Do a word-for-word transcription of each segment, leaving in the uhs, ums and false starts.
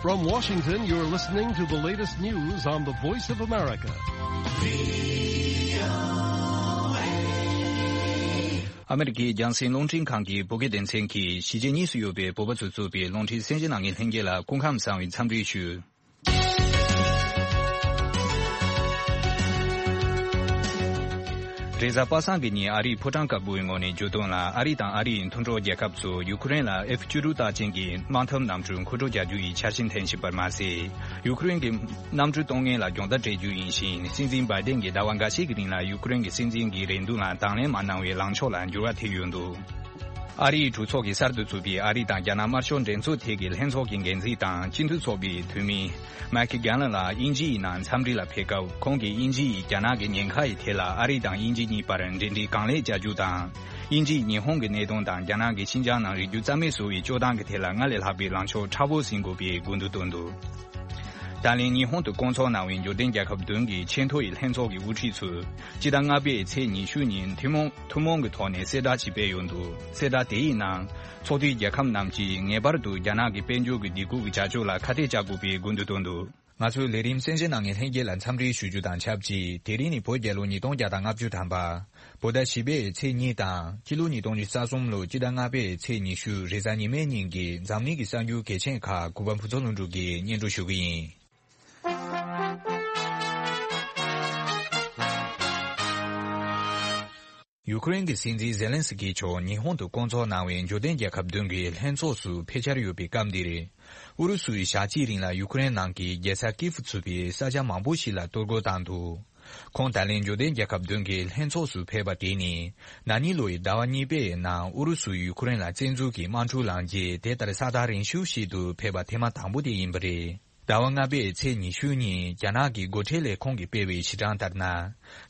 From Washington, you're listening to the latest news on the Voice of America. ཨ་མེ་རི་ཀའི་རྒྱང་སྲིང་རླུང་འཕྲིན་ཁང་གི་བོད་སྐད་སྡེ་ཚན་གྱིས་གཞིས་བྱེས་གཉིས་སུ་ཡོད་པའི་བོད་པ་ཚོས་གཙོས་པའི་རླུང་འཕྲིན་གསན་བཞེས་གནང་མཁན་ལྷན་རྒྱས་ལ་སྐུ་ཁམས་བཟང་བའི་འཚམས་འདྲི་ཞུ། རེས་གཟའ་པ་སངས་ཀྱི་ཉིན་ཨ་རིའི་ཕོ་བྲང་དཀར་པོའི་ངོས་ནས་བརྗོད་དོན་ལ། ཨ་རི་དང་ཨ་རིའི་མཐུན་གྲོགས་རྒྱལ་ཁབ་ཚོས་ཡུ་ཁུ་རེན་ལ་ཨེཕ་བཅུ་དྲུག་རྟགས་ཅན་གྱི་དམག་འཐབ་གནམ་གྲུ་མཁོ་སྤྲོད་བྱ་རྒྱུ་ཡི་འཆར་གཞི་འཐེན་བཞིན་པར་མ་ཟད། ཡུ་ཁུ་རེན་གྱི་གནམ་གྲུ་གཏོང་མཁན་ལ་སྦྱོང་བརྡར་སྤྲད་རྒྱུ་ཡིན་ཞིང་། སྲིད་འཛིན་བྷའི་ཏན་གྱིས་ཟླ་བ་འགའ་ཤས་ཀྱི་རིང་ལ་ཡུ་ཁུ་རེན་གྱི་སྲིད་འཛིན་གྱི་རེ་འདུན་ལ་དང་ལེན་མ་གནང་བའི་ལངས་ཕྱོགས་ལ་འགྱུར་བ་ཐེབས་ཡོད་འདུག་ཨ་རིའི་གྲོས་ཚོགས་ཀྱིས་གསར་དུ་བཙུགས་པའི་ཨ་རི་དང་རྒྱ་ནག་དམར་ཤོག་འགྲན་ཚོགས་ཐད་ཀྱི་ལྷན་ཚོགས་ཀྱི་འགན་འཛིན་དང་སྤྱི་འཐུས་ཚོགས་པའི་འཐུས་མི་མེག་གྷེ་ལན་ལགས་དབྱིན་ཇི་ཡི་ནང་འཚམས་འདྲི་ལ་ཕེབས་སྐབས། ཁོང་གིས་དབྱིན་ཇི་ཡིས་རྒྱ་ནག་གི་ཉེན་ཁ་ཡི་ཐད་ལ་ཨ་རི་དང་དབྱིན་ཇི་གཉིས་བར་འབྲེལ་འདྲིས་གང་ལེགས་བྱ་རྒྱུ་དང་། དབྱིན་ཇིས་ཉི་ཧོང་གི་གནད་དོན་དང་རྒྱ་ནག་གི་ཤིན་ཅང་ནང་རིག་རྒྱུ་རྩ་མེད་བཟོ་བའི་སྤྱོད་སྟངས་ཀྱི་ཐད་ལ་སྔར་ལས་ལྷག་པའི་ལངས་ཕྱོགས་མཁྲེགས་པོ་ཟིན་དགོས་པའི་དགོས་འདུན་བཏོན་འདུག་ད་ལན་ཉི་ཧོང་དུ་བསྐོང་ཚོགས་གནང་བའི་འབྱོར་ལྡན་རྒྱལ་ཁབ་བདུན་གྱི་ཆེས་མཐོ་ཡི་ལྷན་ཚོགས་ཀྱི་དབུ་ཁྲིད་ཚོས་སྤྱི་ཟླ་ལྔ་པའི་ཚེས་ཉི་ཤུ་ཉིན་ཐུན་མོང་ཐུན་མོང་གི་ཐོག་ནས་གསལ་བསྒྲགས་ཤིག་སྤེལ་ཡོད་འདུག་གསལ་བསྒྲགས་དེའི་ནང་། ཚོགས་འཐུས་རྒྱལ་ཁབ་རྣམས་ཀྱིས་ངེས་པར་དུ་རྒྱ་ནག་གི་དཔལ་འབྱོར་གྱི་སྡིགས་སྐུལ་གྱི་བྱ་སྤྱོད་ལ་ཁ་གཏད་གཅོག་དགོས་པའི་དགོས་འདུན་བཏོན་འདུག་ང་ཚོའི་ལས་རིམ་གསན་བཞེས་གནང་མཁན་ལྷན་རྒྱས་ལ་འཚམས་འདྲི་ཞུ་རྒྱུ་དང་ཆབས་ཅིག་དེ་རིང་ནི་བོད་རྒྱལ་ལོ་ཉིས་སྟོང་བརྒྱ་དང་ལྔ་བཅུ་ཐམ་པ། བོད་ཟླ་བཞི་པའི་ཚེས་གཉིས་དང་སྤྱི་ལོ་ཉིས་སྟོང་ཉི་ཤུ་རྩ་གསུམ་ལོ་སྤྱི་ཟླ་ལྔ་པའི་ཚེས་ཉི་ཤུ་རེས་གཟའ་ཉི་མའི་ཉིན་གྱི་འཛམ་གླིང་གི་གསར་འགྱུར་གལ་ཆེན་ཁག་གུས་པ་ཕུན་ཚོགས་ལྷུན་གྲུབ་ཀྱིས་སྙན་སྒྲོན་ཞུ་གི་ཡིན། ཡུ་ཁུ་རེན་གྱི་སྲིད་འཛིན་ཛེ་ལན་སི་ཀི་མཆོག་ཉི་ཧོང་དུ་བསྐོང་ཚོགས་གནང་བའི་འབྱོར་ལྡན་རྒྱལ་ཁབ་བདུན་གྱི་ལྷན་ཚོགས་སུ་ཕེབས་འཆར་ཡོད་པའི་སྐབས་འདིར། ཨུ་རུ་སུ་ཡིས་ཞག་གཅིག་རིང་ལ་ཡུ་ཁུ་རེན་ནང་གི་རྒྱལ་ས་ཀིབ་ཚུད་པའི་ས་ཆ་མང་པོ་ཞིག་ལ་གཏོར་རྒོལ་བཏང་འདུག་ཁོང་ད་ལན་འབྱོར་ལྡན་རྒྱལ་ཁབ་བདུན་གྱི་ལྷན་ཚོགས་སུ་ཕེབས་པ་དེ་ནི། ན་ནིང་ལོའི་ཟླ་བ་གཉིས་པའི་ནང་ཨུ་རུ་སུས་ཡུ་ཁུ་རེན་ལ་བཙན་འཛུལ་གྱིས་དམག་འཁྲུག་ལངས་རྗེས་དེ་ལྟར་ས་ཐག་རིང་ཤོས་ཤིག་ཏུ་ཕེབས་པ་ཐེངས་མ་དང་པོ་དེ་ཡིན་པ་རེད། ཟླ་བ་ལྔ་པའི་ཚེས་ཉི་ཤུ་ཉིན་རྒྱ་ནག་གི་སྒོ་ཁྲལ་ལས་ཁུངས་ཀྱིས་སྤེལ་བའི་གཞི་གྲངས་ལྟར་ན།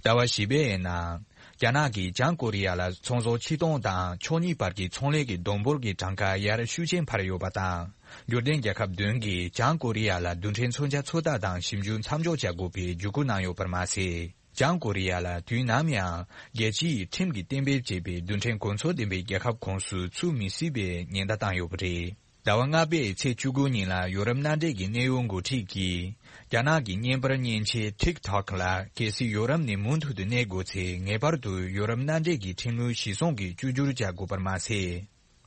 ཟླ་བ་བཞི་པའི་ནང་། རྒྱ་ནག་གིས་བྱང་ཀོ་རི་ཡ་ལ་ཚོང་ཟོག་ཕྱིར་གཏོང་དང་ཕྱོགས་གཉིས་བར་གྱི་ཚོང་ལས་ཀྱི་སྡོང་འབོར་གྱི་གྲངས་ཀ་ཡར་ཤུགས་ཆེན་འཕར་ཡོད་པ་དང་། འབྱོར་ལྡན་རྒྱལ་ཁབ་བདུན་གྱིས་བྱང་ཀོ་རི་ཡ་ལ་རྡུལ་ཕྲན་མཚོན་ཆ་ཚོད་ལྟ་དང་ཞིབ་འཇུག་མཚམས་འཇོག་བྱ་དགོས་པའི་བརྒྱུད་སྐུལ་གནང་ཡོད་པར་མ་ཟད། བྱང་ཀོ་རི་ཡ་ལ་དུས་ནམ་ཡང་རྒྱལ་སྤྱིའི་ཁྲིམས་ཀྱིས་གཏན་འབེབས་བྱས་པའི་རྡུལ་ཕྲན་གོ་མཚོན་ལྡན་པའི་རྒྱལ་ཁབ་ཁོངས་སུ་ཚུད་མི་སྲིད་པའི་ཉེན་བརྡ་བཏང་ཡོད་པ་རེད། ཟླ་བ་ལྔ་པའི་ཚེས་བཅུ་དགུ་ཉིན་ལ་ཡོ་རོབ་མནའ་འབྲེལ་གྱི་གནད་ཡོད་འགོ་ཁྲིད་ཀྱིས། རྒྱ་ནག་གི་བརྙན་པར་མཉེན་ཆས་ཊིག་ཊོག་ལ་གལ་སྲིད་ཡོ་རོབ་ནས་མུ་མཐུད་དུ་གནས་དགོས་ཚེ་ངེས་པར་དུ་ཡོ་རོབ་མནའ་འབྲེལ་གྱི་ཁྲིམས་ལུགས་གཞིར་བཟུང་གིས་བཅོས་བསྒྱུར་བྱ་དགོས་པར་མ་ཟད།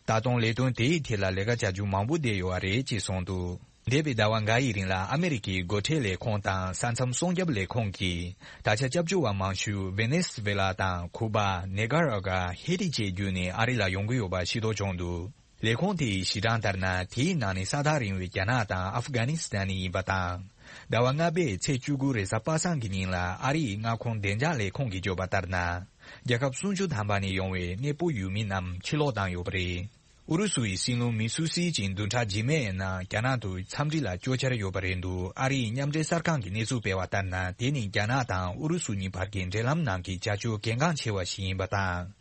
ད་དུང་ལས་དོན་དེའི་ཐད་ལ་ལས་ཀ་བྱ་རྒྱུ་མང་པོ་བསྡད་ཡོད་པ་རེད་ཅེས་གསུངས་འདུག་འདས་པའི་ཟླ་བ་འགའ་ཡི་རིང་ལ་ཨ་མེ་རི་ཀའི་སྒོ་ཁྲལ་ལས་ཁུངས་དང་ས་མཚམས་སྲུང་སྐྱོབ་ལས་ཁུངས་ཀྱིས་ད་ཆ་སྐྱབས་བཅོལ་བ་མང་ཤོས་ཝེ་ནེ་སི་ཝེ་ལ་དང་ཁུ་པ། ནེ་ཀ་ར་ག་ཧེ་ཏི་བཅས་བརྒྱུད་ནས་ཨ་རི་ལ་ཡོང་གི་ཡོད་པ་ཤེས་རྟོགས་བྱུང་འདུག་ལས་ཁུངས་དེའི་གཞི་གྲངས་ལྟར་ན། དེའི་ནང་ནས་ས་ཐག་རིང་བའི་རྒྱ་ནག་དང་ཨབ་གྷ་ནི་སི་ཐན་ཡིན་པ་དང་། ཟླ་བ་ལྔ་པའི་ཚེས་བཅུ་དགུ་རེས་གཟའ་པ་སངས་ཀྱི་ཉིན་ལ་ཨ་རིའི་མངའ་ཁོངས་བདེ་འཇགས་ལས་ཁུངས་ཀྱིས་བརྗོད་པ་ལྟར་ན། རྒྱལ་ཁབ་སུམ་ཅུ་ཐམ་པ་ནས་ཡོང་བའི་གནས་སྤོ་ཡུལ་མི་རྣམས་ཕྱིར་ལོག་བཏང་ཡོད་པ་རེད། ཨུ་རུ་སུ་ཡི་སྲིད་བློན་མི་སུ་སི་ཅིན་བདུན་ཕྲག་རྗེས་མའི་ནང་རྒྱ་ནག་ཏུ་འཚམས་འདྲི་ལ་སྐྱོད་འཆར་ཡོད་པ་རེད་འདུག་ཨ་རིའི་མཉམ་འབྲེལ་གསར་ཁང་གིས་གནས་ཚུལ་སྤེལ་བ་ལྟར་ན། དེ་ནི་རྒྱ་ནག་དང་ཨུ་རུ་སུ་གཉིས་བར་གྱི་འབྲེལ་ལམ་ནང་གི་བྱ་སྤྱོད་གལ་འགངས་ཆེ་བ་ཞིག་ཡིན་པ་དང་།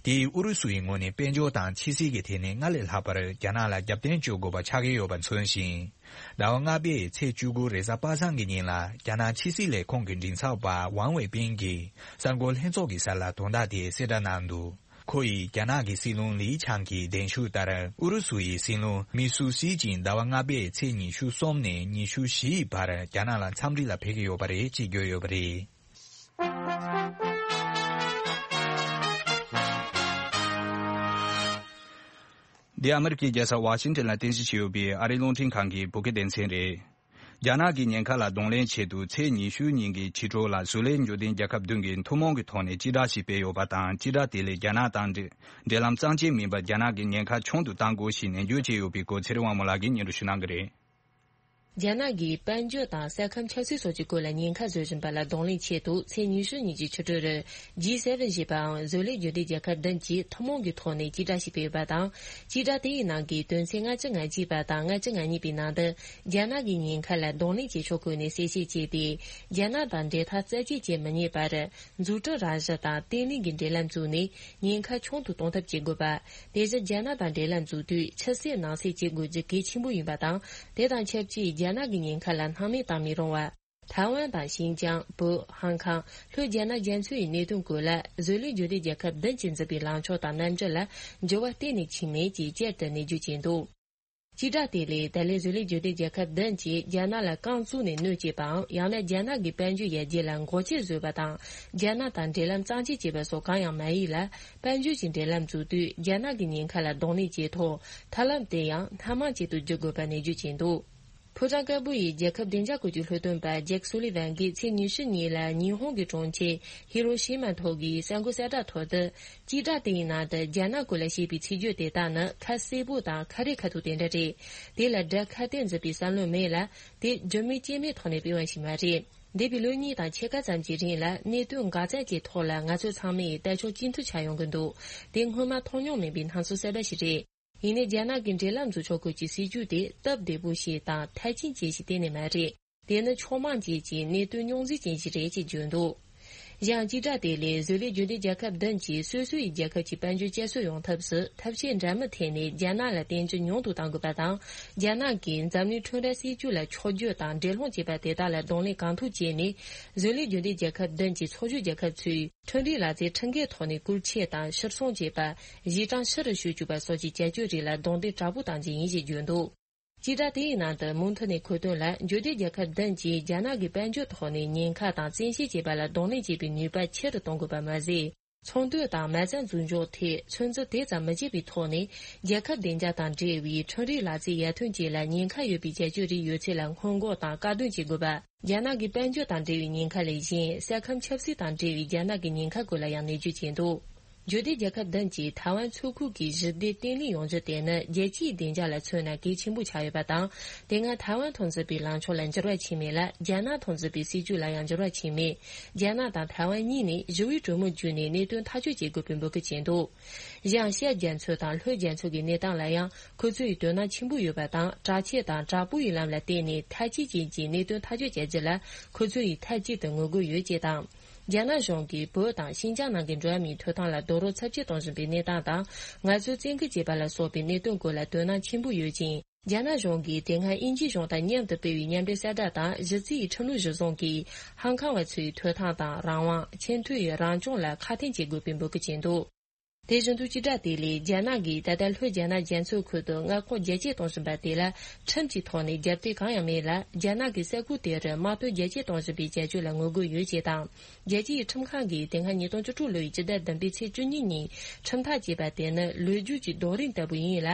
དེས་ཨུ་རུ་སུའི་ངོས་ནས་དཔལ་འབྱོར་དང་ཕྱི་སྲིད་ཀྱི་ཐད་ནས་སྔར་ལས་ལྷག་པར་རྒྱ་ནག་ལ་རྒྱབ་རྟེན་བཅོལ་དགོས་པ་ཆགས་ཀྱི་ཡོད་པ་མཚོན་ཞིང་། ཟླ་བ་ལྔ་པའི་ཚེས་བཅུ་དགུ་རེས་གཟའ་པ་སངས་ཀྱི་ཉིན་ལ་རྒྱ་ནག་ཕྱི་སྲིད་ལས་ཁུངས་ཀྱི་མགྲིན་ཚབ་པ་ཝང་ཝེ་པིན་གྱིས་གསར་འགོད་ལྷན་ཚོགས་ཀྱི་ས་ལ་དོན་དག་དེ་གསལ་བསྒྲགས་གནང་འདུག་ཁོ་ཡིས་རྒྱ་ནག་གི་སྲིད་བློན་ལི་ཆང་གིས་གདན་ཞུས་ལྟར། ཨུ་རུ་སུ་ཡི་སྲིད་བློན་མི་སུ་སི་ཅིན་ཟླ་བ་ལྔ་པའི་ཚེས་ཉི་ཤུ་གསུམ་ནས་ཉི་ཤུ་བཞི་ཡི་བར་རྒྱ་ནག་ལ་འཚམས་འདྲི་ལ་ཕེབས་ཀྱི་ཡོད་པ་རེད་ཅེས་བརྗོད་ཡོད་པ་རེད། འདི་ཨ་མེ་རི་ཀའི་རྒྱལ་ས་ཝ་ཤིང་ཏན་ལ་རྟེན་གཞི་བྱས་ཡོད་པའི་ཨ་རིའི་རླུང་འཕྲིན་ཁང་གི་བོད་སྐད་སྡེ་ཚན་རེད། རྒྱ་ནག་གི་ཉེན་ཁ་ལ་གདོང་ལེན་ཆེད་དུ་ཚེས་ཉི་ཤུ་ཉིན་གྱི་ཕྱི་དྲོ་ལ་བཟོ་ལས་འབྱོར་ལྡན་རྒྱལ་ཁབ་བདུན་གྱིས་ཐུན་མོང་གི་ཐོག་ནས་སྤྱི་བསྒྲགས་ཤིག་སྤེལ་ཡོད་པ་དང་། སྤྱི་བསྒྲགས་དེ་ལས་རྒྱ་ནག་དང་འབྲེལ་འབྲེལ་ལམ་གཙང་ཆེ་མིན་པར་རྒྱ་ནག་གི་ཉེན་ཁ་ཆུང་དུ་གཏང་དགོས་ཞེས་ནན་བརྗོད་བྱས་ཡོད་པའི་སྐོར་ཚེ་རིང་དབང་མོ་ལགས་ཀྱིས་སྙན་སྒྲོན་ཞུ་གནང་གི་རེད། རྒྱ་ནག་གིས་དཔལ་འབྱོར་དང་ས་ཁམས་ཆབ་སྲིད་སོགས་ཀྱི་སྐོར་ལ་ཉེན་ཁ་བཟོ་བཞིན་པ་ལ་གདོང་ལེན་ཆེད་དུ་ཚེས་ཉི་ཤུ་ཉིན་གྱི་ཕྱི་དྲོ་རུ་ཇི་སེ་ཝེན་ཞེས་པའམ་བཟོ་ལས་འབྱོར་ལྡན་རྒྱལ་ཁབ་བདུན་གྱིས་ཐུན་མོང་གི་ཐོག་ནས་སྤྱི་བསྒྲགས་ཤིག་སྤེལ་ཡོད་པ་དང་། སྤྱི་བསྒྲགས་དེའི་ནང་གི་དོན་ཚན་ལྔ་བཅུ་ང་གཅིག་པ་དང་ལྔ་བཅུ་ང་གཉིས་པའི་ནང་དུ། རྒྱ་ནག་གི་ཉེན་ཁ་ལ་གདོང་ལེན་བྱེད་ཕྱོགས་སྐོར་ནས་གསལ་བཤད་བྱས་ཏེ། རྒྱ་ནག་དང་འབྲེལ་ཐག་རྩ་ཆད་བཅད་མི་ཉན་པར། འཛུགས་སྐྲུན་རང་བཞིན་དང་བརྟན་ལྷིང་གི་འབྲེལ་ལམ་བཙུགས་ནས། ཉེན་ཁ་ཆུང་དུ་གཏོང་ཐབས་བྱེད་དགོས་པ། དེ་བཞིན་རྒྱ་ནག་དང་འབྲེལ་ལམ་འཛུགས་དུས་ཕྱི་གསལ་ནང་གསལ་བྱེད་དགོས་རྒྱུ་གལ་ཆེན་པོ་ཡིན་པ་དང་། དེ་དང་ཆབས་ཅིག་རྒྱ་ནག་གི་ཉེན་ཁ་ལ་སྣང་མེད་བཏང་མི་རུང་བ། ཐའེ་ཝན་དང་ཤིན་ཅང་། བོད། ཧང་ཀང་། ལྷོ་རྒྱ་ནག་རྒྱ་མཚོའི་གནད་དོན་སྐོར་ལ་བཟོ་ལས་འབྱོར་ལྡན་རྒྱལ་ཁབ་བདུན་གྱིས་འཛིན་པའི་ལངས་ཕྱོགས་དང་རྣམ་འགྱུར་ལ་འགྱུར་བ་གཏན་ནས་ཕྱིན་མེད་ཅེས་བསྐྱར་དུ་ནན་བརྗོད་བྱས་འདུག་སྤྱི་བསྒྲགས་དེ་ལས་ད་ལན་བཟོ་ལས་སྒྱུར་ལྡན་རྒྱལ་ཁབ་བདུན་གྱིས་རྒྱ་ནག་ལ་རྐང་བཙུགས་ནས་གནོད་བྱེད་པའམ། ཡང་ན་རྒྱ་ནག་གི་དཔལ་འབྱོར་ཡར་རྒྱས་ལ་འགོག་རྐྱེན་བཟོས་པ་དང་། རྒྱ་ནག་དང་འབྲེལ་ལམ་གཙང་བཅད་བྱས་པ་སོགས་གང་ཡང་མ་ཡིན་ལ། དཔལ་འབྱོར་གྱི་འབྲེལ་ལམ་བཙུགས་དུས་རྒྱ་ནག་གི་ཉེན་ཁ་ལ་གདོང་ལེན་བྱེད་ཐོག་ཐབས་ལམ་དེ་ཡང་སྣ་མང་ཅན་དུ་བསྒྱུར་དགོས་པ་ནན་བརྗོད་བྱས་འདུག་ཕོ་བྲང་དཀར་པོ་ཡི་རྒྱལ་ཁབ་བདེ་འཇགས་སྐོར་གྱི་ལྷོ་སྟོན་པ་ཇེག་སུ་ལི་ཝན་གྱིས་ཚེས་ཉི་ཤུ་ཉིན་ལ་ཉི་ཧོང་གི་གྲོང་ཁྱེར་ཧི་རོ་ཤི་མ་ཐོག་གི་གསར་འགོད་གསལ་བསྒྲགས་ཐོག་ཏུ། སྤྱི་བསྒྲགས་དེའི་ནང་དུ་རྒྱ་ནག་སྐོར་ལ་བཤད་པའི་ཚིག་བརྗོད་དེ་དག་ནི་ཁ་གསལ་པོ་དང་ཁ་རི་ཁ་ཐུག་དེ་འདྲ་རེད། དེ་ལ་དགྲ་ཁ་གཏད་འཛིན་པའི་བསམ་བློ་མེད་ལ། དེ་རྒྱུ་མེད་རྐྱེན་མེད་ཐོག་ནས་སྤེལ་བ་ཞིག་མ་རེད། འདས་པའི་ལོ་གཉིས་དང་ཕྱེད་ཀ་ཙམ་གྱི་རིང་ལ་གནད་དོན་འགག་རྩ་དེའི་ཐོག་ལ་ང་ཚོ་ཚང་མས་དལ་འབྱོར་གཅིག་མཐུན་ཆགས་ཡོང་གི་འདུག་དེ་སྔོན་མ་མཐོང་མྱོང་མེད་པའི་སྣང་ཚུལ་གསར་པ་ཞིག་རེད། ཡིན་ནའི་རྒྱ་ནག་གི་འབྲེལ་ལམ་འཛུགས་ཕྱོགས་སྐོར་གྱི་སྲིད་ཇུས་དེ་སྟབས་བདེ་པོ་ཞིག་དང་མཐར་ཕྱིན་ཅན་ཞིག་གཏན་ནས་མ་རེད། དེ་ནི་ཕྱོགས་མང་ཅན་གྱི་གནད་དོན་རྙོག་འཛིང་ཅན་ཞིག་རེད་ཅེས་བརྗོད་འདུག་གཞན་སྤྱི་བསྒྲགས་དེ་ལས་བཟོ་ལས་རྒྱུན་ལྡན་རྒྱལ་ཁབ་བདུན་གྱིས་སོ་སོ་ཡི་རྒྱལ་ཁབ་ཀྱི་དཔལ་འབྱོར་བསྐྱར་གསོ་ཡོང་ཐབས་སུ་ཐབས་ཤེས་འདྲ་མིན་འཐེན་ནས་རྒྱ་ནག་ལ་བརྟེན་རྒྱུ་ཉུང་དུ་གཏང་དགོས་པ་དང་། རྒྱ་ནག་གིས་འཛམ་གླིང་ཁྲོམ་ར་སྲིད་ཇུས་ལ་ཕྱོགས་བསྒྱུར་དང་འགྲན་སློང་བྱེད་པ་དེ་དག་ལ་གདོང་ལེན་གང་ཐུབ་བྱས་ནས། བཟོ་ལས་རྒྱུན་ལྡན་རྒྱལ་ཁབ་བདུན་གྱི་ཚོགས་ཞུགས་རྒྱལ་ཁབ་ཚོས་ཁྲིམས་རིག་ལག་རྩལ་ཁྲིམས་འགལ་ཐོག་ནས་བཀོལ་སྤྱོད་དང་ཕྱིར་ཚོང་བྱེད་པ། གཞི་གྲངས་ཕྱི་རུ་བཤོལ་བཅུག་པ་སོགས་ཀྱི་བྱ་སྤྱོད་རིགས་ལ་རྡུང་རྡེག་དྲག་པོ་བཏང་རྒྱུ་ཡིན་ཞེས་བརྗོད་འདུག་སྤྱི་བསྒྲགས་དེའི་ནང་དུ་མུ་མཐུད་ནས་འཁོད་དོན་ལ། འབྱོར་ལྡན་རྒྱལ་ཁབ་བདུན་གྱིས་རྒྱ་ནག་གི་དཔལ་འབྱོར་ཐོག་ནས་ཉེན་ཁ་དང་བཙན་ཤེད་བྱེད་པ་ལ་གདོང་ལེན་བྱེད་པའི་ནུས་པ་ཆེ་རུ་གཏོང་དགོས་པ་མ་ཟད། ཚོང་དོན་དང་མ་རྩ་འཛུགས་འཇོག་ཐད་ཚོད་འཛིན་དེ་ཙམ་མི་བྱེད་པའི་ཐོག་ནས། རྒྱལ་ཁབ་བདེ་འཇགས་དང་འབྲེལ་བའི་ཁྲིམས་རིག་ལག་རྩལ་ཡར་ཐོན་བཅས་ལ་ཉེན་ཁ་ཡོད་པའི་བྱ་སྤྱོད་རིགས་ཡོད་ཚད་ལ་སྔོན་འགོག་དང་བཀག་སྡོམ་བྱེད་དགོས་པ། རྒྱ་ནག་གི་དཔལ་འབྱོར་དང་འབྲེལ་བའི་ཉེན་ཁ་ལས་གཞན། ས་ཁམས་ཆབ་སྲིད་དང་འབྲེལ་བའི་རྒྱ་ནག་གི་ཉེན་ཁ་སྐོར་ལ་ཡང་ནན་བརྗོད་བྱས་འདུག་འབྱོར་ལྡན་རྒྱལ་ཁབ་བདུན་གྱིས་ཐའེ་ཝན་མཚོ་ཁུལ་གྱི་ཞི་བདེ་བརྟན་ལྷིང་ཡོང་རྒྱུ་དེ་ནི་རྒྱལ་སྤྱིའི་བདེ་འཇགས་ལ་མཚོན་ན་གལ་ཆེན་པོ་ཆགས་ཡོད་པ་དང་། དེ་སྔ་ཐའེ་ཝན་དང་འཛིན་པའི་ལངས་ཕྱོགས་ལ་འགྱུར་བ་ཕྱིན་མེད་ལ། རྒྱ་ནག་དང་འཛིན་པའི་སྲིད་ཇུས་ལ་ཡང་འགྱུར་བ་ཕྱིན་མེད། རྒྱ་ནག་དང་ཐའེ་ཝན་གཉིས་ནས་ཞི་བའི་གྲོས་མོལ་བརྒྱུད་ནས་གནད་དོན་ཐག་གཅོད་བྱེད་དགོས་པའི་འབོད་སྐུལ་བྱས་འདུག་གཞན་ཤར་རྒྱ་མཚོ་དང་ལྷོ་རྒྱ་མཚོ་གི་གནས་སྟངས་ལ་ཡང་ཁོ་ཚོས་དོ་སྣང་ཆེན་པོ་ཡོད་པ་དང་། དྲག་ཆས་དང་དྲག་པོའི་ལམ་ལ་བརྟེན་ནས་མཐའ་དཔྱད་ཅན་གྱི་གནད་དོན་ཐག་གཅོད་བྱ་རྒྱུ་ལ་ཁོ་ཚོ་ཡིས་མཐའ་གཅིག་ཏུ་ངོ་རྒོལ་ཡོད་ཅེས་དང་། རྒྱ་ནག་གཞུང་གིས་བོད་དང་ཤིན་ཅང་ནང་གི་འགྲོ་བ་མིའི་ཐོབ་ཐང་ལ་རྡོག་རོལ་ཚབས་ཆེ་གཏོང་བཞིན་པའི་གནས་སྟངས་དང་། ང་ཚོའི་བཙན་སྐུལ་བྱས་པ་ལ་སོགས་པའི་གནད་དོན་སྐོར་ལ་དོ་སྣང་ཆེན་པོ་ཡོད་ཅིང་། རྒྱ་ནག་གཞུང་གིས་དེ་སྔ་དབྱིན་ཇིའི་གཞུང་དང་མཉམ་དུ་སྤེལ་བའི་མཉམ་འབྲེལ་གསལ་བསྒྲགས་དང་། གཞི་རྩའི་ཁྲིམས་ལུགས་གཞིར་བཟུང་གིས་ཧང་ཁང་བ་ཚོའི་ཐོབ་ཐང་དང་རང་དབང་། ཆེས་མཐོའི་རང་སྐྱོང་ལ་ཁ་གཏད་བྱེད་དགོས་པའི་འབོད་སྐུལ་བྱས་འདུག་དེ་བཞིན་དུ་སྤྱི་བསྒྲགས་དེ་ལས། རྒྱ་ནག་གིས་ད་ལྟ་ལྷོ་རྒྱ་ནག་རྒྱ་མཚོའི་ཁུལ་དུ་མངའ་ཁོངས་རྒྱ་སྐྱེད་གཏོང་བཞིན་པ་དེ་ལ་ཁྲིམས་ཀྱི་ཐོག་ནས་རྒྱབ་གཏད་གང་ཡང་མེད་ལ། རྒྱ་ནག་གིས་ས་ཁུལ་དེར་དམག་དོན་རྒྱ་སྐྱེད་གཏོང་བཞིན་པའི་བྱ་སྤྱོད་ལ་ངོ་རྒོལ་ཡོད་ཅེས་དང་། རྒྱལ་སྤྱིའི་ཁྲིམས་ཁང་གིས་དེ་སྔ་ཉིས་སྟོང་བཅུ་དྲུག་ལོའི་སྤྱི་ཟླ་བདུན་པའི་ཚེས་བཅུ་གཉིས་ཉིན་ཁྲིམས་ཐག་བཅད་པ་དེ་ནི་ལོ་རྒྱུས་ཀྱི་རྡོ་རིང་ལྟ་བུ་ཡིན་ལ།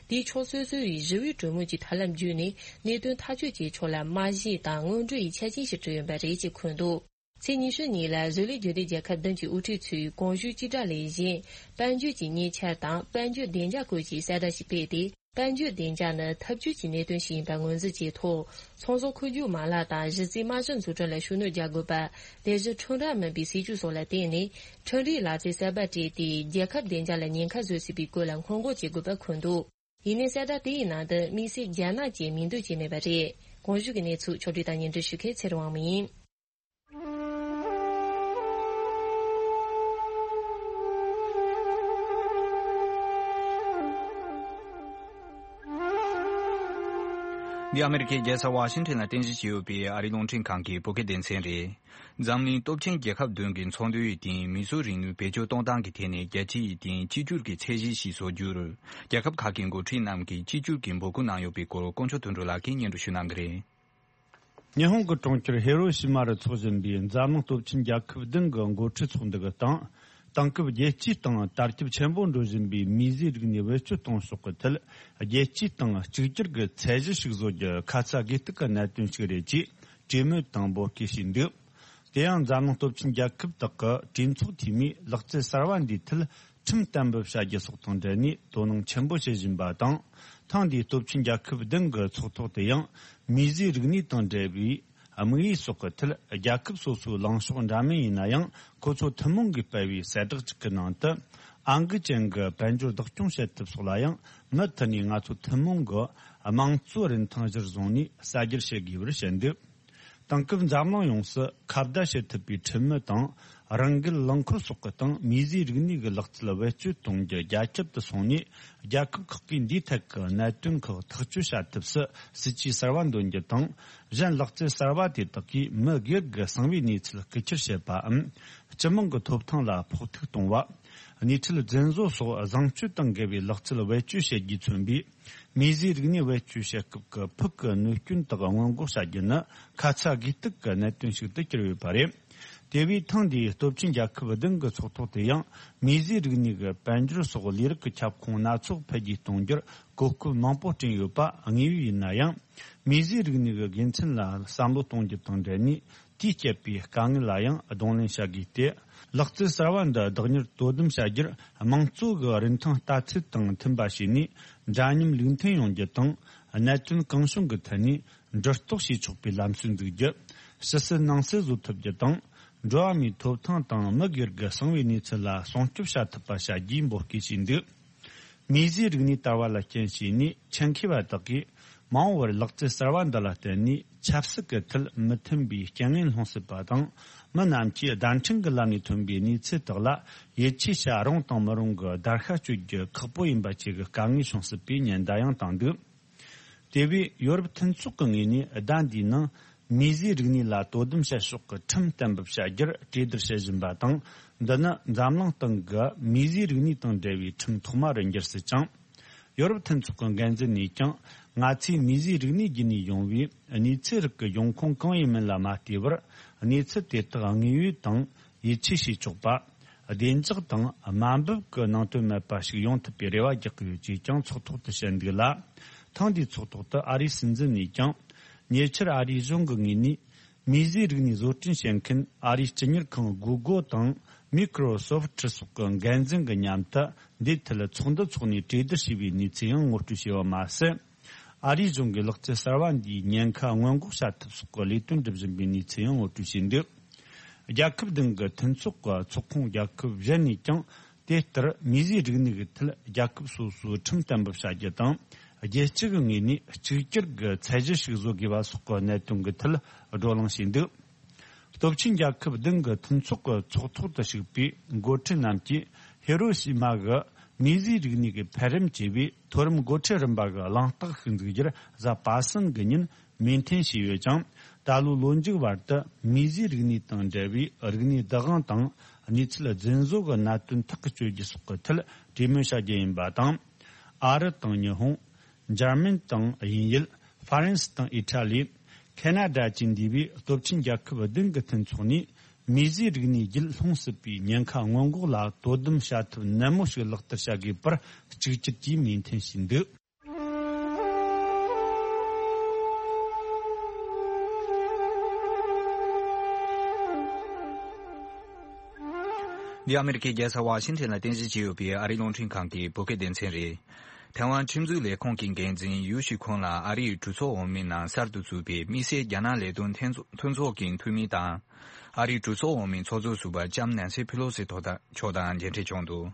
དེས་ཕྱོགས་སོ་སོ་ཡིས་ཞི་བའི་གྲོས་མོལ་གྱི་ཐབས་ལམ་བརྒྱུད་ནས་གནད་དོན་ཐག་གཅོད་བྱེད་ཕྱོགས་ལ་རྨང་གཞི་དང་སྔོན་འགྲོ་ཡི་ཆ་རྐྱེན་ཞིག་བསྐྲུན་ཡོད་པ་རེད་ཅེས་འཁོད་འདུག་ཚེས་ཉི་ཤུ་ཉིན་ལ་བཟོ་ལས་རྒྱུན་ལྡན་རྒྱལ་ཁབ་བདུན་གྱི་དབུ་ཁྲིད་ཚོས་གོང་ཞུས་སྤྱི་བསྒྲགས་ལས་གཞན། དཔལ་འབྱོར་གྱི་གཉེར་ཆ་དང་དཔལ་འབྱོར་བདེ་འཇགས་སྐོར་གྱི་གསལ་བསྒྲགས་ཤིག་སྤེལ་ཏེ། དཔལ་འབྱོར་བདེ་འཇགས་ནི་འཐབ་ཇུས་ཀྱི་གནད་དོན་ཞིག་ཡིན་པ་ངོས་འཛིན་བྱས་ཐོག་ཚོང་ཟོག་མཁོ་སྒྱུར་མ་ལག་དང་གཞི་རྩའི་རྨང་གཞི་འཛུགས་སྐྲུན་ལ་ཤུགས་སྣོན་རྒྱག་དགོས་པ། དེ་བཞིན་ཁྲོམ་ར་མིན་པའི་སྲིད་ཇུས་སོགས་ལ་བརྟེན་ནས། ཁྲིམས་རིག་ལག་རྩལ་གསར་པ་སྤྲད་དེ། རྒྱལ་ཁབ་བདེ་འཇགས་ལ་ཉེན་ཁ་བཟོ་སྲིད་པའི་བཀོད་ལ་སྔོན་འགོག་བྱེད་དགོས་པ་འཁོད་འདུག་ཡིན་ནའི་གསལ་བསྒྲགས་དེའི་ནང་དུ་དམིགས་བསལ་རྒྱ་ནག་ཅེས་མིང་འདོན་བྱས་མེད་པ་རེད། གོང་ཞུས་ཀྱི་གནས་ཚུལ་ཕྱོགས་བསྒྲིགས་དང་སྙན་སྒྲོན་ཞུ་མཁན་ཚེ་རིང་དབང་མོ་ཡིན། འདི་ཨ་མེ་རི་ཁའི་རྒྱལ་ས་ཝ་ཤིང་ཊོན་ལ་རྟེན་གཞི་བྱས་ཡོད་པའི་ཨ་རིའི་རླུང་འཕྲིན་ཁང་གི་བོད་སྐད་སྡེ་ཚན་རེད། འཛམ་གླིང་སྟོབས་ཆེན་རྒྱལ་ཁབ་བདུན་གྱི་ཚོགས་འདུའི་སྟེང་མིས་བཟོས་རིག་ནུས་བེད་སྤྱོད་གཏོང་སྟངས་ཀྱི་ཐད་ནས་རྒྱལ་སྤྱིའི་སྟེང་གཅིག་གྱུར་གྱི་ཚད་གཞི་ཞིག་བཟོ་རྒྱུར། རྒྱལ་ཁབ་ཁག་གི་འགོ་ཁྲིད་རྣམས་ཀྱིས་གཅིག་གྱུར་གྱི་འབོད་སྐུལ་གནང་ཡོད་པའི་སྐོར་དཀོན་མཆོག་དོན་གྲུབ་ལགས་ཀྱིས་སྙན་སྒྲོན་ཞུ་གནང་གི་རེད། ཉི་ཧོང་གི་གྲོང་ཁྱེར་ཧི་རོ་ཤི་མ་རུ་འཚོགས་བཞིན་པའི་འཛམ་གླིང་སྟོབས་ཆེན་རྒྱལ་ཁབ་བདུན་གྱི་འགོ་ཁྲིད་ཚོགས་འདུ་གི་སྟེང་། དེང་སྐབས་རྒྱལ་སྤྱིའི་སྟེང་དར་ཁྱབ་ཆེན་པོ་འགྲོ་བཞིན་པའི་མིས་བཟོས་རིག་ནུས་བེད་སྤྱོད་གཏོང་ཕྱོགས་ཀྱི་ཐད། རྒྱལ་སྤྱིའི་སྟེང་གཅིག་གྱུར་གྱི་ཚད་གཞི་ཞིག་བཟོ་རྒྱུ་ཁ་ཚ་དགོས་གཏུགས་ཀྱི་གནད་དོན་ཞིག་རེད་ཅེས་གྲོས་མོལ་དང་འབོད་སྐུལ་བྱས་འདུག་དེ་ཡང་འཛམ་གླིང་སྟོབས་ཆེན་རྒྱལ་ཁབ་དག་གི་གྲོས་ཚོགས་འཐུས་མིས་ལག་རྩལ་གསར་བ་འདིའི་ཐད་ཁྲིམས་གཏན་འབེབས་བྱ་རྒྱུ་སོགས་དང་འབྲེལ་ནས་དོ་སྣང་ཆེན་པོ་བྱེད་བཞིན་པ་དང་། ཐེངས་འདིའི་སྟོབས་ཆེན་རྒྱལ་ཁབ་བདུན་གྱི་ཚོགས་ཐོག་དུ་ཡང་མིས་བཟོས་རིག་གནས་དང་འབྲེལ་བའི་དམིགས་ཡུལ་སོགས་ཀྱི་ཐད་རྒྱལ་ཁབ་སོ་སོའི་ལངས་ཕྱོགས་འདྲ་མིན་ཡིན་ན་ཡང་། ཁོ་ཚོ་ཐུན་མོང་གིས་སྤེལ་བའི་གསལ་བསྒྲགས་གཅིག་གི་ནང་དུ། ཨང་ཀི་ཅན་གྱི་དཔལ་འབྱོར་བདག་སྐྱོང་བྱེད་ཐབས་སོགས་ལ་ཡང་མུ་མཐུད་ནས་ང་ཚོ་ཐུན་མོང་གི་དམངས་གཙོའི་རིན་ཐང་གཞིར་བཟུང་ནས་གསར་སྒྱུར་བྱེད་དགོས་པར་བཤད་འདུག་དེང་སྐབས་འཛམ་གླིང་ཡོངས་སུ་ཁ་བརྡ་བྱེད་ཐུབ་པའི་ཁྲིམས་མི་དང་ རང་འགུལ་རླངས་འཁོར་སོགས་ཀྱི་སྟེང་མིས་བཟོས་རིག་གནས་ཀྱི་ལག་རྩལ་བེད་སྤྱོད་གཏོང་རྒྱུ་རྒྱ་ཁྱབ་ཏུ་སོང་ནས། རྒྱལ་ཁབ་ཁག་གིས་འདིའི་ཐད་ཀྱི་གནད་དོན་ཁག་ཐག་གཅོད་བྱ་ཐབས་སུ་སྲིད་ཇུས་གསར་བ་འདོན་རྒྱུ་དང་། གཞན་ལག་རྩལ་གསར་བ་དེ་དག་གིས་མི་སྒེར་གྱི་གསང་བའི་གནས་ཚུལ་རྐུ་འཁྱེར་བྱེད་པའམ། སྤྱི་དམངས་ཀྱི་ཐོབ་ཐང་ལ་ཕོག་ཐུག་གཏོང་བ། གནས་ཚུལ་རྫུན་བཟོ་སོགས་བཟང་སྤྱོད་དང་འགལ་བའི་ལག་རྩལ་བེད་སྤྱོད་བྱེད་རྒྱུས་མཚོན་པའི་མིས་བཟོས་རིག་གནས་བེད་སྤྱོད་བྱེད་སྐབས་ཀྱི་ཕུགས་ཀྱི་གནོད་སྐྱོན་དག་སྔོན་འགོག་བྱ་རྒྱུ་ནི་ཁ་ཚ་དགོས་གཏུགས་ཀྱི་གནད་དོན་ཞིག་ཏུ་གྱུར་ཡོད་པ་རེད། དེ་བས་ཐེངས་འདིའི་སྟོབས་ཆེན་རྒྱལ་ཁབ་བདུན་གྱི་ཚོགས་ཐོག་དེ་ཡང་མིས་བཟོས་རིག་གནས་ཀྱི་དཔལ་འབྱོར་སོགས་ལས་རིགས་ཀྱི་ཁྱབ་ཁོངས་སྣ་ཚོགས་འཕེལ་རྒྱས་གཏོང་རྒྱུར་གོ་སྐབས་མང་པོ་བསྐྲུན་ཡོད་པ་དངོས་ཡོད་ཡིན་ན་ཡང་། མིས་བཟོས་རིག་གནས་ཀྱི་དགེ་མཚན་ལ་བསམ་བློ་གཏོང་རྒྱུ་དང་འབྲེལ་ནས། དེས་བསྐྱེད་པའི་དཀའ་ངལ་ལ་ཡང་གདོང་ལེན་བྱ་དགོས་ཏེ། ལག་རྩལ་གསར་བ་འདི་བདག་གཉེར་དོ་དམ་བྱ་རྒྱུར་དམངས་གཙོ་གི་རིན་ཐང་ལྟ་ཚུལ་དང་མཐུན་པ་བྱས་ནས་འདྲ་མཉམ་ལུགས་མཐུན་ཡོང་རྒྱུ་དང་། གནད་དོན་གང་བྱུང་གི་ཐད་ནས་འདྲི་རྟོག་བྱེད་ཆོག་པའི་ལམ་སྲོལ་འཛུགས་རྒྱུ། ཕྱི་གསལ་ནང་གསལ་བཟོ་ཐུབ་རྒྱུ་དང་། འགྲོ་བ་མིའི་ཐོབ་ཐང་དང་མི་སྒེར་གྱི་གསང་བའི་གནས་ཚུལ་ལ་སྲུང་སྐྱོབ་བྱ་ཐུབ་པ་བྱ་རྒྱུའི་འབོད་སྐུལ་བྱས་འདུག་མིས་བཟོས་རིག་གནས་དར་བ་ལ་རྐྱེན་བྱས་ནས་ཆེད་མཁས་པ་དག་གིས་མ་འོངས་པར་ལག་རྩལ་གསར་བ་འདི་ལ་བརྟེན་ནས་ཆབ་སྲིད་ཀྱི་ཐད་མི་མཐུན་པའི་རྐྱེན་ངན་སློང་སྲིད་པ་དང་། མི་རྣམས་ཀྱིས་བརྡ་འཕྲིན་གྱི་ལམ་ནས་ཐོན་པའི་གནས་ཚུལ་དག་ལ་ཡིད་ཆེས་བྱ་རུང་དང་མི་རུང་གི་བརྡར་ཤ་གཅོད་རྒྱུ་ཁག་པོ་ཡིན་པ་བཅས་ཀྱི་དཀའ་ངལ་བྱུང་སྲིད་པའི་ཉེན་བརྡ་ཡང་བཏང་འདུག་དེ་བས་ཡོ་རོབ་མཐུན་ཚོགས་ཀྱི་ངོས་ནས་ཟླ་འདིའི་ནང་མིས་བཟོས་རིག་གནས་ལ་དོ་དམ་བྱེད་ཕྱོགས་ཀྱི་ཁྲིམས་གཏན་འབེབས་བྱ་རྒྱུར་གྲོས་བསྡུར་བྱེད་བཞིན་པ་དང་། འདི་ནི་འཛམ་གླིང་སྟེང་གི་མིས་བཟོས་རིག་གནས་དང་འབྲེལ་བའི་ཁྲིམས་ཐོག་མ་རུ་འགྱུར་སྲིད་ཅིང་། ཡོ་རོབ་མཐུན་ཚོགས་ཀྱི་འགན་འཛིན་ནས་ཀྱང་། ང་ཚོས་མིས་བཟོས་རིག་གནས་བརྒྱུད་ནས་ཡོང་བའི་གནས་ཚུལ་རིགས་ཀྱི་འབྱུང་ཁུངས་གང་ཡིན་མིན་ལ་མ་ལྟོས་པར། གནས་ཚུལ་དེ་དག་དངོས་ཡོད་དང་ཡིད་ཆེས་བྱེད་ཆོག་པ། བདེ་འཇགས་དང་དམའ་འབེབས་ཀྱི་ནང་དོན་མེད་པ་ཞིག་ཡོང་ཐུབ་པའི་རེ་བ་རྒྱག་གི་ཡོད་ཅེས་ཀྱང་ཚོགས་ཐོག་ཏུ་བཤད་འདུག་ལ། ཐེངས་འདིའི་ཚོགས་ཐོག་ཏུ་ཨ་རིའི་སྲིད་འཛིན་ནས་ཀྱང་། ཉེ་ཆར་ཨ་རིའི་གཞུང་གི་ངོས་ནས། མིས་བཟོས་རིག་གནས་བཟོ་སྐྲུན་བྱེད་མཁན་ཨ་རིའི་སྤྱི་གཉེར་ཁང་Google་དང་Microsoft་སོགས་ཀྱི་འགན་འཛིན་གྱི་མཉམ་དུ་འདིའི་ཐད་ཚོགས་འདུ་འཚོགས་ནས་གྲོས་བསྡུར་བྱས་པའི་གནས་ཚུལ་ཡང་ངོ་སྤྲོད་བྱས་པ་མ་ཟད། ཨ་རིའི་གཞུང་གིས་ལག་རྩལ་གསར་བ་འདིའི་ཉེན་ཁ་སྔོན་འགོག་བྱ་ཐབས་སོགས་ཀྱི་ལས་དོན་སྒྲུབ་བཞིན་པའི་གནས་ཚུལ་ཡང་ངོ་སྤྲོད་བྱས་འདུག་རྒྱལ་ཁབ་བདུན་གྱི་མཐུན་ཚོགས་ཀྱི་ཚོགས་ཁོངས་རྒྱལ་ཁབ་གཞན་ནས་ཀྱང་། དེ་ལྟར་མིས་བཟོས་རིག་གནས་ཀྱི་ཐད་རྒྱལ་ཁབ་སོ་སོའི་ཁྲིམས་གཏན་འབེབས་བྱ་རྒྱུ་དང་། རྒྱལ་སྤྱི་གི་ངོས་ནས་གཅིག་གྱུར་གྱི་ཚད་གཞི་ཞིག་བཟོ་དགོས་པ་སོགས་ཀྱི་གནད་དོན་གྱི་ཐད་བགྲོ་གླེང་བྱས་འདུག་སྟོབས་ཆེན་རྒྱལ་ཁབ་བདུན་གྱི་མཐུན་ཚོགས་ཀྱི་ཚོགས་ཐོག་ཏུ་ཞུགས་པའི་འགོ་ཁྲིད་རྣམས་ཀྱིས་ཧི་རོ་ཤི་མ་གི་མིས་བཟོས་རིག་གནས་ཀྱི་འཕེལ་རིམ་ཅེས་པའི་མཐོ་རིམ་འགོ་ཁྲིད་རིམ་པ་གྱི་གླེང་སྟེགས་ཤིག་འཛུགས་རྒྱུར་གཟའ་པ་སངས་ཀྱི་ཉིན་མོས་མཐུན་བྱས་ཡོད་ཅིང་། ད་ལོའི་ལོ་མཇུག་བར་དུ་མིས་བཟོས་རིག་གནས་དང་འབྲེལ་བའི་རིག་གནས་བདག་དབང་དང་གནས་ཚུལ་རྫུན་བཟོ་གི་གནད་དོན་ཐག་གཅོད་རྒྱུ་སོགས་ཀྱི་ཐད་གྲོས་མོལ་བྱ་རྒྱུ་ཡིན་པ་དང་། ཨ་རི་དང་ཉི་ཧོང་། འཇར་མན་དང་དབྱིན་ཡུལ། ཧྥ་རན་སི་དང་ཨི་ཊ་ལི། ཁེ་ན་ཌ་བཅས་འདུས་པའི་སྟོབས་ཆེན་རྒྱལ་ཁབ་བདུན་གྱི་མཐུན་ཚོགས་ནས། མིས་བཟོས་རིག་གནས་རྒྱུད་ལྷུང་སྲིད་པའི་ཉེན་ཁ་སྔོན་འགོག་ལ་དོ་དམ་བྱ་ཐབས་ནན་མོ་ཞིག་ལག་བསྟར་བྱ་དགོས་པར་གཅིག་གྱུར་གྱིས་མོས་མཐུན་བྱས་འདུག་འདི་ཨ་མེ་རི་ཁའི་རྒྱལ་ས་ཝ་ཤིང་ཊོན་ལ་རྟེན་གཞི་བྱས་ཡོད་པའི་ཨ་རིའི་རླུང་འཕྲིན་ཁང་གི་བོད་སྐད་སྡེ་ཚན་རེད། ཐའེ་ཝན་ཁྲིམས་འཛུགས་ལས་ཁུངས་ཀྱི་འགན་འཛིན་ཡུའུ་ཤི་ཁོན་ལ་ཨ་རིའི་གྲོས་ཚོགས་འོག་མའི་ནང་གསར་དུ་བཙུགས་པའི་དམིགས་བསལ་རྒྱ་ནག་ལས་དོན་མཐུན་ཚོགས་ཀྱི་འཐུས་མི་དང་། ཨ་རིའི་གྲོས་ཚོགས་འོག་མའི་ཚོགས་གཙོ་ཟུར་པ་ལྕམ་ནན་སི་ཕི་ལོ་སི་མཆོག་དང་མཇལ་འཕྲད་བྱུང་འདུག་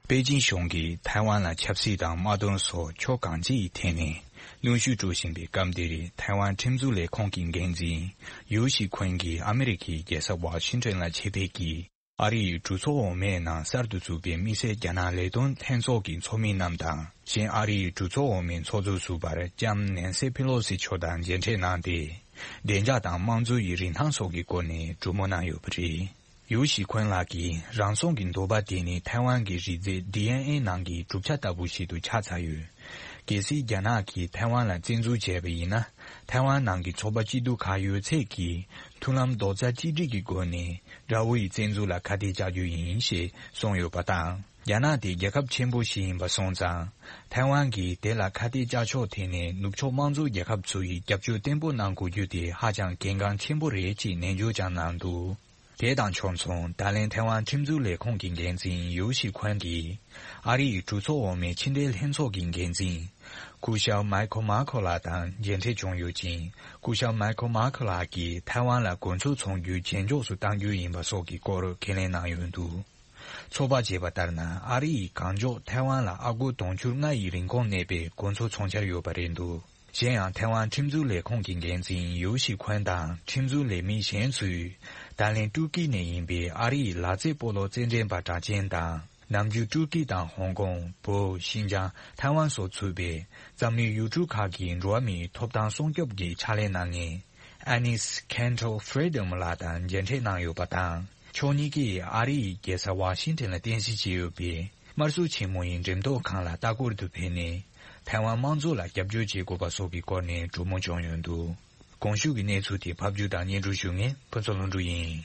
པེ་ཅིན་གཞུང་གིས་ཐའེ་ཝན་ལ་ཆབ་སྲིད་དང་དམག་དོན་སོགས་ཕྱོགས་གང་ཅིའི་ཐད་ནས་གནོན་ཤུགས་སྤྲོད་བཞིན་པའི་སྐབས་འདིར། ཐའེ་ཝན་ཁྲིམས་འཛུགས་ལས་ཁུངས་ཀྱི་འགན་འཛིན་ཡུའུ་ཤི་ཁོན་གྱིས་ཨ་མེ་རི་ཁའི་རྒྱལ་ས་ཝ་ཤིང་ཊོན་ལ་ཆེད་ཕེབས་ཀྱིས། ཨ་རིའི་གྲོས་ཚོགས་འོག་མའི་ནང་གསར་དུ་བཙུགས་པའི་དམིགས་བསལ་རྒྱ་ནག་ལས་དོན་ལྷན་ཚོགས་ཀྱི་ཚོགས་མི་རྣམས་དང་། གཞན་ཨ་རིའི་གྲོས་ཚོགས་འོག་མའི་ཚོགས་གཙོ་ཟུར་པ་ལྕམ་ནན་སི་ཕི་ལོ་སི་མཆོག་དང་མཇལ་འཕྲད་གནང་སྟེ། བདེ་འཇགས་དང་དམངས་གཙོ་ཡི་རིན་ཐང་སོགས་ཀྱི་སྐོར་ནས་གྲོས་མོལ་གནང་ཡོད་པ་རེད། ཡུའུ་ཤི་ཁོན་ལགས་ཀྱིས། རང་སྲུང་གི་འདོད་པ་དེ་ནི་ཐའེ་ཝན་གྱི་རིགས་རྫས་ཌི་ཨེན་ཨེ་ནང་གི་གྲུབ་ཆ་ལྟ་བུ་ཞིག་ཏུ་ཆགས་ཚར་ཡོད། གལ་སྲིད་རྒྱ་ནག་གིས་ཐའེ་ཝན་ལ་བཙན་འཛུལ་བྱས་པ་ཡིན་ན། ཐའེ་ཝན་ནང་གི་ཚོགས་པ་སྐྱིད་སྡུག་ཁག་ཡོད་ཚད་ཀྱིས་མཐུན་ལམ་རྡོག་རྩ་གཅིག་སྒྲིལ་གྱི་སྒོ་ནས་དགྲ་བོ་ཡི་བཙན་འཛུལ་ལ་ཁ་གཏད་གཅོག་རྒྱུ་ཡིན་ཞེས་གསུངས་ཡོད་པ་དང་། རྒྱ་ནག་དེ་རྒྱལ་ཁབ་ཆེན་པོ་ཞིག་ཡིན་པ་སོང་ཙང་། ཐའེ་ཝན་གྱིས་དེ་ལ་ཁ་གཏད་གཅོག་ཕྱོགས་ཐད་ནས་ནུབ་ཕྱོགས་དམངས་གཙོ་རྒྱལ་ཁབ་ཚོ་ཡིས་རྒྱབ་སྐྱོར་བརྟན་པོ་གནང་དགོས་རྒྱུ་དེ་ཧ་ཅང་གལ་འགངས་ཆེན་པོ་རེད་ཅེས་ནན་བརྗོད་ཀྱང་གནང་འདུག་དེ་དང་ཕྱོགས་མཚུངས། ད་ལན་ཐའེ་ཝན་ཁྲིམས་འཛུགས་ལས་ཁུངས་ཀྱི་འགན་འཛིན་ཡུའུ་ཤི་ཁོན་གྱིས། ཨ་རིའི་གྲོས་ཚོགས་འོག་མའི་ཕྱི་འབྲེལ་ལྷན་ཚོགས་ཀྱི་འགན་འཛིན། སྐུ་ཞབས་མའི་ཁོ་མཱ་ཁོ་ལགས་དང་མཇལ་འཕྲད་བྱུང་ཡོད་ཅིང་། སྐུ་ཞབས་མའི་ཁོ་མཱ་ཁོ་ལགས་ཀྱིས་ཐའེ་ཝན་ལ་གོ་མཚོན་ཚོང་རྒྱུ་ཇེ་མགྱོགས་སུ་གཏང་རྒྱུ་ཡིན་པ་སོགས་ཀྱི་སྐོར་ཁས་ལེན་གནང་ཡོད་འདུག་ཚོད་དཔག་བྱས་པ་ལྟར་ན། ཨ་རི་ཡིས་གང་མགྱོགས་ཐའེ་ཝན་ལ་ཨ་སྒོར་དུང་ཕྱུར་ལྔ་ཡི་རིན་གོང་གནས་པའི་གོ་མཚོན་ཚོང་འཆར་ཡོད་པ་རེད་འདུག་གཞན་ཡང་། ཐའེ་ཝན་ཁྲིམས་འཛུགས་ལས་ཁུངས་ཀྱི་འགན་འཛིན་ཡུའུ་ཤི་ཁོན་དང་ཁྲིམས་འཛུགས་ལས་མི་གཞན་ཚོས། ད་ལན་ཏུར་ཀི་ནས་ཡིན་པའི་ཨ་རིའི་ལག་རྩེད་སྤོ་ལོ་རྩེད་འགྲན་པ་གྲགས་ཅན་དང་། ནམ་རྒྱུན་ཏུར་ཀི་དང་ཧོང་ཀོང་། བོད། ཤིན་ཅང་། ཐའེ་ཝན་སོགས་ཚུད་པའི་འཛམ་གླིང་ཡུལ་གྲུ་ཁག་གི་འགྲོ་བ་མིའི་ཐོབ་ཐང་སྲུང་སྐྱོབ་ཀྱི་ཕྱག་ལས་གནང་མཁན་Anis Cantor Freedom ལགས་དང་མཇལ་འཕྲད་གནང་ཡོད་པ་དང་། ཕྱོགས་གཉིས་ཀས་ཨ་རིའི་རྒྱལ་ས་ཝ་ཤིང་ཊོན་ལ་རྟེན་གཞི་བྱས་ཡོད་པའི་དམར་གསོད་ཆེན་མོ་ཡི་འགྲེམས་ཐོག་ཁང་ལ་ལྟ་སྐོར་དུ་ཕེབས་ནས། ཐའེ་ཝན་དམངས་གཙོ་ལ་རྒྱབ་སྐྱོར་བྱེད་དགོས་པ་སོགས་ཀྱི་སྐོར་ནས་གྲོས་མོལ་བྱུང་ཡོད་འདུག། གོང་ཞུས་ཀྱི་གནས་ཚུལ་དེ་ཕབ་སྒྱུར་དང་སྙན་སྒྲོན་ཞུ་མཁན་ཕུན་ཚོགས་ལྷུན་གྲུབ་ཡིན།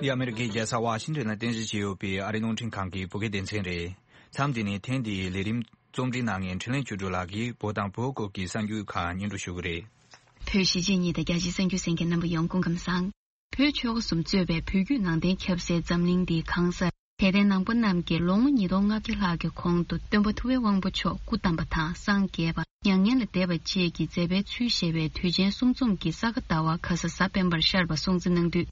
འདི་ཨ་མེ་རི་ཀའི་རྒྱལ་ས་ཝ་ཤིང་ཊོན་ལ་རྟེན་གཞི་བྱས་ཡོད་པའི་ཨ་རིའི་རླུང་འཕྲིན་ཁང་གི་བོད་སྐད་སྡེ་ཚན་རེད། མཚམས་འདི་ནས་ཐེངས་འདིའི་ལས་རིམ་རྩོམ་སྒྲིག་གནང་མཁན་འཕྲིན་ལས་ཆོས་སྒྲོན་ལགས་ཀྱིས་བོད་དང་བོད་སྐོར་གྱི་གསར་འགྱུར་ཁག་སྙན་སྒྲོན་ཞུ་གི་རེད། བོད་གཞིས་བྱེས་གཉིས་དང་རྒྱ་ཆེའི་གསར་འགྱུར་གསན་མཁན་རྣམ་པ་ཡོངས་སྐུ་ཁམས་བཟང་། བོད་ཆོལ་ཁ་གསུམ་གཙོས་པའི་བོད་བརྒྱུད་ནང་བསྟན་ཁྱབ་སའི་འཛམ་གླིང་འདིའི་གང་སར་དད་ལྡན་ནང་པ་རྣམས་ཀྱིས་ལོ་ངོ་ཉིས་སྟོང་ལྔ་བརྒྱ་ལྷག་གི་གོང་དུ་སྟོན་པ་ཐུབ་པའི་དབང་པོ་མཆོག་སྐུ་བལྟམས་པ་དང་སངས་རྒྱས་པ། མྱ་ངན་ལས་འདས་པ་བཅས་ཀྱི་མཛད་པའི་ཚུལ་བཞེས་པའི་དུས་ཆེན་གསུམ་འཛོམས་ཀྱི་ས་ག་ཟླ་བ་ཁ་ས་གཟའ་སྤེན་པར་ཤར་བ་སྲུང་བརྩི་གནང་དུས།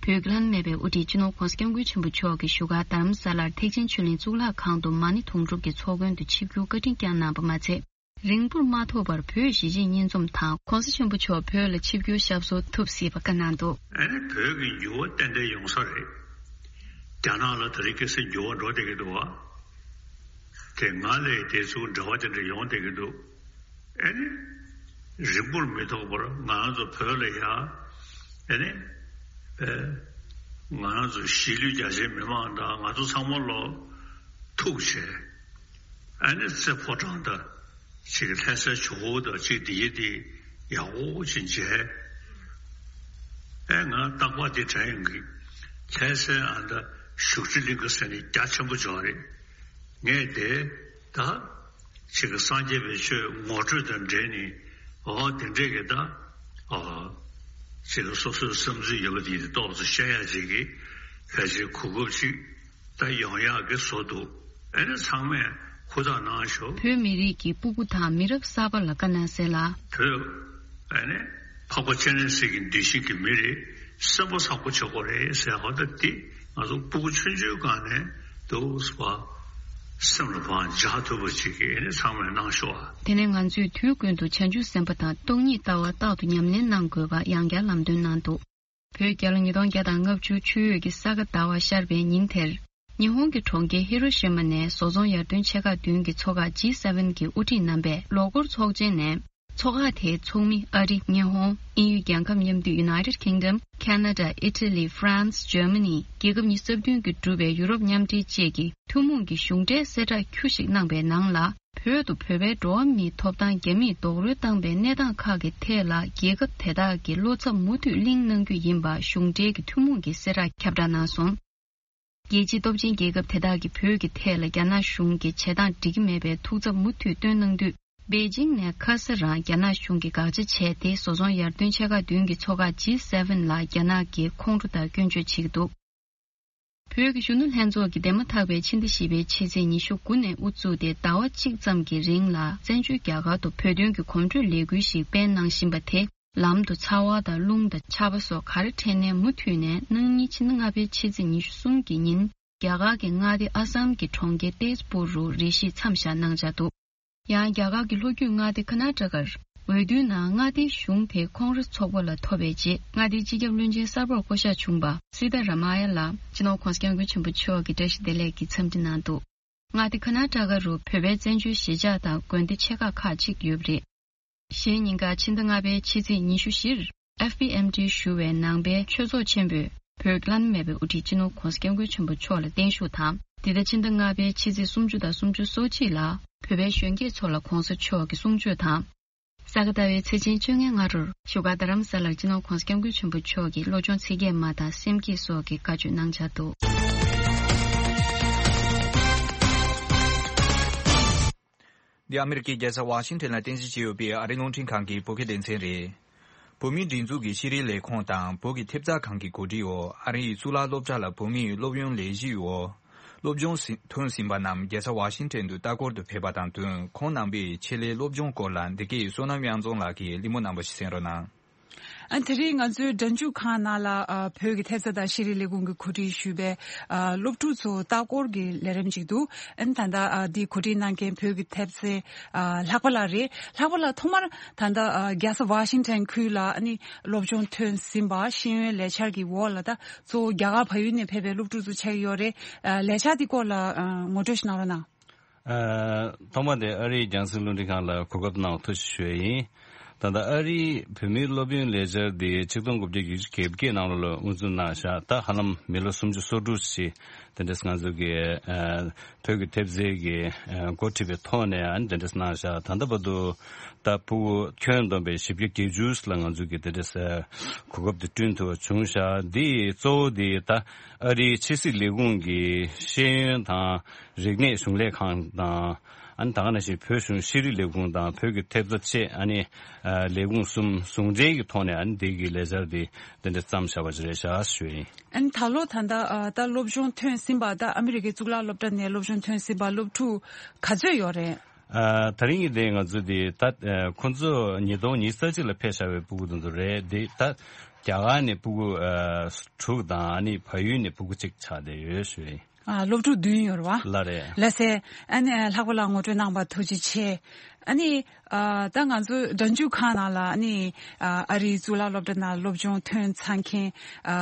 བོད་ཀྱི་བླ་ན་མེད་པའི་དབུ་ཁྲིད་སྤྱི་ནོར་༧གོང་ས་༧སྐྱབས་མགོན་ཆེན་པོ་མཆོག་གིས་བཞུགས་སྒར་རྡ་རམ་ས་ལར་ཐེག་ཆེན་ཆོས་གླིང་གཙུག་ལག་ཁང་དུ་མ་ཎི་དུང་སྒྲུབ་ཀྱི་ཚོགས་མགོན་དུ་ཆིབས་བསྒྱུར་བཀའ་དྲིན་བསྐྱངས་གནང་བ་མ་ཚད། རིང་པོར་མ་ཐོགས་པར་བོད་གཞིས་བྱེས་གཉིས་འཛོམས་དང་༧གོང་ས་ཆེན་པོ་མཆོག་བོད་ལ་ཆིབས་བསྒྱུར་ཞབས་སོར་ཐུགས་གཟིགས་པ་བཀའ་གནང་འདུག། ཨ་ནི་བོད་ཀྱི་འགྱུར་བ་ཏན་ཏན་ཡོང་ས་རེད། རྒྱ་ནག་ལ་ད་རེས་ཁ་སང་འགྱུར་བ་འགྲོ་བསྡད་ཀྱི་འདུག་བ། དེ་སྔ་ལས་དེ་ཚོ་འབྲེལ་བ་དེ་འདྲ་ཡོང་བསྡད་ཀྱི་འདུག། ཨ་ནི། རིང་པོར་མི་ཐོགས་པར་ང་རང་ཚོ་བོད་ལ་ཡ། ཨ་ནི། ཨེ། ང་རང་ཚོ་གཞིས་ལུས་རྒྱ་ཆེའི་མི་མང་དང་ང་ཚོ་ཚང་མ་ལོ་ཐུག་བྱས། ཨ་ནི་རྩེ་ཕོ་བྲང་དང་། ཅིག་ལྷ་སའི་ཇོ་བོ་དང་ཅིག་འདི་ཡི་འདི་ཡག་པོ་ཅིག་མཇལ། ཨེ་ང་རྟག་པར་འདི་དྲན་ཡོང་གི། ལྷ་སའི་ཨ་མདའ་བཞུགས་ཁྲི་གླིང་ག་ཟེར་ནས་རྒྱ་ཆེན་པོ་ཅིག་ཡོད་རེད། ངས་དེ་ད་ཅིག་གི་སངས་རྒྱས་པའི་ཆོས་ངོ་སྤྲོད་དང་འབྲེལ་ནས་ཨོ་དེ་འདྲས་ཀྱི་ད་ཨོ་ཅིག་གི་སོ་སོའི་བསམ་ཚུལ་ཡོད་པ་དེ་ཏོག་ཙམ་བཤད་ཡ་ཅིག་གི་ཕལ་ཆེར་གོ་སྐབས་ཅིག་ད་ཡོང་ཡག་གི་བཟོ་འདུག། ཨ་ནི་ཚང་མས་ཧུར་ཐག་གནང་ཤོག། བོད་མི་རིགས་ཀྱི་སྤུ་གུ་དང་མི་རབས་གསར་པ་ལ་བཀའ་གནང་གསལ་ལ། བོད། ཨ་ནི། འཕགས་པ་སྤྱན་རས་གཟིགས་ཀྱི་གདུལ་ཞིང་གི་མི་རེད། སེམས་པ་བཟང་པོ་བྱེད་དགོས་རེད་ཟེར་ཧོ་ད་དེ་ང་ཚོ་སྤུ་གུ་ཆུང་ཆུང་སྒང་ནས་འདུག་སེ་བ། སེམས་ལ་བང་འཇགས་ཐུབ་པ་ཅིག་གི་ཨ་ནི་ཚང་མས་གནང་ཤོག་ཨ། དེ་ནས་ང་ཚོས་དུས་ཀུན་ཏུ་བྱང་ཆུབ་སེམས་དཔའ་དང་སྟོང་ཉིད་ལྟ་བ་རྟག་ཏུ་ཉམས་ལེན་གནང་དགོས་པ་ཡང་བསྐྱར་ལམ་སྟོན་གནང་འདུག། བོད་རྒྱལ་ལོ་ཉིས་སྟོང་བརྒྱ་དང་ལྔ་བཅུ་ཆུ་ཡོས་ཀྱི་ས་ག་ཟླ་བ་ཤར་བའི་ཉིན་དེར། ཉི་ཧོང་གི་གྲོང་ཁྱེར་ཧི་རོ་ཤི་མ་ནས་བཟོ་ཚོང་ཡར་ཐོན་ཆེ་ཁག་བདུན་གྱི་ཚོགས་ཁག་ཇི་སེ་ཝེན་གྱི་དབུ་ཁྲིད་རྣམ་པས་ལོ་འཁོར་ཚོགས་ཆེན་ནས། ཚོགས་ཁག་དེའི་ཚོགས་མི་ཨ་རི། ཉི་ཧོང་། དབྱིན་ཡུལ་རྒྱལ་ཁབ་མཉམ་འདུས་United Kingdom། Canada། Italy། France། Germany། རྒྱལ་ཁབ་ཉི་ཤུ་རྩ་བདུན་གྱིས་གྲུབ་པའི་ཡུ་རོབ་མཉམ་འབྲེལ་བཅས་ཀྱི་ཐུན་མོང་གི་གཞུང་འབྲེལ་གསལ་བསྒྲགས་ཁྱུ་ཞིག་གནང་པའི་ནང་ལ། བོད་དུ་བོད་པའི་འགྲོ་བ་མིའི་ཐོབ་ཐང་རྒྱ་མིས་རྡོག་རོལ་བཏང་པའི་གནས་སྟངས་ཁག་གི་ཐད་ལ་རྒྱལ་ཁབ་དེ་དག་གིས་བློ་འཚབ་མུ་མཐུད་གླེང་གནང་རྒྱུ་ཡིན་པ་གཞུང་འབྲེལ་གྱི་ཐུན་མོང་གི་གསལ་བསྒྲགས་ཁྱབ་བསྒྲགས་གནང་སོང་། རྒྱལ་སྤྱིའི་སྟོབས་ཆེན་རྒྱལ་ཁབ་དེ་དག་གིས་བོད་ཀྱི་ཐད་ལ་རྒྱ་ནག་གཞུང་གིས་བྱེད་སྟངས་འགྲིག་གི་མེད་པའི་ཐུགས་འཚབ་མུ་མཐུད་བཏོན་གནང་དུས། པེ་ཅིང་ནས་ཁ་སང་རང་རྒྱ་ནག་གཞུང་གིས་དགག་བྱ་བྱས་ཏེ། བཟོ་ཚོང་ཡར་ཐོན་ཆེ་ཁག་བདུན་གྱི་ཚོགས་ཁག་ཇི་སེ་ཝེན་ལ་རྒྱ་ནག་གིས་ཁོང་ཁྲོ་དང་སྐྱོན་བརྗོད་བྱེད་ཀྱི་འདུག། བོད་ཀྱི་གཞོན་ནུ་ལྷན་ཚོགས་ཀྱིས་འདས་མ་ཐག་པའི་ཕྱི་ཟླ་བཞི་པའི་ཕྱི་ཚེས་ཉི་ཤུ་དགུ་ནས་དབུ་བཙུགས་ཏེ་ཟླ་བ་གཅིག་ཙམ་གྱི་རིང་ལ་བཙན་བྱོལ་རྒྱ་གར་དུ་བོད་དོན་གྱི་གོམ་བགྲོད་ལས་འགུལ་ཞིག་སྤེལ་གནང་བཞིན་པ་དེ། ལམ་དུ་ཚ་བ་དང་རླུང་དང་ཆར་པ་སོགས་ག་རེ་འཕྲད་ནའི་མུ་མཐུད་ནས་གནངས་ཉིན་ཕྱི་ཟླ་ལྔ་པའི་ཕྱི་ཚེས་ཉི་ཤུ་གསུམ་གྱི་ཉིན། རྒྱ་གར་གྱི་མངའ་སྡེ་ཨ་སམ་གྱི་གྲོང་ཁྱེར་ཏེས་པུར་རུ་རེ་ཞིག་མཚམས་བཞག་གནང་འཆར་འདུག། ཡང་རྒྱ་གར་གྱི་ལྷོ་རྒྱུད་མངའ་སྡེ་ཀར་ན་ཊ་ཀར་འོས་བསྡུའི་ནང་མངའ་སྡེའི་གཞུང་དེ་ཁོང་ར་ཚོགས་པ་ལ་ཐོབ་པའི་རྗེས། མངའ་སྡེའི་སྤྱི་ཁྱབ་བློན་ཆེན་གསར་པར་བསྐོ་གཞག་བྱུང་པ་སི་ཏཱ་ར་མ་ཡ་ལགས་སྤྱི་ནོར་༧གོང་ས་༧སྐྱབས་མགོན་ཆེན་པོ་མཆོག་གིས་བཀྲ་ཤིས་བདེ་ལེགས་ཀྱི་འཚམས་འདྲི་གནང་འདུག། མངའ་སྡེ་ཀར་ན་ཊ་ཀ་རུ་བོད་པའི་བཙན་བྱོལ་གཞིས་ཆགས་དང་དགོན་སྡེ་ཆེ་ཁག་ཁག་ཅིག་ཡོད་པ་རེད། གཞེས་ཉིན་ག་ཕྱི་ཟླ་ལྔ་པའི་ཕྱི་ཚེས་ཉི་ཤུ་བཞིར་ཨེཕ་པི་ཨེམ་ཌི་ཞུ་བའི་ནང་པའི་ཆོས་ཚོགས་ཆེན་པོས་བོད་ཀྱི་བླ་ན་མེད་པའི་དབུ་ཁྲིད་སྤྱི་ནོར་༧གོང་ས་༧སྐྱབས་མགོན་ཆེན་པོ་མཆོག་ལ་བརྟན་བཞུགས་དང་། འདི་ཟླ་ཕྱི་ཟླ་ལྔ་པའི་ཕྱི་ཚེས་སུམ་ཅུ་དང་སུམ་ཅུ་སོ་གཅིག་ལ་བོད་པའི་གཞོན་སྐྱེས་ཚོ་ལ་གོང་ས་མཆོག་གི་གསུང་ཆོས་དང་། ས་ག་ཟླ་བའི་ཚེས་ཆེན་བཅོ་ལྔའི་སྔ་དྲོར་བཞུགས་སྒར་རྡ་རམ་ས་ལར་སྤྱི་ནོར་༧གོང་ས་༧སྐྱབས་མགོན་ཆེན་པོ་མཆོག་གིས་བློ་སྦྱོང་ཚིག་བརྒྱད་མ་དང་སེམས་བསྐྱེད་སོགས་ཀྱི་བཀའ་ཆོས་གནང་འཆར་འདུག། འདི་ཨ་མེ་རི་ཀའི་རྒྱལ་ས་ཝ་ཤིང་ཊོན་ལ་རྟེན་གཞི་བྱས་ཡོད་པའི་ཨ་རིའི་རླུང་འཕྲིན་ཁང་གི་བོད་སྐད་སྡེ་ཚན་རེད། བོད་མིའི་སྒྲིག་འཛུགས་ཀྱི་ཤེས་རིག་ལས་ཁུངས་དང་བོད་ཀྱི་ཐེབས་རྩ་ཁང་གི་གོ་སྒྲིག་འོག་ཨ་རིའི་གཙུག་ལག་སློབ་གྲྭ་ལ་བོད་མིའི་སློབ་ཡོན་ལས་གཞིའི་འོག་སློབ་སྦྱོང་ཟིན་ཐོན་ཟིན་པ་རྣམས་རྒྱལ་ས་ཝ་ཤིང་ཊོན་དུ་ལྟ་སྐོར་དུ་ཕེབས་པ་དང་བསྟུན། ཁོང་རྣམ་པས་ཆེད་ལས་སློབ་སྦྱོང་སྐོར་ལ་འདི་གའི་བསོད་ནམས་དབྱངས་འཛོམས་ལགས་ཀྱིས་གླེང་མོལ་གནང་བ་ཞིག་གསན་རོགས་གནང་། ཨ་དེ་རིང་ང་ཚོའི་སྒྲ་འཇུག་ཁང་ནང་ལ་ཨ་བོད་ཀྱི་ཐེབས་རྩ་དང་ཤེས་རིག་ལས་ཁུངས་ཀྱིས་གོ་སྒྲིག་ཞུས་པའི་ཨ་སློབ་ཕྲུག་ཚོ་ལྟ་སྐོར་གྱི་ལས་རིམ་ཅིག་འདུག་ཨ་ནི་ད་ལྟ་ཨ་འདི་གོ་སྒྲིག་གནང་མཁན་བོད་ཀྱི་ཐེབས་རྩའི་ཨ་ལྷག་པ་ལགས་རེད། ལྷག་པ་ལགས་ཐོག་མར་ད་ལྟ་ཨ་རྒྱལ་ས་ཝ་ཤིང་ཊོན་ཁུལ་ལ་ཨ་ནི་སློབ་སྦྱོང་ཐོན་ཟིན་པ་ཤེས་ཡོན་ལས་འཆར་གྱི་འོག་ལ་ད་གཙོ་བོ་རྒྱ་གར་བལ་ཡུལ་ནས་ཕེབས་པའི་སློབ་ཕྲུག་ཚོ་ཆགས་ཀྱི་ཡོད་རེད། ཨ་ལས་འཆར་འདི་སྐོར་ལ་ཨ་ངོ་སྤྲོད་ཞིག་གནང་རོགས་གནང་། ཨ་ཐོག་མ་དེ་ཨ་རིའི་རྒྱང་སྲིང་རླུང་འཕྲིན་ཁང་ལ་གོ་སྐབས་གནང་བ་ཐུགས་རྗེ་ཆེ་ཞུ་ཡ་ཡིན། ད་ལྟ་ཨ་རིའི་བོད་མིའི་སློབ་ཡོན་ལས་འཆར་འདི་ཆིག་སྟོང་དགུ་བརྒྱ་བརྒྱད་ཅུ་གྱ་བརྒྱད་ནང་ལོགས་ལ་དབུ་འཛུགས་གནང་བཞག་ད་ཧ་ལམ་མི་ལོ་སུམ་ཅུ་སོ་དྲུག་ཅིག་དེ་འདྲས་ང་ཚོ་གི་ཨ་བོད་ཀྱི་ཐེབས་རྩའི་གི་ཨ་འགོ་ཁྲིད་པའི་ཐོག་ནས་ཨ་ནི་དེ་འདྲས་གནང་བཞག་ད་ལྟ་བར་དུ་ད་ཕྲུ་གུ་ཁྱོན་བསྡོམས་པའི་བཞི་བརྒྱ་བརྒྱད་ཅུ་ལ་ང་ཚོ་གི་དེ་འདྲས་ཨ་གོ་སྐབས་དེ་བསྐྲུན་ཐུབ་པ་བྱུང་བཞག་འདི་གཙོ་བོ་འདི་ད་ཨ་རིའི་ཕྱི་སྲིད་ལས་ཁུངས་ཀྱི་ཤེས་ཡོན་དང་། རིག་གནས་གཞུང་ལས་ཁང་དང་། ཨ་ནི་ད་ག་ནང་བཞིན་བོད་གཞུང་ཤེས་རིག་ལས་ཁུངས་དང་བོད་ཀྱི་ཐེབས་རྩ་བཅས་ཨ་ནི་ཨ་ལས་ཁུངས་གསུམ་ཟུང་འབྲེལ་གྱི་ཐོག་ནས་ཨ་ནི་འདི་གི་ལས་འཆར་འདི་འདི་འདྲ་བརྩམས་བཞག་པ་ཅིག་རེད་བཞག་ཞུ་ཡིན། ཨ་ནི་ད་ལོ་ད་ལྟ་ཨ་ད་སློབ་སྦྱོང་ཐོན་ཟིན་པ་ད་ཨ་མི་རི་ཀའི་གཙུག་ལག་སློབ་གྲྭ་ནས་སློབ་སྦྱོང་ཐོན་ཟིན་པ་སློབ་ཕྲུག་ག་ཚོད་ཡོད་རེད། ཨ་ད་རིང་གི་དེ་ང་ཚོ་དེ་ད་ཨ་ཁོང་ཚོ་ཉིས་སྟོང་ཉི་ཤུ་རྩ་གཅིག་ལ་ཕེབས་བཞག་པའི་ཕྲུ་གུ་དེ་ཚོ་རེད། དེ་ད་རྒྱ་གར་ནས་ཕྲུ་གུ་ཨ་དྲུག་དང་ཨ་ནི་བལ་ཡུལ་ནས་ཕྲུ་གུ་གཅིག་ཆགས་བསྡད་ཡོད་ཞུ་ཡིན། ཨ་སློབ་ཕྲུག་བདུན་ཡོད་རེད་བ། ལགས་རེད། ལགས་སེ། ཨ་ནི་ལྷག་པ་ལ་ངོ་སྤྲོད་གནང་བར་ཐུགས་རྗེ་ཆེ། ཨ་ནི་ཨ་ད་ང་ཚོ་སྒྲ་འཇུག་ཁང་ནང་ལ་ཨ་ནི་ཨ་ཨ་རིའི་གཙུག་ལག་སློབ་གྲྭ་ནང་སློབ་སྦྱོང་ཐོན་ཚར་མཁན་ཨ་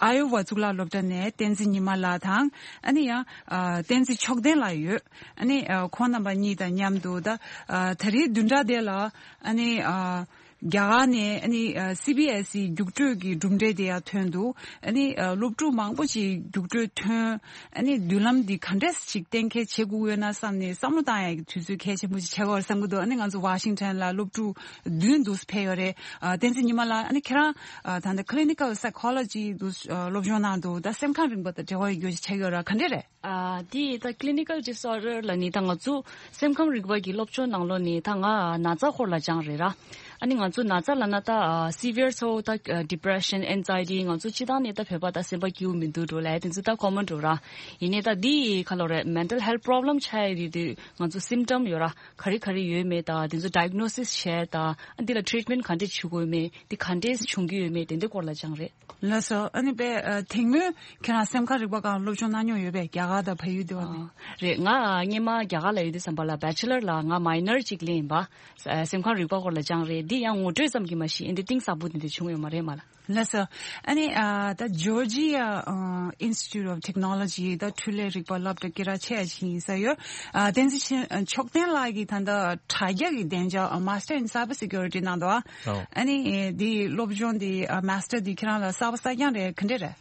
ཨ་ཡོ་ཝ་གཙུག་ལག་སློབ་གྲྭ་ནས་བསྟན་འཛིན་ཉི་མ་ལགས་དང་ཨ་ནི་ཡང་ཨ་བསྟན་འཛིན་མཆོག་ལྡན་ལགས་ཡོད། ཨ་ནི་ཨ་ཁོང་རྣམ་པ་གཉིས་དང་མཉམ་དུ་ད་ཨ་ད་རེས་བདུན་ཕྲག་དེ་ལ་ཨ་ནི་ཨ། རྒྱ་གར་ནས་ཨ་ནི་ཨ་སི་བི་ཨེ་སི་རྒྱུགས་སྤྲོད་ཀྱི་གྲུབ་འབྲས་དེ་ཡང་ཐོན་འདུག་ཨ་ནི་ཨ་སློབ་ཕྲུག་མང་པོ་ཅིག་རྒྱུགས་སྤྲོད་ཐོན། ཨ་ནི་མདུན་ལམ་འདི་ག་འདྲས་ཅིག་གཏན་འཁེལ་བྱེད་དགོས་ཡོད་ན་བསམ་ནས་བསམ་བློ་བཏང་ཡག་གི་དུས་ཚོད་གལ་ཆེན་པོ་ཅིག་ཆགས་ཀྱི་ཡོད་རེད་བསམ་གྱི་འདུག་ཨ་ནི་ང་ཚོ་ཝ་ཤིང་ཊོན་ལ་སློབ་ཕྲུག་བདུན་འདུག་ཕེབས་ཡོད་རེད། ཨ་བསྟན་འཛིན་ཉི་མ་ལགས། ཨ་ནི་ཁྱེད་རང་ཨ་ད་ལྟ་clinical psychology འདུག་ཨ་སློབ་སྦྱོང་གནང་འདུག་ད་སེམས་ཁམས་རིག་པ་དང་འབྲེལ་བ་ཡོད་རྒྱུ་ཅིག་ཆགས་ཀྱི་ཡོད་རེད། ག་འདྲས་རེད། ཨ་དེ་ད་clinical disorder ལབ་ནི་ད་ང་ཚོ་སེམས་ཁམས་རིག་པ་གི་སློབ་སྦྱོང་ནང་ལོགས་ནས་ད་ང་ན་ཚ་སྐོར་ལ་སྦྱངས་རེད་ར། ཨ་ནི་ང་ཚོ་ན་ཚ་ལབ་ན་ད་ཨ་severe ཚོ་ད་ཨ་depression, anxiety ང་ཚོ་སྤྱིར་བཏང་ནས་ད་བོད་པ་ད་སེམས་པ་སྐྱིད་པོ་མི་འདུག་འགྲོ་ལབ་དེ་ཚོ་ད་common འགྲོ་ར། ཡིན་ནའི་ད་འདི་ག་ལབ་རེད། mental health problem ཆགས་ཡ་དེ་དུས་ང་ཚོ་symptom ཡོད་ར། ག་རེ་ག་རེ་ཡོད་མེད་ད་དེ་ཚོ་diagnosis བྱས་ད་ཨ་འདི་ལ་treatment ག་འདྲས་བྱེད་དགོས་མེད་དེ་ག་འདྲས་བྱུང་གི་ཡོད་མེད་དེ་འདྲའི་སྐོར་ལ་སྦྱངས་རེད། ལགས་སོ། ཨ་ནི་པས་ཨ་དེ་སྔོན་ཁྱེད་རང་སེམས་ཁམས་རིག་པ་སྒང་སློབ་སྦྱོང་གནང་མྱོང་ཡོད་པས། རྒྱ་གར་དང་བལ་ཡུལ་དེ་བ་ནས། ཨ་རེད། ང་སྔོན་མ་རྒྱ་གར་ལ་ཡོད་དུས་ཙམ་པ་ལ་bachelor ལ་ང་minor གཅིག་ལེན་ཡིན་པ། ཨ་སེམས་ཁམས་རིག་པ་སྐོར་ལ་སྦྱངས་རེད། འདི་ཡང་ངོ་སྤྲོད་ཙམ་གྱིས་མ་གཞི་ཨེ་འདི་གཏིང་ཟབ་པོ་དེ་འདྲ་བྱུང་ཡོད་མ་རེད་མ་ལ། ལགས་སོ། ཨ་ནི་ཨ་ད་Georgia ཨ་Institute of Technology ད་འཕྲུལ་ལས་རིག་པ་སློབ་གྲྭ་སྐད་གྲགས་ཆེ་ཡ་ཞིག་ཡིན་ས་ཡོད། ཨ་བསྟན་འཛིན་མཆོག་ལྡན་ལགས་ཀྱིས་ད་ལྟ་དྲ་རྒྱ་གི་བདེ་འཇགས་ཨ་Master in Cyber Security གནང་འདུག་ཨ། ཨོ། ཨ་ནི་འདི་སློབ་སྦྱོང་འདི་ཨ་Master འདི་ཁྱེད་རང་ལ་གསར་པ་གསར་རྐྱང་རེད། ག་འདྲས་རེད།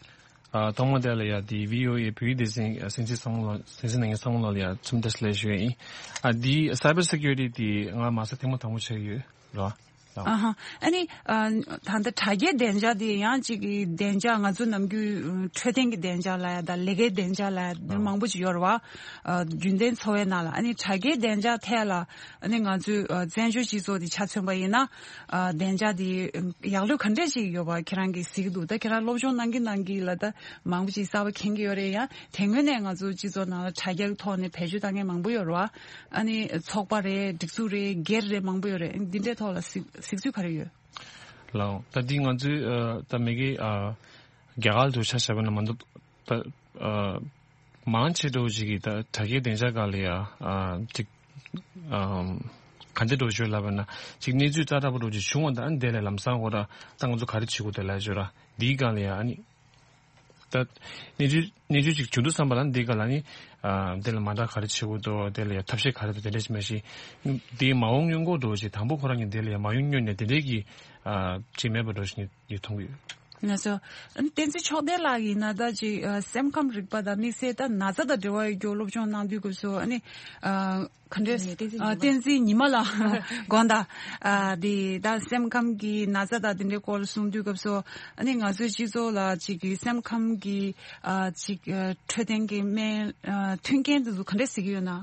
ཨ་ཐོག་མ་དེ་ལ་ཡ་འདི་བྷི་ཨོ་ཨེ་བོད་ཡིག་སྡེ་ཚན་ཨ་སེམས་ཅན་ཚང་མ་ལ་སེམས་ཅན་ནང་ཚང་མ་ལ་ཡ་འཚམས་འདྲི་ཞུ་ཡ་ཡིན། ཨ་འདི་Cyber Security འདི་ང་Master ཐེངས་མ་དང་པོ་ཆགས་ཡོད་ར། ཨ་ཧ། ཨ་ནི་ཨ་ད་ལྟ་དྲ་རྒྱའི་བདེ་འཇགས་དེ་ཡང་གཅིག་གི་བདེ་འཇགས་ང་ཚོ་ནམ་རྒྱུན་འཕྲོད་བསྟེན་གྱི་བདེ་འཇགས་ལ་ཡ་དང་ལས་ཀའི་བདེ་འཇགས་ལ་ཡ་འདི་མང་པོ་ཅིག་ཡོད་རེད་བ། ཨ་རྒྱུན་ལྡན་འཚོ་བའི་ནང་ལ་ཨ་ནི་དྲ་རྒྱའི་བདེ་འཇགས་ཐད་ལ་ཨ་ནི་ང་ཚོའི་ཨ་བཙན་བྱོལ་སྤྱི་ཚོགས་དེ་ཆ་མཚོན་པ་ཡིན་ན་ཨ་བདེ་འཇགས་དེ་ཡག་ལོས་ག་འདྲས་ཅིག་ཡོད་པ་ཁྱེད་རང་གིས་གཟིགས་ཀྱི་འདུག་ད་ཁྱེད་རང་སློབ་སྦྱོང་གནང་གིན་གནང་གིན་ལ་ད་མང་པོ་ཅིག་གསར་པ་མཁྱེན་གྱི་ཡོད་རེད། ཡང་དེ་སྔོན་ནས་ང་ཚོ་སྤྱི་ཚོགས་ནང་ལ་དྲ་རྒྱའི་ཐོག་ནས་བེད་སྤྱོད་བཏང་མཁན་མང་པོ་ཡོད་རེད་བ། ཨ་ནི་ཚོགས་པ་རེད། སྒྲིག་འཛུགས་རེད། སྒེར་རེད། མང་པོ་ཡོད་རེད། འདི་འདྲའི་ཐོག་ལ་གཟིགས་གཟིགས་ཚུལ་ག་རེ་ཡོད། ལགས། ད་འདི་ང་ཚོའི་ཨ་ད་མ་གི་ཨ་རྒྱ་གར་དུ་ཆ་བཞག་པ་ན་མ་གཏོགས་ད་ཨ་མང་ཆེ་འགྲོ་ཅིག་གིས་ད་དྲ་རྒྱའི་བདེ་འཇགས་སྒང་ལ་ཡ་ཨ་ཅིག་ཨ་ག་འདྲ་འགྲོ་ཞོར་ལབ་པ་ན་ཅིག་གནས་ཚུལ་ཙག་དྲག་པོ་འགྲོ་ཅིག་བྱུང་བ་ད་ཨ་ནི་དེ་ལས་ལམ་སང་ཁོ་ར་ད་ང་ཚོ་ག་རེ་བྱེད་དགོས་དེ་ལབ་ཞོར་ར་འདིའི་སྒང་ལ་ཡ་ཨ་ནི། ད་གནས་ཚུལ་གནས་ཚུལ་ཅིག་བྱུང་དུས་ཙམ་པ་ལ་འདི་ག་ལ་ནི་ཨ་དེ་ལ་མ་འདྲ་ག་རེ་བྱེད་དགོས་འདུག་དེ་ལ་ཡ་ཐབས་ཤེས་ག་རེ་འདུག་དེ་འདྲ་ཞིག་མ་གཞི་འདི་མ་འོངས་སྔོན་འགོག་འགྲོ་ཞིག་དང་པོ་ཁོ་རང་གི་དེ་ལ་ཡ་མ་ཡོང་སྔོན་ནས་དེ་འདྲའི་གི་ཨ་ཅིག་མེད་པ་འགྲོ་ཞིག་ངས་མཐོང་གི་ཡོད། ལགས་སོ། ཨ་ནི་བསྟན་འཛིན་མཆོག་ལྡན་ལགས་ཡིན་ན་ད་ཅིག་ཨ་སེམས་ཁམས་རིག་པ་དང་དམིགས་བསལ་ད་ན་ཚ་དང་འབྲེལ་བ་ཡོད་རྒྱུ་སློབ་སྦྱོང་གནང་དུས་སྐབས་སུ་ཨ་ནི་ཨ། ག་འདྲས། བསྟན་འཛིན་ཉི་མ་ལགས། དགོངས་དག་ཨ་དེ་ད་སེམས་ཁམས་ཀྱི་ན་ཚ་དང་དེ་འདྲའི་སྐོར་གསུང་དུས་སྐབས་སུ་ཨ་ནི་ང་ཚོའི་སྤྱི་ཚོགས་ལ་ཅིག་གི་སེམས་ཁམས་ཀྱི་ཨ་ཅིག་ཨ་འཕྲོད་བསྟེན་གྱི་སྨན་ཨ་མཐུན་རྐྱེན་དེ་ཚོ་ག་འདྲས་གཟིགས་ཀྱི་ཡོད་ན།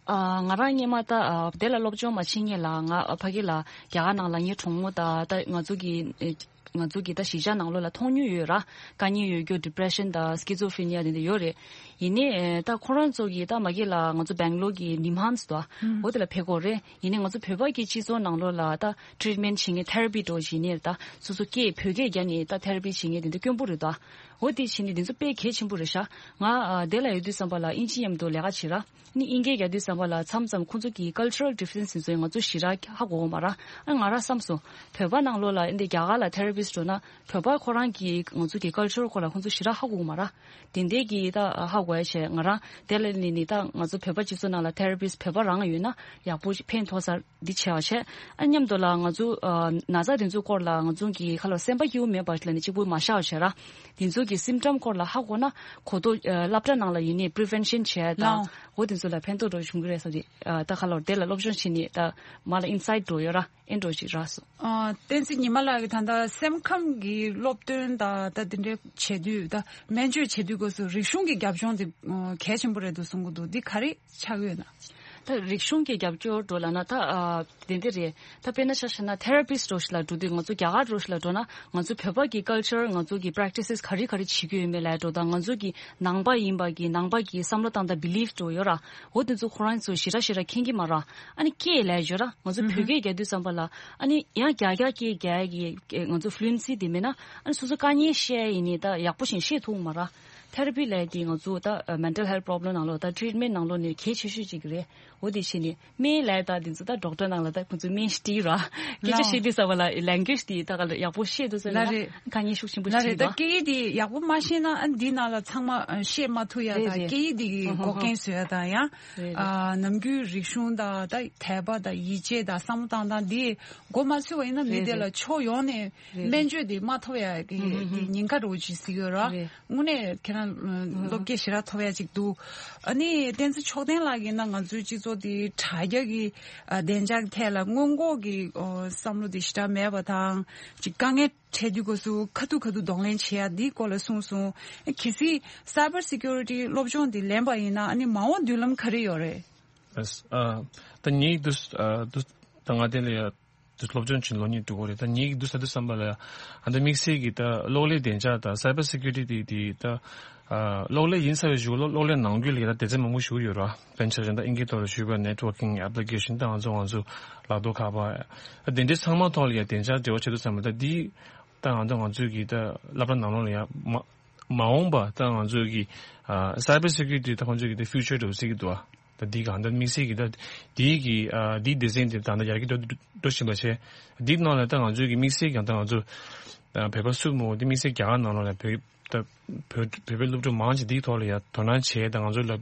ཨ། ང་རང་སྔོན་མ་ད་ཨ་དེ་ལ་སློབ་སྦྱོང་མ་བྱེད་སྔོན་ལ་ང་ཕ་གི་ལ་རྒྱ་གར་ནང་ལ་ངའི་གྲོགས་མོ་དང་ད་ང་ཚོ་གི་ཨེ་ང་ཚོ་གི་ད་གཞིས་ཆགས་ནང་ལོགས་ལ་མཐོང་མྱོང་ཡོད་ར། དཀའ་ངལ་ཡོད་རྒྱུ་depression་དང་schizophrenia་དེ་འདྲ་ཡོད་རེད། ཡིན་ནའི་ཨེ་ད་ཁོ་རང་ཚོ་གི་ད་མ་གི་ལ་ང་ཚོ་སྦེང་ལོར་གི་NIMHANS་དོ། ཨུམ། འོ་དེ་ལ་ཕེབས་ཀྱི་ཡོད་རེད། ཡིན་ནའི་ང་ཚོ་བོད་པ་གི་སྤྱི་ཚོགས་ནང་ལོགས་ལ་ད་treatment་བྱེད་མཁན་therapy་འདྲ་བྱེད་མཁན་ད་སོ་སོ་སྐད་བོད་སྐད་རྒྱག་ནས་ད་therapy་བྱེད་མཁན་དེ་འདྲ་དཀོན་པོ་རེད་དོ། འོ་དེ་བྱས་ནས་དེ་ཚོ་དཔེ་གལ་ཆེན་པོ་རེད་ཤག་ང་ཨ་དེ་ལ་ཡོད་དུས་ཙམ་པ་ལ་ཨིན་ཇི་མཉམ་དུ་ལས་ཀ་བྱེད་ར། ནི་ཨིན་སྐད་རྒྱག་དུས་ཙམ་པ་ལ་མཚམས་མཚམས་ཁོང་ཚོ་གི་cultural difference་དེ་ཚོ་ང་ཚོ་ཞེ་དྲག་ཧ་གོ་གི་མ་ར། ཨ་ང་ར་བསམ་སོང་། བོད་པ་ནང་ལོགས་ལ་ཨ་འདི་རྒྱ་གར་ལ་therapist་འགྲོ་ན་བོད་པ་ཁོ་རང་གི་ང་ཚོ་གི་culture་སྐོར་ལ་ཁོང་ཚོ་ཞེ་དྲག་ཧ་གོ་གི་མ་ར། དེ་འདྲའི་གི་ད་ཧ་གོ་ཡ་བྱས། ང་རང་དེ་ལ་ནི་ནི་ད་ང་ཚོ་བོད་པ་སྤྱི་ཚོགས་ནང་ལ་therapist་བོད་པ་རང་ཡོད་ན་ཡག་པོ་ཕན་ཐོགས་ས་འདི་བྱས་པ་བྱས། ཨ་མཉམ་དུ་ལ་ང་ཚོ་ཨ་ན་ཚ་དེ་ཚོའི་སྐོར་ལ་ང་ཚོ་གི་ཁ་ལོ་སེམས་པ་སྐྱིད་པོ་མེད་པ་ལ་ནི་གཅིག་པུ་མ་བཞག་བྱས་ར། དེ་ཚོ་གི་symptom་སྐོར་ལ་ཧ་གོ་ན་གོ་ཐོས་ཨ་སློབ་གྲྭ་ནང་ལ་ཡིན་ནའི་prevention་བྱས་དང་། ལའོ། འོ་དེ་ཚོ་ལ་ཕན་ཐོགས་འགྲོ་བྱུང་གི་རེད་ཟེར་ཏེ། ཨ་ད་ཁ་ལོ་དེ་ལ་སློབ་སྦྱོང་བྱས་ནས་ད་མ་ལ་insight་འགྲོ་ཡོད་ར། ཨེ་འགྲོ་ཞིག་རག་སོང་། ཨ་བསྟན་འཛིན་ཉི་མ་ལགས་ཀྱིས་ད་ལྟ་སེམས་ཁམས་ཀྱི་སློབ་སྟོན་དང་ད་དེ་འདྲའི་བྱེད་དུས་ད་སྨན་བཅོས་བྱེད་དུས་སྐབས་སུ་རིག་གཞུང་གི་རྒྱབ་ལྗོངས་དེ་ཨ་གལ་ཆེན་པོ་རེད་འདུག་གསུང་གི་འདུག་འདི་ག་རེ་ཆགས་ཡོད་ན། ད་རིག་གཞུང་གི་རྒྱབ་སྐྱོར་འགྲོ་ལབ་ན་ད་ཨ་དེ་འདྲ་རེད། ད་དཔེར་ན་ཆ་བཞག་ན་therapist་འདྲ་ཞིག་ལ་འགྲོ་དུས། ང་ཚོ་རྒྱ་གར་འདྲ་ཞིག་ལ་འགྲོ་ན་ང་ཚོ་བོད་པ་གི་culture་ང་ཚོ་གི་practices་ག་རེ་ག་རེ་བྱེད་ཀྱི་ཡོད་མེད་ལབ་འགྲོ་དང་། ང་ཚོ་གི་ནང་པ་ཡིན་པ་གི་ནང་པ་གི་བསམ་བློ་བཏང་སྟངས་belief་འདྲ་ཡོད་ར། འོ་དེ་ཚོ་ཁོ་རང་ཚོ་ཞེ་དྲག་ཞེ་དྲག་མཁྱེན་གྱི་མ་ར། ཨ་ནི་སྐད་ལབ་ཡ་ཡོད་ར། ང་ཚོ་བོད་སྐད་རྒྱག་དུས་ཙམ་པ་ལ་ཨ་ནི་ཡང་རྒྱ་རྒྱ་སྐད་རྒྱག་ཡ་གི་ང་ཚོ་fluency་དེ་མེད་ན། ཨ་ནི་སོ་སོ་དཀའ་ངལ་བཤད་ཡ་ཡིན་ནའི་ད་ཡག་པོ་ཞིག་བཤད་ཐུབ་མ་ར། therapy་ལབ་ཡ་དེ་ང་ཚོ་ད་mental health problem་ནང་ལོགས་ད་treatment་ནང་ལོགས་ནས་གལ་ཆེ་ཤོས་གཅིག་རེད། འོ་དེ་བྱས་ནས་སྨན་ལབ་ཡ་ད་དེ་ཚོ་ད་doctor་ནང་ལ་ད་ཁོང་ཚོས་སྨན་ཞིག་སྤྲད་ར། སྐད་ཆ་བཤད་དུས་ཙམ་པ་ལ་language་དེ་ད་ག་ལ་ཡག་པོ་བཤད་ཐུབ་ས་ལ་ལ་རེད། དཀའ་ངལ་ཤུགས་ཆེན་པོ་ལ་ཞིག་རེད། ད་རེད་དོ། སྐད་ཡིག་དེ་ཡག་པོ་མ་ཤེས་ན་ཨ་འདི་ནང་ལ་ཚང་མ་ཨ་བཤད་མ་ཐུབ་ཡ་རེད་དང་། རེད། སྐད་ཡིག་དེ་གི་འགོག་རྐྱེན་བཟོ་ཡ་དང་ཡང་། རེད་རེད། ཨ་ནམ་རྒྱུན་རིག་གཞུང་དང་ད་དད་པ་དང་ཡིད་ཆེས་དང་བསམ་བློ་བཏང་སྟངས་འདི་འགོ་མ་ཚུགས་པ་ཡིན་ན་མི་རེད་དེ་ལ་རེད། ཕྱོགས་ཡོངས་ནས་རེད་སྨན་རེད། བཅོས་དེ་མ་ཐོབ་ཡ་གི་ཨུ་ཧུ་ཧུ། དེ་ཉེན་ཁ་འདྲ་བོ་ཅིག་གཟིགས་ཡོད་ར། རེད། དངོས་གནས་ཁྱེད་རང་ཨ་ཨུ་ཧུ། སློབ་སྐྱེ་ཞེ་དྲག་ཐོབ་ཡ་ཅིག་འདུག་ཨ་ནི་བསྟན་འཛིན་མཆོག་ལྡན་ལགས་ཀྱིས་ན་ང་ཚོའི་སྤྱི་ཚོགས་དེ་དྲ་རྒྱ་གི་ཨ་བདེ་འཇགས་ཐད་ལ་སྔོན་འགོག་གི་ཨོ་བསམ་བློ་དེ་ཞེ་དྲག་མེད་པ་དང་། ཅིག་དཀའ་ངལ་འཕྲད་དུས་སྐབས་སུ་ཁ་ཐུག་ཁ་ཐུག་གདོང་ལེན་བྱེད་ཡ་འདིའི་སྐོར་ལ་གསུངས་སོང་། གལ་སྲིད་cyber security་སློབ་སྦྱོང་འདི་ལེན་པ་ཡིན་ན་ཨ་ནི་མ་འོངས་མདུན་ལམ་ག་རེ་ཡོད་རེད། ཨ་ཨ་ད་ངས་འདུག་ཨ་འདུག་ད་ང་དེ་ལ་ཡ་འདུག་སློབ་སྦྱོང་བྱེད་ལོ་གཉིས་འགྲོ་གི་རེད། ད་ངས་འདུག་ས་འདུག་བསམ་པ་ལ་ཡ་ཨ་ད་དམིགས་བསལ་གྱི་ད་གློག་ཀླད་བདེ་འཇགས་དང་cyber security་དེ་དེ་ད་ཨ་གློག་ཀླད་ཡིན་ས་བའི་གཞུག་གློག་གློག་ཀླད་ནང་ཁུལ་ལ་ཡ་ད་སྡེ་ཚན་མང་པོ་ཞིག་ཡོད་ར། དཔེར་ན་ཆ་བཞག་ན་ད་ཨིན་སྐད་ཐོག་ལ་ཞུས་པ་networking application་ད་ང་ཚོ་ང་ཚོ་ལག་ཐོག་ཁ་པར་ཨ་དེ་འདྲའི་ཚང་མ་ཐོག་ལ་ཡ་བདེ་འཇགས་འབྲེལ་བ་བྱེད་དུས་ཙམ་པ་ད་འདི་ད་ང་ཚོ་ང་ཚོའི་གི་ད་སློབ་གྲྭ་ནང་ལོགས་ལ་ཡ་མ་མ་འོངས་པ་ད་ང་ཚོའི་གི་ཨ་cyber security་ད་ཁོང་ཚོའི་གི་ད་future་འདྲ་བོ་ཟེར་གི་འདུག་ཨ། ད་འདི་གང་ད་དམིགས་བསལ་གི་ད་འདི་གི་ཨ་འདི་སྡེ་ཚན་འདི་ད་ད་ཡར་རྒྱས་འགྲོ་འགྲོ་བཞིན་པ་བྱས། འདི་ནང་ལ་ད་ང་ཚོའི་གི་དམིགས་བསལ་གྱང་ད་ང་ཚོ་ཨ་བོད་པ་སུ་མོ་འདི་དམིགས་བསལ་རྒྱ་གར་ནང་ལོགས་ལ་བོད་ད་བོད་བོད་པའི་སློབ་ཕྲུག་མང་ཆེ་འདིའི་ཐོག་ལ་ཡ་དོ་སྣང་བྱས། ད་ང་ཚོ་ལ་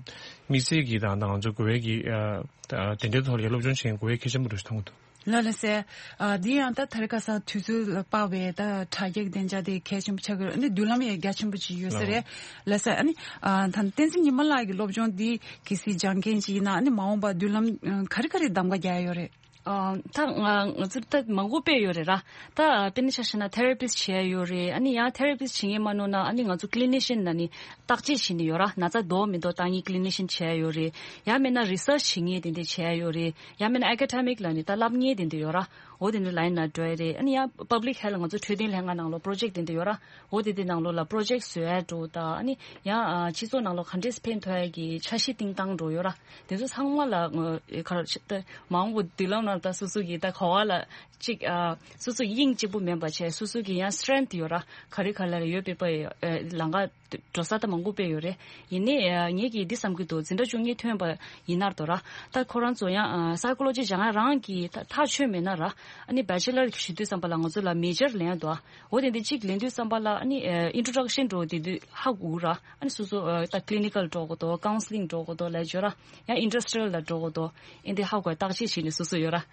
དམིགས་བསལ་གི་ད་ད་ང་ཚོ་དགོས་པའི་གི་ཨ་ད་དེ་འདྲའི་ཐོག་ལ་ཡ་སློབ་སྦྱོང་བྱེད་དགོས་པའི་གལ་ཆེན་པོ་འདྲ་ཞིག་མཐོང་གི་འདུག་ལ་ལ་སེ། ཨ་འདི་ཡང་ད་དེ་རིང་ཁ་སང་དུས་ཚོད་ལ་དཔག་པའི་ད་དྲ་རྒྱ་གི་བདེ་འཇགས་དེ་གལ་ཆེན་པོ་ཆགས་ཀྱི་རེད། ཨ་ནི་མདུན་ལམ་ཡང་རྒྱ་ཆེན་པོ་ཅིག་ཡོད་ས་རེད། ལགས་སོ། ལ་སེ། ཨ་ནི་ཨ་ད་བསྟན་འཛིན་ཉི་མ་ལགས་ཀྱི་སློབ་སྦྱོང་འདི་གལ་སྲིད་སྦྱང་མཁན་ཅིག་ཡིན་ན་ཨ་ནི་མ་འོངས་པ་མདུན་ལམ་ཨ་ག་རེ་ག་རེ་གདམ་ག་རྒྱག་ཡ་ཡོད་རེད། ཨ་ད་ང་ང་ཚོ་ད་མང་པོ་དཔེ་ཡོད་རེད་ར། ད་དཔེར་ན་ཆ་བཞག་ན་therapist་བྱེད་ཡ་ཡོད་རེད། ཨ་ནི་ཡང་therapist་བྱེད་མཁན་མ་ནོར་ན་ཨ་ནི་ང་ཚོ་clinician་ལ་ནི་བརྟག་དཔྱད་བྱེད་ནི་ཡོད་ར། ན་ཚ་འདུག་མི་འདུག་བརྟག་མཁན་clinician་བྱེད་ཡ་ཡོད་རེད། ཡང་མིན་ན་research་བྱེད་མཁན་དེ་འདྲ་བྱེད་ཡ་ཡོད་རེད། ཡང་མིན་ན་academic་ལ་ནི་ད་བསླབ་མཁན་དེ་འདྲ་ཡོད་ར། འོ་དེ་འདྲ་ལ་ཡིན་ན་འགྲོ་ཡ་རེད། ཨ་ནི་ཡང་public health་ང་ཚོ་འཕྲོད་བསྟེན་ལྷན་ཁང་ནང་ལོགས་project་དེ་འདྲ་ཡོད་ར། འོ་དེ་དེ་ནང་ལོགས་ལ་project་བཟོ་ཡ་འགྲོ་ད། ཨ་ནི་ཡང་ཨ་སྤྱི་ཚོགས་ནང་ལོགས་ག་འདྲས་ཕན་ཐོགས་ཡ་གི་འཆར་གཞི་བཏིང་སྟངས་འགྲོ་ཡོད་ར། དེ་ཚོ་ཚང་མ་ལ་ཨ་ག་རེ་ད་མ་འོངས་པ་མདུན་ལམ་ནང་ད་སོ་སོ་གི་ད་གོ་བ་ལ་གཅིག་ཨ་སོ་སོ་དབྱིངས་གཅིག་པུ་མིན་པ་བྱས། སོ་སོ་གི་ཡང་strength་ཡོད་ར། ག་རེ་ག་ལ་ཡོད་པའི་པ་ཨ་ལམ་ཁ་འགྲོ་ས་ད་མང་པོ་དཔེ་ཡོད་རེད། ཡིན་ནའི་ཨ་ངེད་ཀྱིས་འདི་བསམ་གྱི་འདུག་འཛིན་གྲྭ་བཅུ་གཉིས་ཐོན་པ་ཡིན་ནར་དོ་ར། ད་ཁོ་རང་ཚོ་ཡང་ཨ་psychology་སྦྱང་ཡ་རང་གི་ད་ཐག་ཆོད་མེད་ན་ར། ཨ་ནི་bachelor་ཞུ་དུས་ཙམ་པ་ལ་ང་ཚོ་ལ་major་ལེན་ཡ་འདུག་འོ་དེ་འདི་གཅིག་ལེན་དུས་ཙམ་པ་ལ་ཨ་ནི་ཨ་introduction་འགྲོ་དེ་དུས་ཧ་གོ་ར། ཨ་ནི་སོ་སོ་ཨ་ད་clinical་འགྲོ་དགོས་དོ། counselling་འགྲོ་དགོས་དོ་ལ་འཇོ་ར། ཡང་industrial་ལ་འགྲོ་དགོས་དོ། ཨེ་འདི་ཧ་གོ་བརྟག་དཔྱད་བྱས་ནས་སོ་སོ་ཡོད་ར།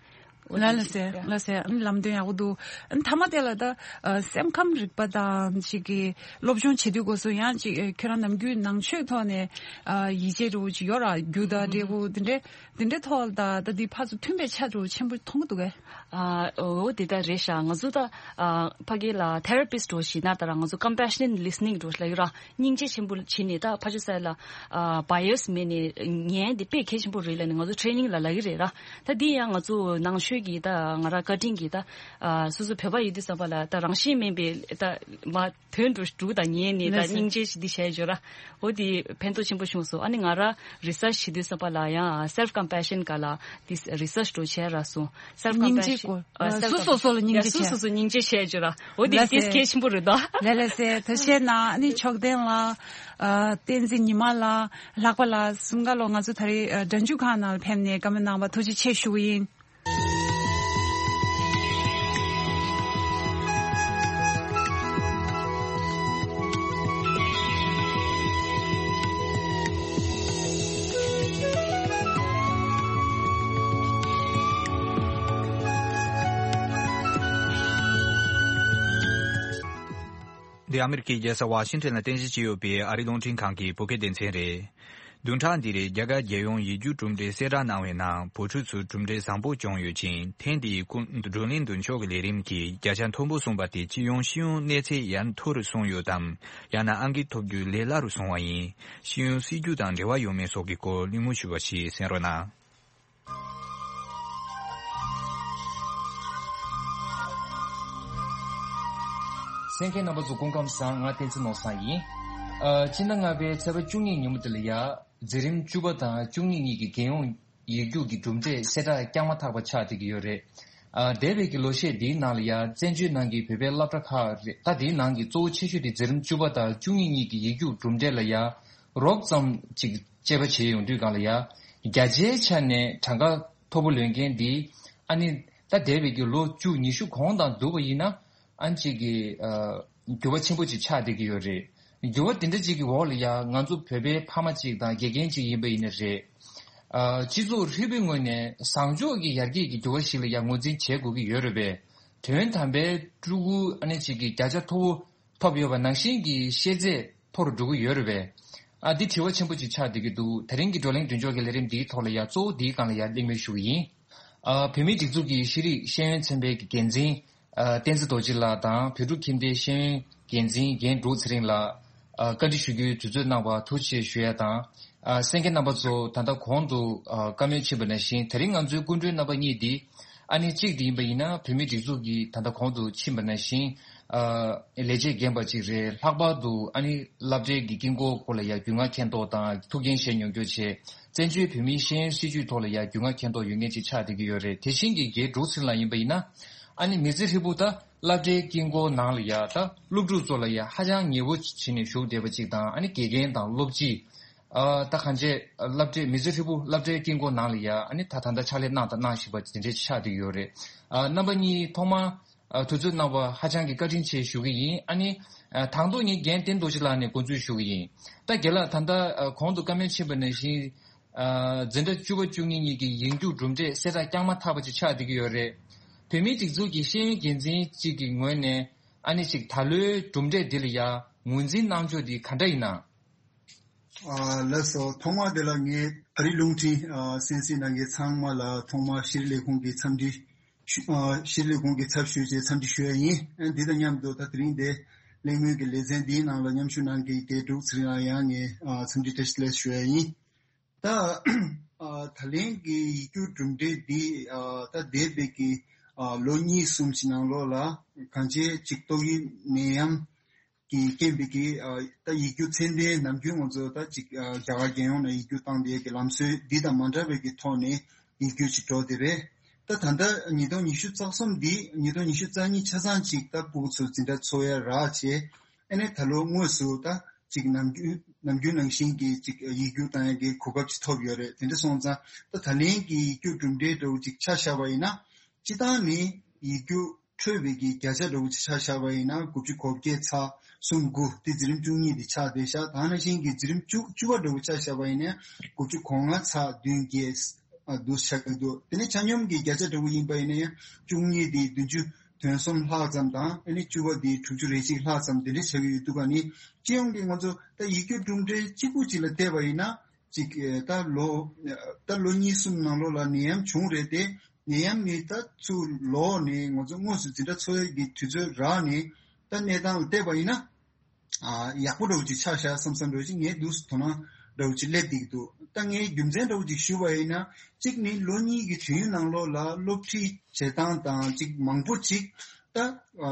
ལ་ལ་སེ་ལ་སེ་ཨ་ནི་ལམ་སྟོན་ཡག་པོ་འདུག་ཨ་ནི་མཐའ་མ་དེ་ལ་ད་ཨ་སེམས་ཁམས་རིག་པ་དང་ཅིག་གི་སློབ་སྦྱོང་བྱེད་དུས་སྐབས་སུ་ཡང་ཅིག་ཨ་ཁྱོད་རང་ནམ་རྒྱུན་ནང་ཆོས་ཐོག་ནས་ཨ་ཡིད་ཆེས་འདྲ་བོ་ཅིག་ཡོད་ར། རྒྱུ་དང་འབྲས་བུ་དེ་འདྲའི་དེ་འདྲའི་ཐོག་ལ་ད་ད་འདི་ཕར་ཚུར་མཐུན་པའི་ཆ་འདྲ་བོ་ཆེན་པོ་མཐོང་གི་འདུག་གས། ཨ་འོ་དེ་ད་རེད་ཤག་ང་ཚོ་ད་ཨ་ཕ་གི་ལ་ཐེ་ར་པིས་འདྲ་བོ་ཞིག་ན་ད་ར་ང་ཚོ་ཀམ་པེ་ཤ་ནེཊ་ལི་སི་ནིང་འདྲ་བོ་ལབ་ཡོད་ར། སྙིང་རྗེ་ཆེན་པོ་བྱས་ནས་ད་ཕར་ཕྱོགས་ས་ལ་ཨ་བ་ཡ་སི་མེད་ནས་ཉན་དེ་དཔེ་གལ་ཆེན་པོ་རེད་ལབ་ནས་ང་ཚོ་ཊེ་ནིང་ལ་ལབ་ཀྱི་རེད་ར། ད་འདི་ཡང་ང་ཚོ་ནང་ཆོས་ཀྱི་ད་ང་རང་བཀའ་དྲིན་གྱིས་ད་ཨ་སོ་སོ་བོད་པ་ཡིན་དུས་ཙམ་པ་ལ་ད་རང་བཞིན་མིན་པའི་ད་མ་དོན་དུ་འགྲུག་དང་ཉན་ནས་ད་ལགས་སོ། སྙིང་རྗེ་ཞིག་འདི་བྱས་ཡོད་ར། འོ་དེ་ཕན་ཐོགས་ཆེན་པོ་བྱུང་སོང་། ཨ་ནི་ང་རང་རི་སར་ཆི་བྱེད་དུས་ཙམ་པ་ལ་ཡང་self compassion ག་ལ་དེ་རི་སར་ཆི་འདྲ་བོ་བྱས་ར་སོང་། self compassion སྙིང་རྗེ་སྐོར། ཨ་self སོ་སོ་སོ་ལ་སྙིང་རྗེ་ཡ་སོ་བྱས། སོ་སོ་སྙིང་རྗེ་བྱས་ཡོད་ར། འོ་དེ་ལགས་དེ་སོ། གལ་ཆེན་པོ་རེད་ད། ལགས་ལགས་སེ། ཐུགས་རྗེ་གནང་། ཨ་ནི་ཕྱོགས་གདན་ལ་ཨ་བསྟན་འཛིན་ཉི་མ་ལགས་ལྷག་པ་ལགས་གསུམ་ཀ་ལོ་ང་ཚོ་ད་རེས་ཨ་སྒྲ་འཇུག་ཁང་ནང་ལ་ཕེབས་ནས་བཀའ་མོལ་གནང་བ་ཐུགས་རྗེ་ཆེ་ཞུ་གི་ཡིན། འདི་ཨ་མི་རི་ཀའི་རྒྱལ་ས་ཝ་ཤིང་ཊོན་ལ་རྟེན་གཞི་བྱས་ཡོད་པའི་ཨ་རིའི་རླུང་འཕྲིན་ཁང་གི་བོད་སྐད་སྡེ་ཚན་རེད། བདུན་ཕྲག་འདིར་རྒྱ་གར་རྒྱལ་ཡོངས་ཡིག་རྒྱུགས་གྲུབ་འབྲས་གསལ་བསྒྲགས་གནང་བའི་ནང་བོད་ཕྲུག་ཚོས་གྲུབ་འབྲས་བཟང་པོ་བྱུང་ཡོད་ཅིང་། ཐེངས་འདིའི་ཀུན་བགྲོ་གླེང་མདུན་ཕྱོགས་ཀྱི་ལས་རིམ་གྱིས་བརྒྱ་ཆ་མཐོན་པོ་སོང་བ་དེ་སྤྱི་ཡོངས་ཤེས་ཡོན་གནས་ཚད་ཡར་མཐོ་རུ་སོང་ཡོད་དམ། ཡང་ན་ཨང་ཀི་ཐོབ་རྒྱུ་ལས་སླ་རུ་སོང་བ་ཡིན། ཤེས་ཡོན་སྲིད་ཇུས་དང་འབྲེལ་བ་ཡོད་མེད་སོགས་ཀྱི་སྐོར་གླེང་མོལ་ཞུས་པ་ཞིག་གསན་རོགས་གནང་། གསན་མཁན་རྣམ་པ་ཚོ་སྐུ་ཁམས་བཟང་། ང་བསྟན་འཛིན་ནོར་བཟང་ཡིན། ཨ་སྤྱི་ཟླ་ལྔ་པའི་ཚེས་པ་བཅུ་གཉིས་ཉིན་མོ་དེ་ལ་ཡ་འཛིན་རིམ་བཅུ་པ་དང་བཅུ་གཉིས་གཉིས་ཀྱི་རྒྱལ་ཡོངས་ཡིག་རྒྱུགས་ཀྱི་གྲུབ་འབྲས་གསལ་བསྒྲགས་རྐྱང་མ་ཐག་པ་ཆགས་བསྡད་ཀྱི་ཡོད་རེད། ཨ་འདས་པའི་གི་ལོ་ཤས་འདིའི་ནང་ལ་ཡ་བཙན་བྱོལ་ནང་གི་བོད་པའི་སློབ་གྲྭ་ཁག་རེད། ད་དེའི་ནང་གི་གཙོ་བོ་ཆེ་ཤོས་དེ་འཛིན་རིམ་བཅུ་པ་དང་བཅུ་གཉིས་གཉིས་ཀྱི་ཡིག་རྒྱུགས་གྲུབ་འབྲས་ལ་ཡ་རོབ་ཙམ་ཅིག་དཔྱད་པ་བྱས་ཡོང་དུས་སྒང་ལ་ཡ། བརྒྱ་ཆའི་ཆ་ནས་གྲངས་ཀ་མཐོ་པོ་ལོན་མཁན་འདི་ཨ་ནི་ད་འདས་པའི་གི་ལོ་བཅུ་ཉི་ཤུ་གོང་དང་བསྡུར་བ་ཡིན་ན་ཨ་ནི་ཅིག་གི་ཨ་འགྱུར་བ་ཆེན་པོ་ཅིག་ཆགས་བསྡད་ཀྱི་ཡོད་རེད། འགྱུར་བ་དེ་འདྲ་ཅིག་གི་འོག་ལ་ཡ་ང་ཚོ་བོད་པའི་ཕ་མ་ཅིག་དང་དགེ་རྒན་ཅིག་ཡིན་པ་ཡིན་ན་རེད། ཨ་སྤྱི་ཚོགས་ཧྲིལ་པོའི་ངོས་ནས་བཟང་ཕྱོགས་ཀྱི་ཡར་རྒྱས་ཀྱི་འགྱུར་བ་ཞིག་ལ་ཡ་ངོས་འཛིན་བྱེད་དགོས་ཀྱི་ཡོད་རེད་པས། དོན་དམ་པའི་ཕྲུ་གུ་ཨ་ནི་ཅིག་གི་བརྒྱ་ཆ་མཐོ་བོ་ཐོབ་ཡོད་པ་ནང་བཞིན་གྱི་ཤེས་ཚད་མཐོ་རུ་འགྲོ་གི་ཡོད་རེད་པས། ཨ་འདི་དྲི་བ་ཆེན་པོ་ཅིག་ཆགས་བསྡད་ཀྱི་འདུག་དེ་རིང་གི་བགྲོ་གླེང་མདུན་ཅོག་གི་ལས་རིམ་འདིའི་ཐོག་ལ་ཡ་གཙོ་བོ་འདིའི་སྒང་ལ་ཡ་གླེང་མོལ་ཞུ་གི་ཡིན། ཨ་བོད་མིའི་སྒྲིག་འཛུགས་ཀྱི་ཤེས་རིག་ཤེས་ཡོན་ཚན་པའི་འགན་འཛིན་ཨ་བསྟན་འཛིན་རྡོ་རྗེ་ལགས་དང་བོད་ཕྲུག་ཁྱིམ་སྡེའི་ཤེས་ཡོན་འགན་འཛིན་རྒན་འབྲུག་ཚེ་རིང་ལགས་ཨ་བཀའ་འདྲི་ཞུ་རྒྱུའི་དུས་ཚོད་གནང་བར་ཐུགས་རྗེ་ཆེ་ཞུ་ཡ་དང་། ཨ་གསན་མཁན་རྣམ་པ་ཚོ་ད་ལྟ་གོང་དུ་ཨ་བཀའ་མོལ་ཕྱིན་པ་ནང་བཞིན་དེ་རིང་ང་ཚོའི་སྐུ་མགྲོན་རྣམ་པ་གཉིས་འདི་ཨ་ནི་གཅིག་དེ་ཡིན་པ་ཡིན་ན་བོད་མིའི་སྒྲིག་འཛུགས་ཀྱི་ད་ལྟ་གོང་དུ་ཕྱིན་པ་ནང་བཞིན་ཨ་ལས་བྱེད་རྒན་པ་གཅིག་རེད། ལྷག་པར་དུ་ཨ་ནི་སློབ་གྲྭའི་གི་དཀྱིལ་འཁོར་སྐོར་ལ་ཡ་རྒྱུས་མངའ་མཁྱེན་རྟོགས་དང་ཐུགས་འགན་བཞེས་མྱོང་རྒྱུ་བྱས། བཙན་བྱོལ་བོད་མིའི་ཤེས་ཡོན་སྲིད་བྱུས་ཐོག་ལ་ཡ་རྒྱུས་མངའ་མཁྱེན་རྟོགས་ཡོད་མཁན་ཅིག་ཆགས་བསྡད་ཀྱི་ཡོད་རེད། དེ་བཞིན་གྱི་རྒན་འབྲུག་ཚེ་རིང་ལགས་ཡིན་པ་ཡིན་ན་ཨ་ནི་མི་ཚེ་ཧྲིལ་པོ་ད་སློབ་གྲྭའི་དཀྱིལ་འཁོར་ནང་ལ་ཡ་ད་སློབ་ཕྲུག་ཚོ་ལ་ཡ་ཧ་ཅང་ཉེ་བོ་བྱས་ནས་བཞུགས་བསྡད་པ་ཅིག་དང་། ཨ་ནི་དགེ་རྒན་དང་སློབ་སྤྱི། ཨ་ད་གང་ཅི་སློབ་གྲྭའི་མི་ཚེ་ཧྲིལ་པོ་སློབ་གྲྭའི་དཀྱིལ་འཁོར་ནང་ལ་ཡ་ཨ་ནི་ད་ད་ལྟ་ཕྱག་ལས་གནང་དང་གནང་བཞིན་པ་དེ་འདྲ་ཆགས་བསྡད་ཡོད་རེད། ཨ་རྣམ་པ་གཉིས་ཐོག་མར་ཨ་དུས་ཚོད་གནང་བ་ཧ་ཅང་གི་བཀའ་དྲིན་ཆེ་ཞུ་གི་ཡིན། ཨ་ནི་ཨ་དང་ཐོག་ངས་རྒན་བསྟན་རྡོ་རྗེ་ལགས་ནས་འགོ་འཛུགས་ཞུ་གི་ཡིན། ད་རྒན་ལགས་ད་ལྟ་ཨ་གོང་དུ་བཀའ་མོལ་ཕྱིན་པ་ནང་བཞིན་ཨ་འཛིན་གྲྭ་བཅུ་པ་བཅུ་གཉིས་གཉིས་ཀྱི་ཡིག་རྒྱུགས་གྲུབ་འབྲས་གསལ་བསྒྲགས་རྐྱང་མ་ཐག་པ་ཅིག་ཆགས་བསྡད་ཀྱི་ཡོད་རེད། བོད་མིའི་སྒྲིག་འཛུགས་ཀྱི་ཤེས་ཡོན་འགན་འཛིན་གཅིག་གི་ངོས་ནས་ཨ་ནི་ཅིག་ད་ལོའི་གྲུབ་འབྲས་འདི་ལ་ཡ་ངོས་འཛིན་གནང་ཕྱོགས་འདི་ག་འདྲ་ཡིན་ན། ཨ་ལགས་སོ། ཐོག་མ་དེ་ལ་ངས་ཨ་རིའི་རླུང་འཕྲིན་ཨ་གསན་གཟིགས་གནང་མཁན་ཚང་མ་ལ་ཐོག་མར་ཤེས་རིག་ལས་ཁུངས་ཀྱི་འཚམས་འདྲི་ཞུ་ཨ་ཤེས་རིག་ལས་ཁུངས་ཀྱི་ཚབ་ཞུས་བྱས་འཚམས་འདྲི་ཞུ་ཡ་ཡིན། ཨ་འདི་དང་མཉམ་དུ་ད་དེ་རིང་འདིར་གླེང་མོལ་གྱི་ལེ་ཚན་འདིའི་ནང་ལ་མཉམ་ཞུགས་གནང་མཁན་རྒན་འབྲུག་ཚེ་རིང་ལགས་ཡང་ངས་ཨ་འཚམས་འདྲི་བཀྲ་ཤིས་བདེ་ལེགས་ཞུ་ཡ་ཡིན། ད་ཨ་ད་ལན་གྱི་ཡིག་རྒྱུགས་གྲུབ་འབྲས་འདི་ཨ་ད་འདས་པའི་གི་ཨ་ལོ་གཉིས་གསུམ་ཞིག་ནང་ལོགས་ལ་གང་ཅིའི་ཅིག་ཏོག་དབྱིབས་ནད་ཡམས་ཀྱི་རྐྱེན་པས་ཀྱི་ཨ་ད་ཡིག་རྒྱུགས་ཚད་ལྡན་ནམ་རྒྱུན་ང་ཚོ་ད་ཅིག་ཨ་རྒྱ་གར་རྒྱལ་ཡོངས་ནས་ཡིག་རྒྱུགས་བཏང་བསྡད་ཀྱི་ལམ་སྲོལ་འདི་དང་མ་འདྲ་བའི་གི་ཐོག་ནས་ཡིག་རྒྱུགས་ཅིག་འགྲོ་བསྡད་པས། ད་ད་ལྟ་ཉིས་སྟོང་ཉི་ཤུ་རྩ་གསུམ་འདི་ཉིས་སྟོང་ཉི་ཤུ་རྩ་གཉིས་ཆ་ཚང་ཅིག་ད་ཕྲུ་གུ་ཚོ་འཛིན་གྲྭ་འཚོགས་ཡ་རག་བྱས། ཨ་ནི་ད་ལོ་དངོས་སུ་ད་ཅིག་ནམ་རྒྱུན་ནམ་རྒྱུན་ནང་བཞིན་གྱི་ཅིག་ཡིག་རྒྱུགས་བཏང་ཡ་གི་གོ་སྐབས་ཅིག་ཐོབ་ཡོད་རེད། དེ་འདྲ་སོང་ཙང་ད་ད་ལན་གྱི་ཡིག་རྒྱུགས་གྲུབ་འབྲས་འདྲ་བོ་ཅིག་ཆ་བཞག་པ་ཡིན་ན། སྤྱིར་བཏང་ནི་ཡིག་རྒྱུགས་འཕྲོད་པའི་གི་བརྒྱ་ཆ་འདྲ་བོ་ཅིག་ཆ་བཞག་པ་ཡིན་ན་དགུ་བཅུ་གོ་བརྒྱད་ཚེག་གསུམ་དགུ་དེ་འཛིན་རིམ་བཅུ་གཉིས་དེ་ཆགས་བསྡད་ཤག་ད་ནང་བཞིན་གྱི་འཛིན་རིམ་བཅུ་བཅུ་པ་འདྲ་བོ་ཆ་བཞག་པ་ཡིན་ན་དགུ་བཅུ་གོ་ལྔ་ཚེག་བདུན་བརྒྱད་ ཨ་འདུག་ཆགས་ཀྱི་འདུག་དེ་ནས་ཆ་སྙོམས་ཀྱི་བརྒྱ་ཆ་འདྲ་བོ་ཡིན་པ་ཡིན་ན་ཡང་བཅུ་གཉིས་དེ་བདུན་ཅུ་དོན་གསུམ་ལྷག་ཙམ་དང་ཨ་ནི་བཅུ་པ་དེ་དྲུག་ཅུ་རེ་གཅིག་ལྷག་ཙམ་དེ་འདྲ་ཆགས་ཀྱི་ཡོད་འདུག་ག་ནི་སྤྱི་ཡོངས་ཀྱི་ང་ཚོ་ད་ཡིག་སྒྱུར་གྲུབ་འབྲས་གཅིག་པུ་གཅིག་ལ་བལྟས་པ་ཡིན་ན་གཅིག་ད་ལོ་ད་ལོ་གཉིས་གསུམ་ནང་ལོགས་ལ་ནད་ཡམས་བྱུང་རེད་དེ་ནད་ཡམས་ནི་ད་ཚུར་ལོག་ནས་ང་ཚོ་དངོས་སུ་འཛིན་གྲྭ་འཚོགས་ཡས་ཀྱི་དུས་ཚོད་རག་ནས་ད་གནས་སྟངས་ལ་བལྟས་པ་ཡིན་ན། ཨ་ཡག་པོ་འདྲ་བོ་ཅིག་ཆགས་ཤག་བསམ་བསམ་འདྲ་བོ་ཅིག་ངས་འདུག་དོ་སྣང་འདྲ་བོ་ཅིག་སླེབས་བསྡད་ཀྱི་འདུག་ད་ངས་རྒྱུ་མཚན་འདྲ་བོ་ཅིག་ཞུ་བ་ཡིན་ན་གཅིག་ནི་ལོ་གཉིས་ཀྱི་དུས་ཡུན་ནང་ལོགས་ལ་སློབ་ཁྲིད་བྱེད་སྟངས་དང་གཅིག་མང་པོ་ཅིག་ད་ཨ་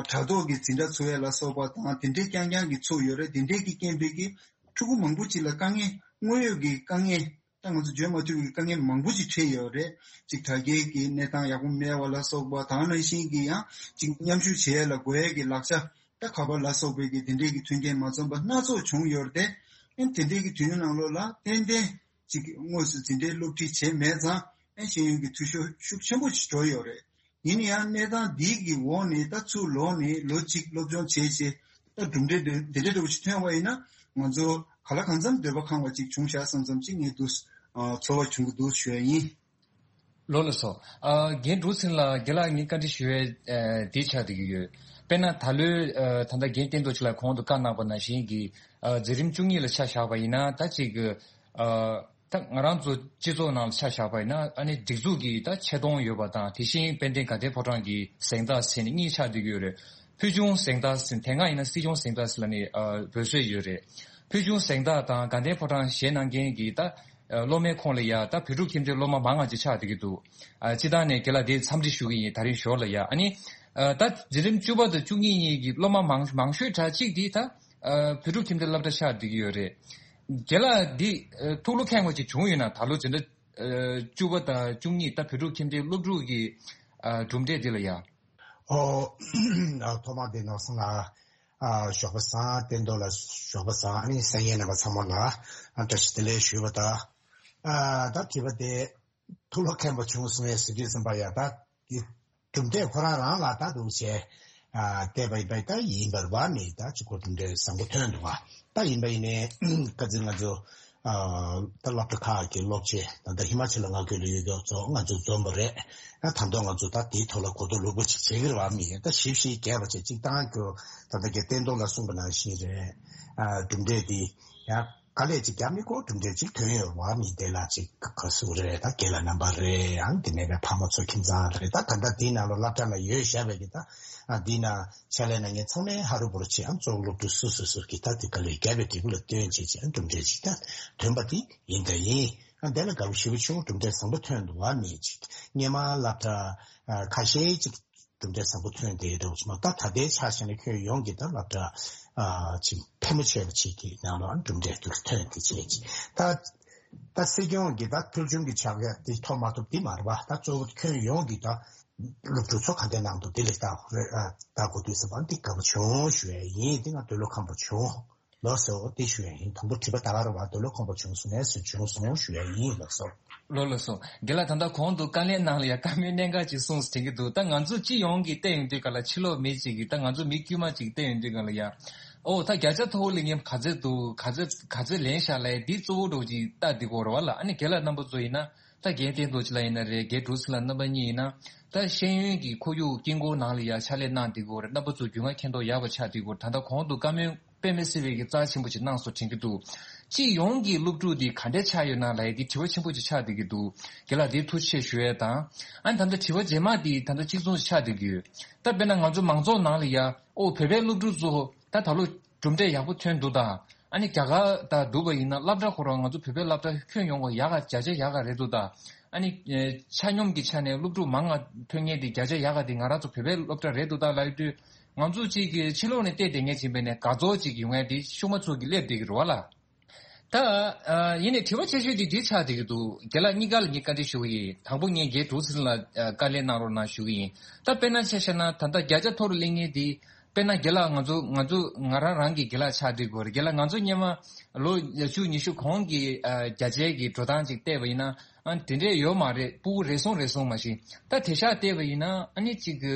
དྲ་ཐོག་གི་འཛིན་གྲྭ་ཚོགས་ཡས་ལ་སོགས་པ་དང་དེ་འདྲའི་རྐྱང་རྐྱང་གི་ཚོགས་ཡོད་རེད། དེ་འདྲའི་གི་རྐྱེན་པས་ཀྱི་ཕྲུ་གུ་མང་པོ་ཅིག་ལ་དཀའ་ངལ་དངོས་ཡོད་ཀྱི་དཀའ་ངལ་ད་ང་ཚོ་བརྗོད་མ་ཐུབ་པའི་དཀའ་ངལ་མང་པོ་ཅིག་འཕྲད་ཡོད་རེད། ཅིག་དྲ་རྒྱའི་གི་གནས་སྟངས་ཡག་པོ་མེད་པ་ལ་སོགས་པ་དང་ནང་བཞིན་གྱི་ཡང་ཅིག་མཉམ་ཞུགས་བྱེད་ཡས་ལ་དགོས་ཡས་ཀྱི་ལག་ཆ་ད་ག་པར་ལ་སོགས་པའི་གི་དེ་འདྲའི་གི་མཐུན་རྐྱེན་མ་འཛོམས་པ་སྣ་ཚོགས་བྱུང་ཡོད་རེད་དེ། ཨེ་དེ་འདྲའི་གི་དུས་ཡུན་ནང་ལོགས་ལ་ཏན་ཏན་ཅིག་དངོས་སུ་འཛིན་གྲྭའི་སློབ་ཁྲིད་བྱས་མེད་ཙང་ཨེ་ཤེས་ཡོན་གྱི་འཐུས་ཤོར་ཤུགས་ཆེན་པོ་ཞིག་འགྲོ་ཡོད་རེད། ཡིན་ན་ཡང་གནས་སྟངས་འདི་གི་འོག་ནས་ད་ཚུར་ལོག་ནས་ལོ་གཅིག་སློབ་སྦྱོང་བྱས་རྗེས་ད་གྲུབ་འབྲས་འདི་འདི་འདྲ་འདྲ་བོ་ཞིག་ཐོན་པ་ཡིན་ན་ང་ཚོ་ག་ལ་གང་འཚམ་འདོད་པ་ཁེངས་པ་ཅིག་བྱུང་ཤག་བསམ་བསམ་ཅིག་ངས་འདུག་ཨ་ཚོར་བ་བྱུང་གི་འདུག་ཞུ་ཡ་ཡིན། ལགས་ལགས་སོ། ཨ་རྒན་འབྲུག་ཚེ་རིང་ལགས་རྒན་ལགས་ངས་བཀའ་འདྲི་ཞུ་ཡས་ཨ་འདི་ཆགས་བསྡད་ཀྱི་ཡོད། དཔེར་ན་ད་ལོའི་ཨ་ད་ལྟ་རྒན་བསྟན་རྡོར་ཆོས་ལགས་གོང་དུ་བཀའ་གནང་པ་ནང་བཞིན་གྱི་ཨ་འཛིན་རིམ་བཅུ་གཉིས་ལ་ཆ་བཞག་པ་ཡིན་ན་ད་ཅིག་གི་ཨ། ད་ང་རང་ཚོ་སྤྱི་ཚོགས་ནང་ལ་ཆ་བཞག་པ་ཡིན་ན་ཨ་ནི་སྒྲིག་འཛུགས་ཀྱི་ད་ཆེ་མཐོང་ཡོད་པ་དང་དེ་བཞིན་དཔལ་ལྡན་དགའ་ལྡན་ཕོ་བྲང་གི་གཟེངས་རྟགས་ཟེར་ནས་གཉིས་ཆགས་བསྡད་ཀྱི་ཡོད་རེད། ཕུལ་བྱུང་གཟེངས་རྟགས་ཟེར་དེ་སྔ་ཡིན་ན་སྲིད་སྐྱོང་གཟེངས་རྟགས་ཟེར་ལབ་ནས་ཨ་འབོད་སྲོལ་ཡོད་རེད། ཕུལ་བྱུང་གཟེངས་རྟགས་དང་དགའ་ལྡན་ཕོ་བྲང་བཞེས་གནང་མཁན་གྱི་ད་ཨ་སློབ་མའི་ཁོངས་ལ་ཡ་ད་བོད་ཕྲུག་ཁྱིམ་སྡེའི་སློབ་མ་མང་ང་ཅིག་ཆགས་བསྡད་ཀྱི་འདུག་ཨ་སྤྱིར་བཏང་ནས་རྒན་ལགས་དེ་འཚམས་འདྲི་ཞུ་གི་ཡིན། ད་རིང་ཞོར་ལ་ཡ་ཨ་ནི་ཨ་ད་འཛིན་རིམ་བཅུ་པ་དང་བཅུ་གཉིས་གཉིས་ཀྱི་སློབ་མ་མང་མང་ཤོས་གྲས་གཅིག་དེ་ད་ཨ་བོད་ཕྲུག་ཁྱིམ་སྡེའི་སློབ་གྲྭ་ཆགས་བསྡད་ཀྱི་ཡོད་རེད། རྒན་ལགས་འདི་ཨ་ཐུགས་བློ་ཁེངས་པ་ཅིག་བྱུང་ཡོད་ན། ད་ལོ་འཛིན་གྲྭ་ཨ་བཅུ་པ་དང་བཅུ་གཉིས་ད་བོད་ཕྲུག་ཁྱིམ་སྡེའི་སློབ་ཕྲུག་གི་ཨ་གྲུབ་འབྲས་འདི་ལ་ཡ། ཨོ། ཨ་ཐོག་མ་དེ་ནོར་སོང་ལ། ཨ་ཞོགས་པ་བཟང་། བསྟན་རྡོར་ལགས་ཞོགས་པ་བཟང་། ཨ་ནི་གསན་མཁན་རྣམ་པ་ཚང་མ་ལ་ཨ་བཀྲ་ཤིས་བདེ་ལེགས་ཞུས་པ་དང་། ཨ་ད་དྲི་བ་དེ་ཐུགས་བློ་ཁེངས་པོ་བྱུང་སོང་ངས་ཟེར་དུས་ཙམ་པ་ཡ་ད་དེ་གྲུབ་འབྲས་ཁོ་རང་རང་ལ་ད་འདུག་བྱས་ཨ་བལྟས་པ་ཡིན་པ་ད་ཡིན་པར་བ་མི་ད་ཅིག་གོ་གྲུབ་འབྲས་བཟང་པོ་ཐོན་འདུག་ཨ་ད་ཡིན་པ་ཡིན་ནའི་ཁ་ཚིག་ང་ཚོ་ཨ་ད་སློབ་གྲྭ་ཁག་གི་སློབ་ཆེན་ད་ལྟ་ཧི་མ་ཅལ་ལ་ང་བསྐྱོད་ལ་ཡོད་མགྱོགས་ཚོ་ང་ཚོ་འཛོམས་པ་རེད། ཨ་ད་དུང་ང་ཚོ་ད་དེའི་ཐོག་ལ་གོ་རྟོགས་ལོག་པ་ཅིག་བྱེད་ཀྱི་རེད་བ་མི་ད་ཞིབ་ཞིབ་རྒྱས་པ་བྱས་ཅིག་བཏང་རྒྱུ་ད་ལྟ་གི་བསྟན་རྡོར་ལ་གསུངས་པ་ནང་བཞིན་རེད། ཨ་གྲུབ་འབྲས་དེ་ཡང་། དཀའ་ལས་ཅིག་བརྒྱབ་ནས་ཁོ་གྲུབ་འབྲས་ཅིག་ཐོན་ཡོད་བ་མི་དེ་ལ་ཅིག་ག་ཟེར་རེད། ད་རྒན་ལགས་རྣམ་པ་རེད། ཡང་དེ་ནས་ཕ་མ་ཚོ་ཁྱིམ་ཚང་རེད། ད་ད་ལྟ་དེའི་ནང་ལ་སློབ་གྲྭ་ལ་ཡོད་བཞག་པའི་གི་ད་ཨ་དེའི་ནང་ཕྱག་ལས་གནང་མཁན་ཚང་མས་ཧ་རུ་བུ་རུ་བྱེད། ཨང་གཙོ་བོ་སློབ་ཕྲུག་སོ་སོ་སོ་གི་ད་དེ་དཀའ་ལས་བརྒྱབ་པའི་འབྲས་བུ་ལ་བརྟེན་བྱས་ཅིག་ཨང་གྲུབ་འབྲས་ཅིག་ད་ཐོན་པ་དེ་ཡིན་ད་ཡིན། ཨ་དེ་ལ་དགའ་པོ་ཞེ་པོ་བྱུང་། གྲུབ་འབྲས་བཟང་པོ་ཐོན་འདུག་བ་མི་ཅིག་སྔོན་མ་སློབ་གྲྭ་ཨ་ཁ་ཤས་ཅིག་གྲུབ་འབྲས་བཟང་པོ་ཐོན་བསྡད་འདུག་ཅིག་མ་ད་ད་ལྟའི་ཆ་བཞག་ན་ཁྱོན་ཡོངས་ཀྱི་ད་སློབ་གྲྭ་ཨ་ཅིག་ཕལ་མོ་ཆེ་བ་ཅིག་གི་ནང་ལ་གྲུབ་འབྲས་འདུག་ཐོན་བསྡད་བྱས་ཅིག་ད་ད་སྲིད་སྐྱོང་གི་ད་ཕུལ་བྱུང་གི་ཕྱག་ལས་དེ་ཐོབ་མ་ཐོབ་དེ་མ་རེད་བ། ད་གཙོ་བོ་ཁྱོན་ཡོངས་ཀྱི་ད་སློབ་ཕྲུག་ཚོ་ག་འདྲ་གནང་འདུག་དེ་ལ་ལྟ་དགོས་རེད། ཨ་ལྟ་དགོས་དུས་ཟེར་བ་འདི་དགའ་པོ་བྱུང་ཞུ་ཡས་ཡིན། འདི་ང་འདོད་བློ་ཁེངས་པོ་བྱུང་། ལགས་སོ། དེ་ཞུ་ཡ་ཡིན། དང་པོ་དྲི་བ་ད་ག་རེ་བ་འདོད་བློ་ཁེངས་པོ་བྱུང་སོང་ངས་ཟེར། བྱུང་སོང་ཞུ་ཡ་ཡིན། ལགས་སོ། ལགས་ལགས་སོ། རྒན་ལགས་ད་ལྟ་གོང་དུ་དཀའ་ལས་ནང་ལ་ཡ་བཀའ་མོལ་གནད་འགག་ཅིག་གསུངས་ཟེར་དྲན་གྱི་འདུག་ད་ང་ཚོ་སྤྱི་ཡོངས་ཀྱིས་བལྟས་ཡོང་དུས་ག་ལ་ཕྱི་ལོགས་མི་གཅིག་གིས་ད་ང་ཚོ་མི་དཀྱུས་མ་ཅིག་བལྟས་ཡོང་དུས་ག་ལ་ཡ། ཨོ་ད་བརྒྱ་ཆ་མཐོ་བོ་སླེབས་མཁན་ག་ཚོད་འདུག་ག་ཚོད་ག་ཚོད་ལེན་བཞག་ལབ་ཡ་འདི་གཙོ་བོ་འདྲ་བོ་ཅིག་ལྟ་བསྡད་ཀྱི་ཡོད་རེད་བ་ལ། ཨ་ནི་རྒན་ལགས་རྣམ་པ་ཚོ་ཡིན་ན་ད་རྒན་བསྟན་རྡོར་ལགས་ཡིན་ན་རེད། རྒན་འབྲུག་ཚེ་ལགས་རྣམ་པ་གཉིས་ཡིན་ན་ད་ཤེས་ཡོན་གྱི་ཁོར་ཡུག་དཀྱིལ་འཁོར་ནང་ལ་ཡ་ཕྱག་ལས་གནང་བསྡད་ཀྱི་ཡོད་རེད། རྣམ་པ་ཚོ་རྒྱུས་མངའ་མཁྱེན་རྟོགས་ཡག་པ་ཆགས་བསྡད་ཀྱི་ཡོད་རེད། ད་ལྟ་གོང་དུ་བཀའ་མོལ་དཔེ་མི་སྲིད་པའི་གི་རྩ་ཆེན་པོ་ཅིག་གནང་སོང་དྲན་གྱི་འདུག་སྤྱི་ཡོངས་ཀྱི་སློབ་ཕྲུག་འདི་ག་འདྲས་ཆགས་ཡོད་ན་ལབ་ཡ་འདི་དྲི་བ་ཆེན་པོ་ཅིག་ཆགས་བསྡད་ཀྱི་འདུག་རྒན་ལགས་འདི་ཐུགས་རྗེ་ཆེ་ཞུ་ཡས་དང་། ཨ་ནི་ད་ལྟ་དྲི་བ་རྗེས་མ་འདི་ད་ལྟ་གཅིག་མཚུངས་ཆགས་བསྡད་ཀྱི་ཡོད། ད་དཔེར་ན་ང་ཚོ་མང་ཚོགས་ནང་ལ་ཡ་ཨོ་བོད་པའི་སློབ་ཕྲུག་ཚོ་ད་ད་ལོ་གྲུབ་འབྲས་ཡག་པོ་ཐོན་འདུག་ད། ཨ་ནི་རྒྱ་གར་དང་བསྡུར་བ་ཡིན་ན་སློབ་གྲྭ་ཁོ་རང་ང་ཚོ་བོད་པའི་སློབ་གྲྭ་ཁྱོན་ཡོངས་ཀྱི་ཡག་ག་བརྒྱ་ཆ་ཡག་ག་རེད་འདུག་ད། ཨ་ནི་ཨེ་ཆ་སྙོམས་ཀྱི་ཆ་ནས་སློབ་ཕྲུག་མང་ང་ཐོན་མཁན་དེ་བརྒྱ་ཆ་ཡག་ག་དེ་ང་རང་ཚོ་བོད་པའི་སློབ་གྲྭ་རེད་འདུག་ད་ལབ་ཡོང་དུས། ང་ཚོ་གཅིག་གི་ཕྱི་ལོགས་ནས་བལྟས་བསྡད་མཁན་ཅིག་ཡིན་པ་ཡིན་ན་དགའ་ཚོར་ཅིག་ཡོང་མཁན་དེ་ཤུགས་མ་ཚུགས་ཀྱི་སླེབས་བསྡད་ཀྱི་རེད་བ་ལ། ད་ཨ་ཡིན་ནའི་དྲི་བ་ཆེ་ཤོས་དེ་འདི་ཆགས་བསྡད་ཀྱི་འདུག་རྒན་ལགས་གཉིས་ཀ་ལ་ངས་བཀའ་འདྲི་ཞུ་གི་ཡིན། དང་པོ་ངས་རྒན་འབྲུག་ཚེ་རིང་ལགས་ཨ་བཀའ་ལན་གནང་རོགས་གནང་ཞུ་གི་ཡིན། ད་དཔེར་ན་ཆ་བཞག་ན་ད་ལྟ་བརྒྱ་ཆ་མཐོ་རུ་སླེབས་མཁན་དེ་དཔེར་ན་རྒན་ལགས་ང་ཚོ་ང་ཚོ་ང་རང་རང་གི་རྒན་ལགས་ཆགས་བསྡད་ཀྱི་ཡོད་རེད། རྒན་ལགས་ང་ཚོ་སྔོན་མ་ལོ་བཅུ་ཉི་ཤུ་གོང་གི་ཨ་བརྒྱ་ཆའི་གི་འགྲོ་སྟངས་ཅིག་བལྟས་པ་ཡིན་ན་ཨ་དེ་འདྲས་ཡོད་མ་རེད། སྤུ་གུ་རེ་ཟུང་རེ་ཟུང་མ་གཞི་ད་དེང་སང་བལྟས་པ་ཡིན་ན་ཨ་ནི་གཅིག་གི་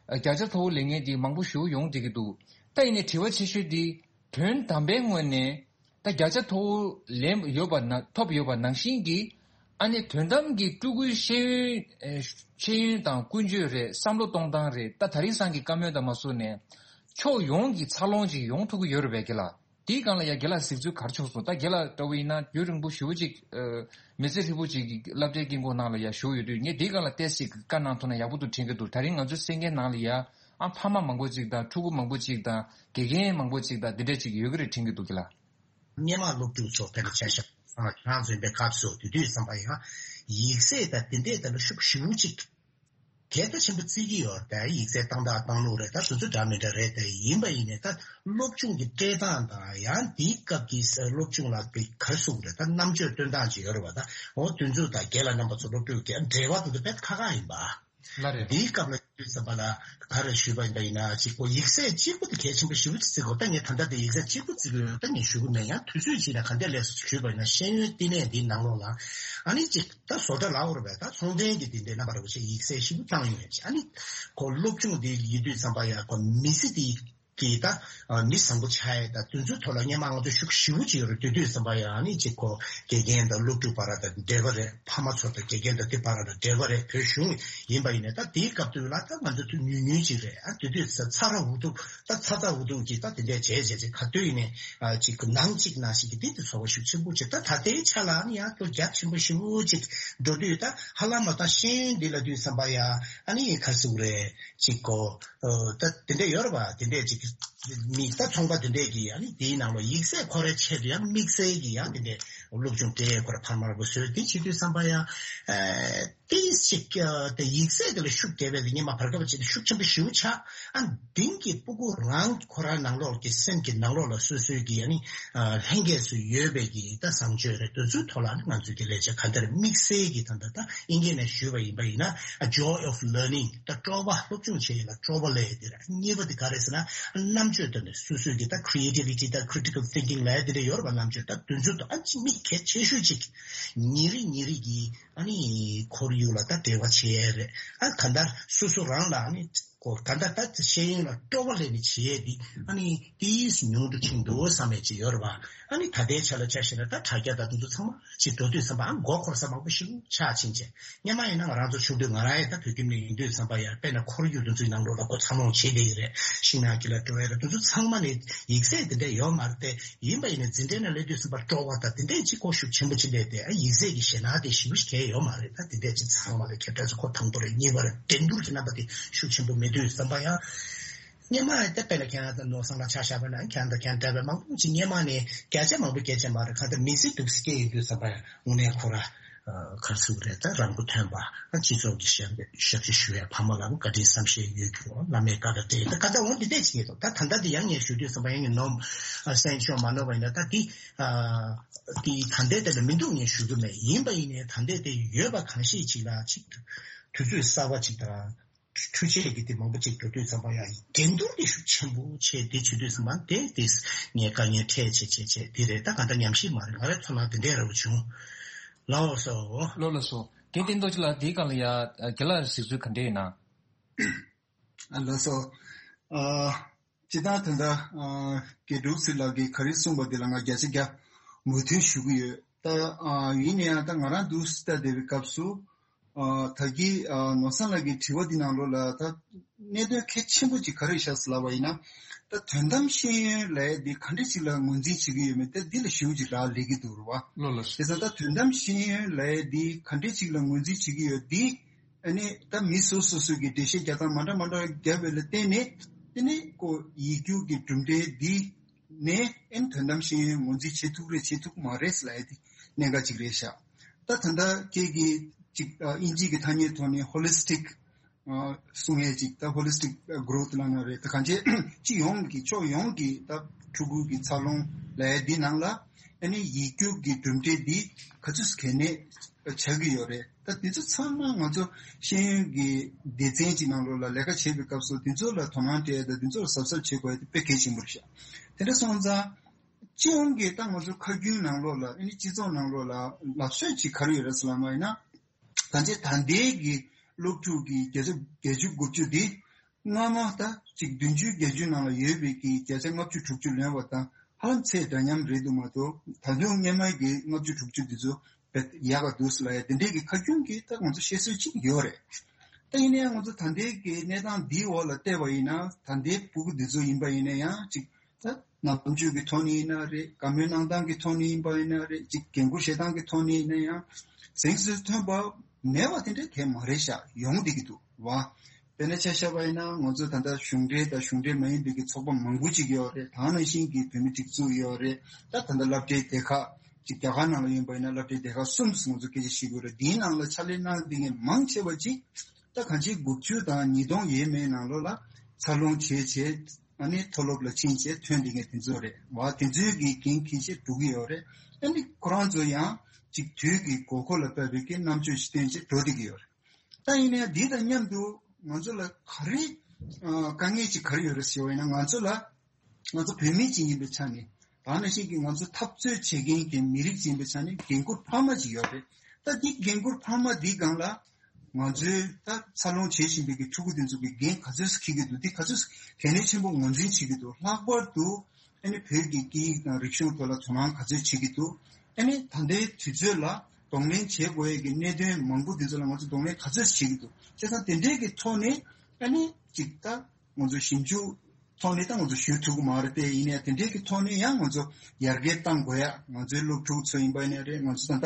ཨ་བརྒྱ་ཆ་མཐོ་བོ་ལེན་མཁན་དེ་མང་པོ་ཞིག་ཡོང་བསྡད་ཀྱི་འདུག་ད་ཡིན་ནའི་དྲི་བ་ཆེ་ཤོས་དེ་དོན་དམ་པའི་ངོས་ནས་ད་བརྒྱ་ཆ་མཐོ་བོ་ལེན་ཡོད་པ་ན་ཐོབ་ཡོད་པ་ནང་བཞིན་གྱི་ ཨ་ནི་དོན་དམ་གྱི་ཕྲུ་གུའི་ཤེས་ཡོན་ཨེ་ཤེས་ཡོན་དང་ཀུན་སྤྱོད་རེད། བསམ་བློ་གཏོང་སྟངས་རེད། ད་དེང་སང་གི་བཀའ་མོལ་དང་མ་སོ་ནས་ཕྱོགས་ཡོངས་ཀྱི་འཚར་ལོངས་ཅིག་ཡོང་ཐུབ་ཀྱི་ཡོད་རེད་པས་ཀྱི་ལ། དེའི་སྒང་ལ་ཡ་རྒན་ལགས་གཟིགས་ཚུལ་ག་རེ་བྱུང་སོང་། ད་རྒན་ལགས་ལྟ་བུ་ཡིན་ན་རྒྱུན་རིང་པོ་ཞེ་པོ་ཅིག་ཨ་མི་ཚེ་ཧྲིལ་པོ་ཅིག་གི་སློབ་གྲྭའི་དཀྱིལ་འཁོར་ནང་ལ་ཡ་བཞུགས་ཡོད་དུས། ངས་དེའི་སྒང་ལ་ཏོག་ཙམ་བཀའ་གནང་ཐུབ་ན་ཡག་པོ་འདུག་དྲན་གྱི་འདུག་ད་རིང་ང་ཚོའི་སེང་གེ་ནང་ལ་ཡ་ཨ་ཕ་མ་མང་པོ་ཅིག་དང་ཕྲུ་གུ་མང་པོ་ཅིག་དང་དགེ་རྒན་མང་པོ་ཅིག་དང་འདི་འདྲ་ཅིག་ཡོད་ཀྱི་རེད་དྲན་གྱི་འདུག་གི་ལ། སྔོན་མ་སློབ་ཕྲུག་ཚོ་དཔེར་ན་ཆ་བཞག་ང་རང་ཚོ་ཡིན་པའི་སྐབས་སུ་དེ་དུས་ཙམ་པ་ཡང་ཡིག་ཚད་དང་དེ་འདྲས་དང་ལ་ཤུགས་ཞེ་པོ་ཅིག་གལ་ད་ཆེན་པོ་བརྩི་གི་ཡོད་རེད། ད་ཡིག་ཚད་བཏང་སྟངས་བཏང་ལུགས་རེད། ད་སོ་སོ་འདྲ་མི་འདྲ་རེད། ད་ཡིན་པ་ཡིན་ནའི་ད་སློབ་སྦྱོང་གི་སྤྲད་སྟངས་དང་ཡང་དེའི་སྐབས་ཀྱི་སློབ་སྦྱོང་ལ་ག་རེ་ཟེར་དགོས་རེད། ད་རྣམ་དཔྱོད་སྟོན་སྟངས་ཅིག་ཡོད་རེད་བ། ད་འོ་དེ་ཚོ་དང་རྒན་ལགས་རྣམ་པ་ཚོ་སློབ་ཕྲུག་གི་འབྲེལ་བ་དེ་ཚོ་དཔེ་ཁག་ཁག་ཡིན་པ། ལ་རེད། འདིའི་སྐབས་ལ་ཡོད་ཙམ་པ་ལ་ག་རེ་ཞུས་པ་ཡིན་པ་ཡིན་ན་ཅིག་གོ་ཡིག་ཚད་གཅིག་པུ་དེ་གལ་ཆེན་པོ་ཞེ་པོ་ཅིག་བརྩི་དགོས། ད་ངས་ད་ལྟ་དེ་ཡིག་ཚད་གཅིག་པུ་བརྩི་དགོས་ཡོད་ད་ངས་ཞུ་གི་མེད། ཡང་དུས་ཚོད་ཅིག་ལ་ག་འདྲས་ལས་སུ་ཞུས་པ་ཡིན་ན་ཤེས་ཡོན་བསྟི་གནས་འདིའི་ནང་ལོགས་ལ་ཨ་ནི་ཅིག་ད་བཟོ་གྲྭ་ལ་འོར་བས་ད་ཚོང་མཁན་གྱི་དེ་འདྲས་རྣམ་པ་རེ་བ་ཞིག་ཡིག་ཚད་ཞེ་པོ་བཏང་ཡོད་ཅིག་ཨ་ནི་གོ་སློབ་སྦྱོང་འདི་ཡིན་དུས་ཙམ་པ་ཡ་གོ་མི་ཚེ་འདི་གི་ད་མི་བཟང་པོ་ཆགས་ཡས་ད་དེ་ཚོའི་ཐོག་ལ་སྔོན་མ་ང་ཚོ་ཤུགས་ཞེ་པོ་ཅིག་ཡོད་རེད། དེ་དུས་ཙམ་པ་ཡང་ཨ་ནི་ཅིག་གོ་དགེ་རྒན་དང་སློབ་ཕྲུག་བར་དང་འབྲེལ་བ་རེད། ཕ་མ་ཚོ་དང་དགེ་རྒན་དང་དེ་བར་ལ་འབྲེལ་བ་རེད། བོད་གཞུང་ཡིན་པ་ཡིན་ནའི་ད་དེའི་སྐབས་དུས་ལ་ད་ང་ཚོ་ཐུགས་ཉུང་ཉུང་ཅིག་རེད། ཨ་དེ་དུས་ཚ་ཚ་ར་འུ་ཐུག་ད་ཚ་ཚ་འུ་ཐུག་ཅིག་ད་དེ་འདྲས་བྱས་བྱས་ཅིག་ག་དུས་ཡིན་ནའི་ཨ་ཅིག་ནང་གཅིག་ནང་ཞིག་གི་དེ་དུས་ཚོར་བ་ཤུགས་ཆེན་པོ་ཅིག་ད་ད་ལྟའི་ཆ་ལ་ཨ་ནི་ཡང་ཁྱོད་རྒྱ་ཆེན་པོ་ཞེ་པོ་ཅིག་འགྲོ་དུས་ད་ཧ་ལམ་མ་ད་ཤེས་ཡོན་འདི་ལ་དུས་ཙམ་པ་ཡ་ཨ་ནི་ག་རེ་ཟེར་དགོས་རེད། ཅིག་གོ་ཨོ་ད་དེ་འདྲས་ཡོད་རེད་པ། དེ་འདྲས་ཅིག་མི་ད་ཚོང་པ་དེ་འདྲས་ཀྱིས་ཨ་ནི་དེའི་ནང་ལ་ཡིག་ཚད་ཁོ་རའི་ཆེད་དུ་ཡང་དམིགས་བསལ་གྱི་ཡང་དེ་འདྲས་སློབ་སྦྱོང་སྤྲད་ཁོ་ར་འཕར་མ་ར་པོ་བཟོས་དེ་བྱེད་དུས་ཙམ་པ་ཡང་ཨ་ཏིས་ཅིག་ཨ་དེ་ཡིག་ཚད་དེ་ལ་ཤུགས་རྒྱབ་པའི་སྔོན་མ་བར་སྐབས་ཅིག་ཤུགས་ཆེན་པོ་ཞེ་པོ་ཆགས། ཨ་དེང་གི་སྤུ་གུ་རང་ཁོ་རང་ནང་ལོགས་ཀྱི་སེམས་ཀྱི་ནང་ལོགས་ལ་སོ་སོའི་གི་ཨ་ནི་ཨ་ལྷན་སྐྱེས་སུ་ཡོད་པའི་གི་ད་བཟང་སྤྱོད་རེད། དེ་ཚོའི་ཐོག་ལ་ཨ་ནི་ང་ཚོས་ཀྱི་ལས་བྱ་ག་འདྲ་དམིགས་བསལ་གྱི་ད་ལྟ་ད་ཨིན་སྐད་ནས་ཞུས་པ་ཡིན་པ་ཡིན་ན་ཨ་joy of learning ད་སྤྲོ་བ་སློབ་སྦྱོང་བྱེད་ཡིན་ལ་སྤྲོ་བ་ལས་དེ་ར། གཉིས་པ་དེ་ག་རེ་ཟེར་ན་རྣམ་དཔྱོད་དང་ནི་སོ་སོའི་གི་ད་creativity་ད་critical thinking་ལས་དེ་འདྲ་ཡོད་རེད་པ། རྣམ་དཔྱོད་ད་དེ་ཚོ་ད་ཨ་ཅི་དམིགས་གལ་ཆེ་ཤོས་ཅིག་ཉིན་རེ་ཉིན་རེ་གི་ཨ་ནི་ཁོར་ཡུག་ལ་ད་འབྲེལ་བ་བྱེད་ཡས་རེད། ཨ་ག་འདྲ་སོ་སོ་རང་ལ་ཨ་ནི་གོ་ག་འདྲ་ད་ཤེས་ཡོན་ལ་སྤྲོ་བ་ལེན་ནས་བྱེད་ཡས་འདི་ཨ་ནི་ཏིས་ཉུང་དུ་ཕྱིན་འདུག་བསམ་ཡས་ཅིག་ཡོད་རེད་པ། ཨ་ནི་ད་ལྟའི་ཆ་ལ་ཆ་བཞག་ན་ད་དྲ་རྒྱ་ད་དེ་ཚོ་ཚང་མ་ཅིག་འགྲོ་དུས་ཙམ་པ་ཨ་མགོ་འཁོར་ས་མང་པོ་ཞིག་ཆགས་ཕྱིན་བྱས། སྔོན་མ་ཡིན་ན་ང་རང་ཚོ་ཆུང་དུས་ང་རང་ཡང་ད་བོད་ཁྱིམ་ནས་ཡིན་དུས་ཙམ་པ་ཡང་དཔེར་ན་ཁོར་ཡུག་དེ་ཚོའི་ནང་ལོགས་ལ་ཁོ་འཚར་ལོངས་བྱེད་བསྡད་ཀྱི་རེད། ཤིང་ནགས་དཀྱིལ་ལ་འགྲོ་ཡ་རེད། དེ་ཚོ་ཚང་མ་ནས་ཡིག་ཚད་དེ་འདྲ་ཡོད་མ་རེད་དེ། ཡིན་པ་ཡིན་ན་འཛིན་གྲྭའི་ནང་སླེབས་དུས་ཙམ་པ་སྤྲོ་བ་དང་དེ་འདྲས་ཅིག་ཁོ་ཤུགས་ཆེན་པོ་ཅིག་སླེབས་ཏེ་ཨ་ཡིག་ཚད་ཀྱི་ཞེད་སྣང་དེ་ཞེ་པོ་ཞིག་གང་ཡང་ཡོད་མ་རེད། ད་དེ་འདྲས་ཅིག་ཚང་མ་ལ་ཁྱབ་བསྒྲགས་ཚོ་ཁོ་དང་པོ་རེད། གཉིས་པ་རེད། འགྲན་བསྡུར་གྱི་རྣམ་པ་དེ་ཤུགས་ཆེན་པོ་མེད་དུས་ཙམ་པ་ཡང་སྔོན་མ་ཡང་དེ་དཔེར་ན་ཁྱེད་རང་དང་ནོར་བཟང་ལ་ཆ་བཞག་པ་ན་ཁྱེད་རང་དང་ཁྱེད་རང་འདྲ་བའི་མང་པོ་ཅིག་སྔོན་མ་ནས་བརྒྱ་ཆ་མང་པོ་བརྒྱ་ཆ་མ་རེད། གང་ལྟར་མི་ཚེ་སྡུག་ས་སྐྱེལ་ཡིན་དུས་ཙམ་པ་ཡང་དངོས་གནས་ཁོ་ར་ག་རེ་ཟེར་དགོས་རེད། ད་རང་མགོ་ཐོན་པ་སྤྱི་ཚོགས་ཀྱི་ཞབས་ཞབས་ཕྱི་ཞུ་བའི་ཕ་མ་ལ་བཀའ་དྲིན་བསམ་ཤེས་ཡོད་རྒྱུ་བླ་མའི་བཀའ་དང་འབྲེལ་ད་ཁ་ད་འོང་འདི་འདྲས་ཅིག་ཡོད་དོ། ད་ད་ལྟ་འདི་ཡང་ངས་ཞུ་དུས་ཙམ་པ་ཡང་ངས་ནོར་སེམས་ཤོར་མ་ནོར་བ་ཡིན་ན་ད་འདི་འདི་ད་ལྟའི་དེ་ལ་མི་འདུག་ངས་ཞུ་གི་མེད། ཡིན་པ་ཡིན་ནའི་ད་ལྟའི་དེ་ཡོད་པ་གང་ཤེས་ཅིག་ལ་ཅིག་དུས་ཚོད་གསར་པ་ཅིག་དང་འཕྲུལ་ཆས་ཀྱི་དེ་མང་པོ་ཅིག་འགྲོ་དུས་ཙམ་པ་ཡང་འགྲན་བསྡུར་དེ་ཤུགས་ཆེན་པོ་ཆེ་དེ་བྱེད་དུས་ཙམ་པ་དེ་དེ་ངས་དཀའ་ངལ་འཕྲད་བྱེད་བྱེད་བྱེད་དེ་རེད། ད་ག་འདྲ་ཉམས་ཞིབ་མ་རེད། ང་རའི་ཚོར་སྣང་དེ་འདྲས་ར་བ་བྱུང་། ལགས་སོ། ལགས་ལགས་སོ། དེ་སྟེང་ཐོག་ཅིག་ལ་དེའི་སྒང་ལ་ཡ་རྒན་ལགས་གཟིགས་ཚུལ་ག་འདྲས་ཡོད་ན། ཨ་ལགས་སོ། ཨ་སྤྱིར་བཏང་ད་ལྟ་ཨ་དགེ་ཕྲུག་ཚེ་ལགས་ཀྱིས་ག་རེ་གསུངས་པ་དེ་ལ་ང་བརྒྱ་ཆ་བརྒྱ་མོས་མཐུན་ཞུ་གི་ཡོད། ད་ཨ་ཡིན་ན་ཡང་ད་ང་རང་འདུག་སེ་ལྟ་བསྡད་པའི་སྐབས་སུ་ཨ་ད་གིན་ཨ་ནོར་བཟང་ལགས་ཀྱི་དྲི་བ་འདི་ནང་ལོགས་ལ་ད་གནད་དོན་གལ་ཆེན་པོ་ཅིག་ག་རེ་བཞག་ཟེར་ལབ་པ་ཡིན་ན། ད་དོན་དམ་ཤེས་ཡོན་ལབ་ཡ་འདི་ག་འདྲ་ཅིག་ལ་ངོས་འཛིན་བྱེད་ཀྱི་ཡོད་མེད་ད་འདི་ལ་ཞེ་པོ་ཅིག་རག་ལས་ཀྱི་འདུག་རེད་བ། ལགས་ལགས། དེ་ཙང་ད་དོན་དམ་ཤེས་ཡོན་ལབ་ཡ་འདི་ག་འདྲ་ཅིག་ལ་ངོས་འཛིན་བྱེད་ཀྱི་ཡོད་འདི། ཨ་ནི་ད་མི་སོ་སོ་སོ་གི་འགྲེལ་བཤད་རྒྱག་སྟངས་མ་འདྲ་མ་འདྲ་བརྒྱབ་པ་ལ་བརྟེན་ནས་དེ་ནི་ཀོ་ཡིག་རྒྱུགས་ཀྱི་གྲུབ་འབྲས་འདི་ནས་ཨ་ནི་དོན་དམ་ཤེས་ཡོན་ངོས་འཛིན་བྱེད་ཐུབ་རེད་བྱེད་ཐུབ་མ་རེད་ལབ་ཡ་དེ་གནད་འགག་ཅིག་རེད་ཤག་ད་ད་ལྟ་ཁྱེད་ཀྱིས་ཅིག་ཨིན་ཇི་གི་ཐ་སྙད་ཐོག་ནས་ཧོ་ལི་སི་ཊིག་གསུང་ཡས་ཅིག་ད་ཧོ་ལི་སི་ཊིག་གྷི་རོ་ཐི་ལབ་ན་རེད། ད་གང་ཅི་སྤྱི་ཡོངས་ཀྱི་ཕྱོགས་ཡོངས་ཀྱི་ད་ཕྲུ་གུ་གི་འཚར་ལོངས་ལབ་ཡ་འདི་ནང་ལ་ཨ་ནི་ཡིག་རྒྱུགས་ཀྱི་གྲུབ་འབྲས་འདི་ག་ཚོད་གལ་གནད་ཆགས་ཀྱི་ཡོད་རེད། ད་འདི་ཚོ་ཚང་མ་ང་ཚོ་ཤེས་ཡོན་གྱི་སྡེ་ཚན་གྱི་ནང་ལོགས་ལ་ལས་ཀ་བྱེད་པའི་སྐབས་སུ་འདི་ཚོ་ལ་དོ་སྣང་སྤྲད་དང་འདི་ཚོ་ལ་གཟབ་གཟབ་བྱེད་དགོས་ཡ་དེ་དཔེ་གལ་ཆེན་པོ་རེད་ཤག་དེ་འདྲ་སོང་ཙང་སྤྱི་ཡོངས་ཀྱི་ད་ང་ཚོ་ཁ་རྒྱུན་ནང་ལོགས་ལ་ཨ་ནི་སྤྱི་ཚོགས་ནང་ལོགས་ལ་ལབ་སྲོལ་ཅིག་ག་རེ་ཡོད་རེད་ཟེར་ལབ་པ་ཡིན་ན། ད་ཆ་ད་ལྟའི་གི་སློབ་ཕྲུག་གི་བརྒྱ་ཆ་བརྒྱད་ཅུ་དགུ་བཅུ་འདི་སྔ་མ་ད་ཅིག་བདུན་ཅུ་བརྒྱད་ཅུ་ནང་ལ་ཡོད་པའི་གི་བརྒྱ་ཆ་ལྔ་བཅུ་དྲུག་ཅུ་ལོན་པ་དང་ཧ་ལམ་ཚད་འདྲ་མཉམ་རེད་འདུག་མ་གཏོགས་ད་དུང་སྔོན་མ་གི་ལྔ་བཅུ་དྲུག་ཅུ་འདི་ཚོ་ ཡག་ག་འདུག་ཟེར་ལབ་ཡ་དེ་འདྲས་ཀྱི་ཁ་རྒྱུན་གྱི་ད་ང་ཚོ་བཤད་སྲོལ་ཅིག་ཡོད་རེད། ད་ཡིན་ན་ཡང་ང་ཚོ་ད་ལྟའི་གི་གནས་སྟངས་འདིའི་འོག་ལ་བལྟས་པ་ཡིན་ན་ད་ལྟའི་སྤུ་གུ་འདི་ཚོ་ཡིན་པ་ཡིན་ན་ཡང་ཅིག་ད་ནམ་རྒྱུན་གྱི་ཐོག་ནས་ཡིན་ན་རེད། བཀའ་མོལ་གནང་སྟངས་ཀྱི་ཐོག་ནས་ཡིན་པ་ཡིན་ན་རེད། ཅིག་འགན་ཁུར་བཞེས་སྟངས་ཀྱི་ཐོག་ནས་ཡིན་ན་ཡང་གཟེངས་སུ་ཐོན་པ་མེད་པ་དེ་འདྲ་གང་ཡང་མ་རེད་ཤག་ཡོང་བསྡད་ཀྱི་འདུག་བ། དཔེར་ན་ཆ་བཞག་པ་ཡིན་ན་ང་ཚོ་ད་ལྟ་གཞུང་འབྲེལ་དང་གཞུང་འབྲེལ་མ་ཡིན་པའི་གི་ཚོགས་པ་མང་པོ་ཅིག་ཡོད་རེད། ད་ནང་བཞིན་གྱི་བོད་མི་སྒྲིག་འཛུགས་ཡོད་རེད། ད་ད་ལྟ་སློབ་གྲྭའི་སྡེ་ཁག་ཅིག་རྒྱ་གར་ནང་ལ་ཡིན་པ་ཡིན་ན་སློབ་གྲྭའི་སྡེ་ཁག་གསུམ་ང་ཚོ་སྐད་ཆ་བཤད་དགོས་རེད། འདིའི་ནང་ལ་ཕྱག་ལས་གནང་བསྡད་མཁན་མང་ཆེ་བ་ཅིག་ད་གང་ཅི་དགུ་བཅུ་དང་ཉིས་སྟོང་ཡས་མས་ནང་ལོགས་ལ་འཚར་ལོངས་བྱས་བྱས་ཨ་ནི་མཐོ་སློབ་ལ་ཕྱིན་བྱས་ཐོན་བསྡད་མཁན་དེ་ཚོ་རེད་བ། དེ་ཚོའི་གི་འགན་འཁྱེར་བྱས་འགྲོ་གི་ཡོད་རེད། ཨ་ནི་ཁོ་རང་ཚོ་ཡང་ཅིག་དུས་ཀྱི་དགོས་མཁོ་ལ་བབས་པའི་གི་རྣམ་དཔྱོད་ཅིག་བཏོན་བྱས་འགྲོ་བསྡད་ཀྱི་ཡོད་རེད། ད་ཡིན་ནའི་འདི་དང་མཉམ་དུ་ང་ཚོ་ལ་ག་རེ་ཨ་དཀའ་ངལ་ཅིག་ག་རེ་ཡོད་རེད་ཟེར་བ་ཡིན་ན། ང་ཚོ་ལ་ང་ཚོ་བོད་མི་ཅིག་ཡིན་པའི་ཆ་ནས་ད་ནང་བཞིན་གྱི་ང་ཚོ་འཐབ་རྩོད་བྱེད་མཁན་གྱི་མི་རིགས་ཅིག་ཡིན་པའི་ཆ་ནས་འགན་ཁུར་འཕར་མ་ཅིག་ཡོད་རེད། ད་འདི་འགན་ཁུར་འཕར་མ་འདི་སྒང་ལ་ང་ཚོའི་ད་འཚར་ལོངས་བྱེད་བཞིན་པའི་གི་ཕྲུ་གུ་དེ་ཚོ་གི་འགན་ག་ཚོད་འཁྱེར་གྱི་འདུག་འདི་ག་ཚོད་གལ་གནད་ཆེན་པོ་ངོས་འཛིན་བྱེད་ཀྱི་འདུག་ལྷག་པར་དུ་ཨ་ནི་བོད་ཀྱི་སྐད་ཡིག་དང་རིག་གཞུང་ཐོག་ལ་དོ་སྣང་ག་ཚོད་བྱེད་ཀྱི་འདུག་ཨ་ནི་ད་ལྟའི་དུས་ཚོད་ལ་གདོང་ལེན་བྱེད་དགོས་ཡས་ཀྱི་གནད་དོན་མང་པོ་འདི་ཚོ་ལ་ང་ཚོ་གདོང་ལེན་ག་ཚོད་བྱེད་ཀྱི་འདུག་བྱས་ཙང་དེ་འདྲའི་གི་ཐོག་ནས་ཨ་ནི་ཅིག་ད་ང་ཚོ་ཞིབ་འཇུག་ཐོག་ནས་ད་ང་ཚོ་ཞུ་ཐུབ་ཀྱི་མ་རེད་དེ། ཡིན་ནའི་དེ་འདྲའི་གི་ཐོག་ནས་ཡང་ང་ཚོ་ཡར་རྒྱས་གཏང་དགོས་ཡ། ང་ཚོའི་སློབ་ཕྲུག་ཚོ་ཡིན་པ་ཡིན་ནའི་རེད། ང་ཚོ་ད་ལྟ་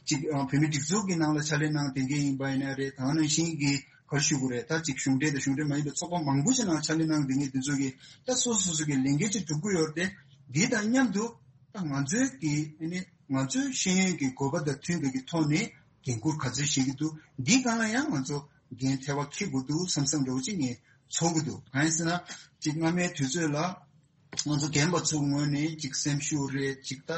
ཅིག་ཨ་བོད་མི་སྒྲིག་འཛུགས་ཀྱི་ནང་ལ་ཕྱག་ལས་གནང་བསྡད་མཁན་ཡིན་པ་ཡིན་ནའི་རེད། ད་ནང་བཞིན་གྱི་ག་རེ་ཞུ་དགོས་རེད། ད་ཅིག་གཞུང་འབྲེལ་དང་གཞུང་འབྲེལ་མ་ཡིན་པའི་ཚོགས་པ་མང་པོ་ཞིག་ནང་ཕྱག་ལས་གནང་བསྡད་མཁན་དེ་ཚོ་གིས་ད་སོ་སོ་སོ་སོ་གི་ལས་འགན་ཅིག་སྒྲུབ་ཀྱི་ཡོད་རེད་དེ། འདི་དང་མཉམ་དུ་ད་ང་ཚོའི་གི་ཨ་ནི་ང་ཚོའི་ཤེས་ཡོན་གྱི་དགོས་པ་དང་མཐུན་པའི་གི་ཐོག་ནས་འགན་ཁུར་ག་ཚོད་བཞེས་ཀྱི་འདུག་འདི་སྒང་ལ་ཡང་ང་ཚོ་འགན་ཐེ་བ་འཁྱེར་དགོས་འདུག་བསམ་བསམ་འདྲ་བོ་ཅིག་ངས་ཚོར་གྱི་འདུག་གང་ཡིན་ཟེར་ན་ཅིག་སྔ་མའི་དུས་ཚོད་ལ་ང་ཚོ་རྒན་པ་ཚོའི་ངོས་ནས་ཅིག་སེམས་ཤུགས་རེད། ཅིག་ད་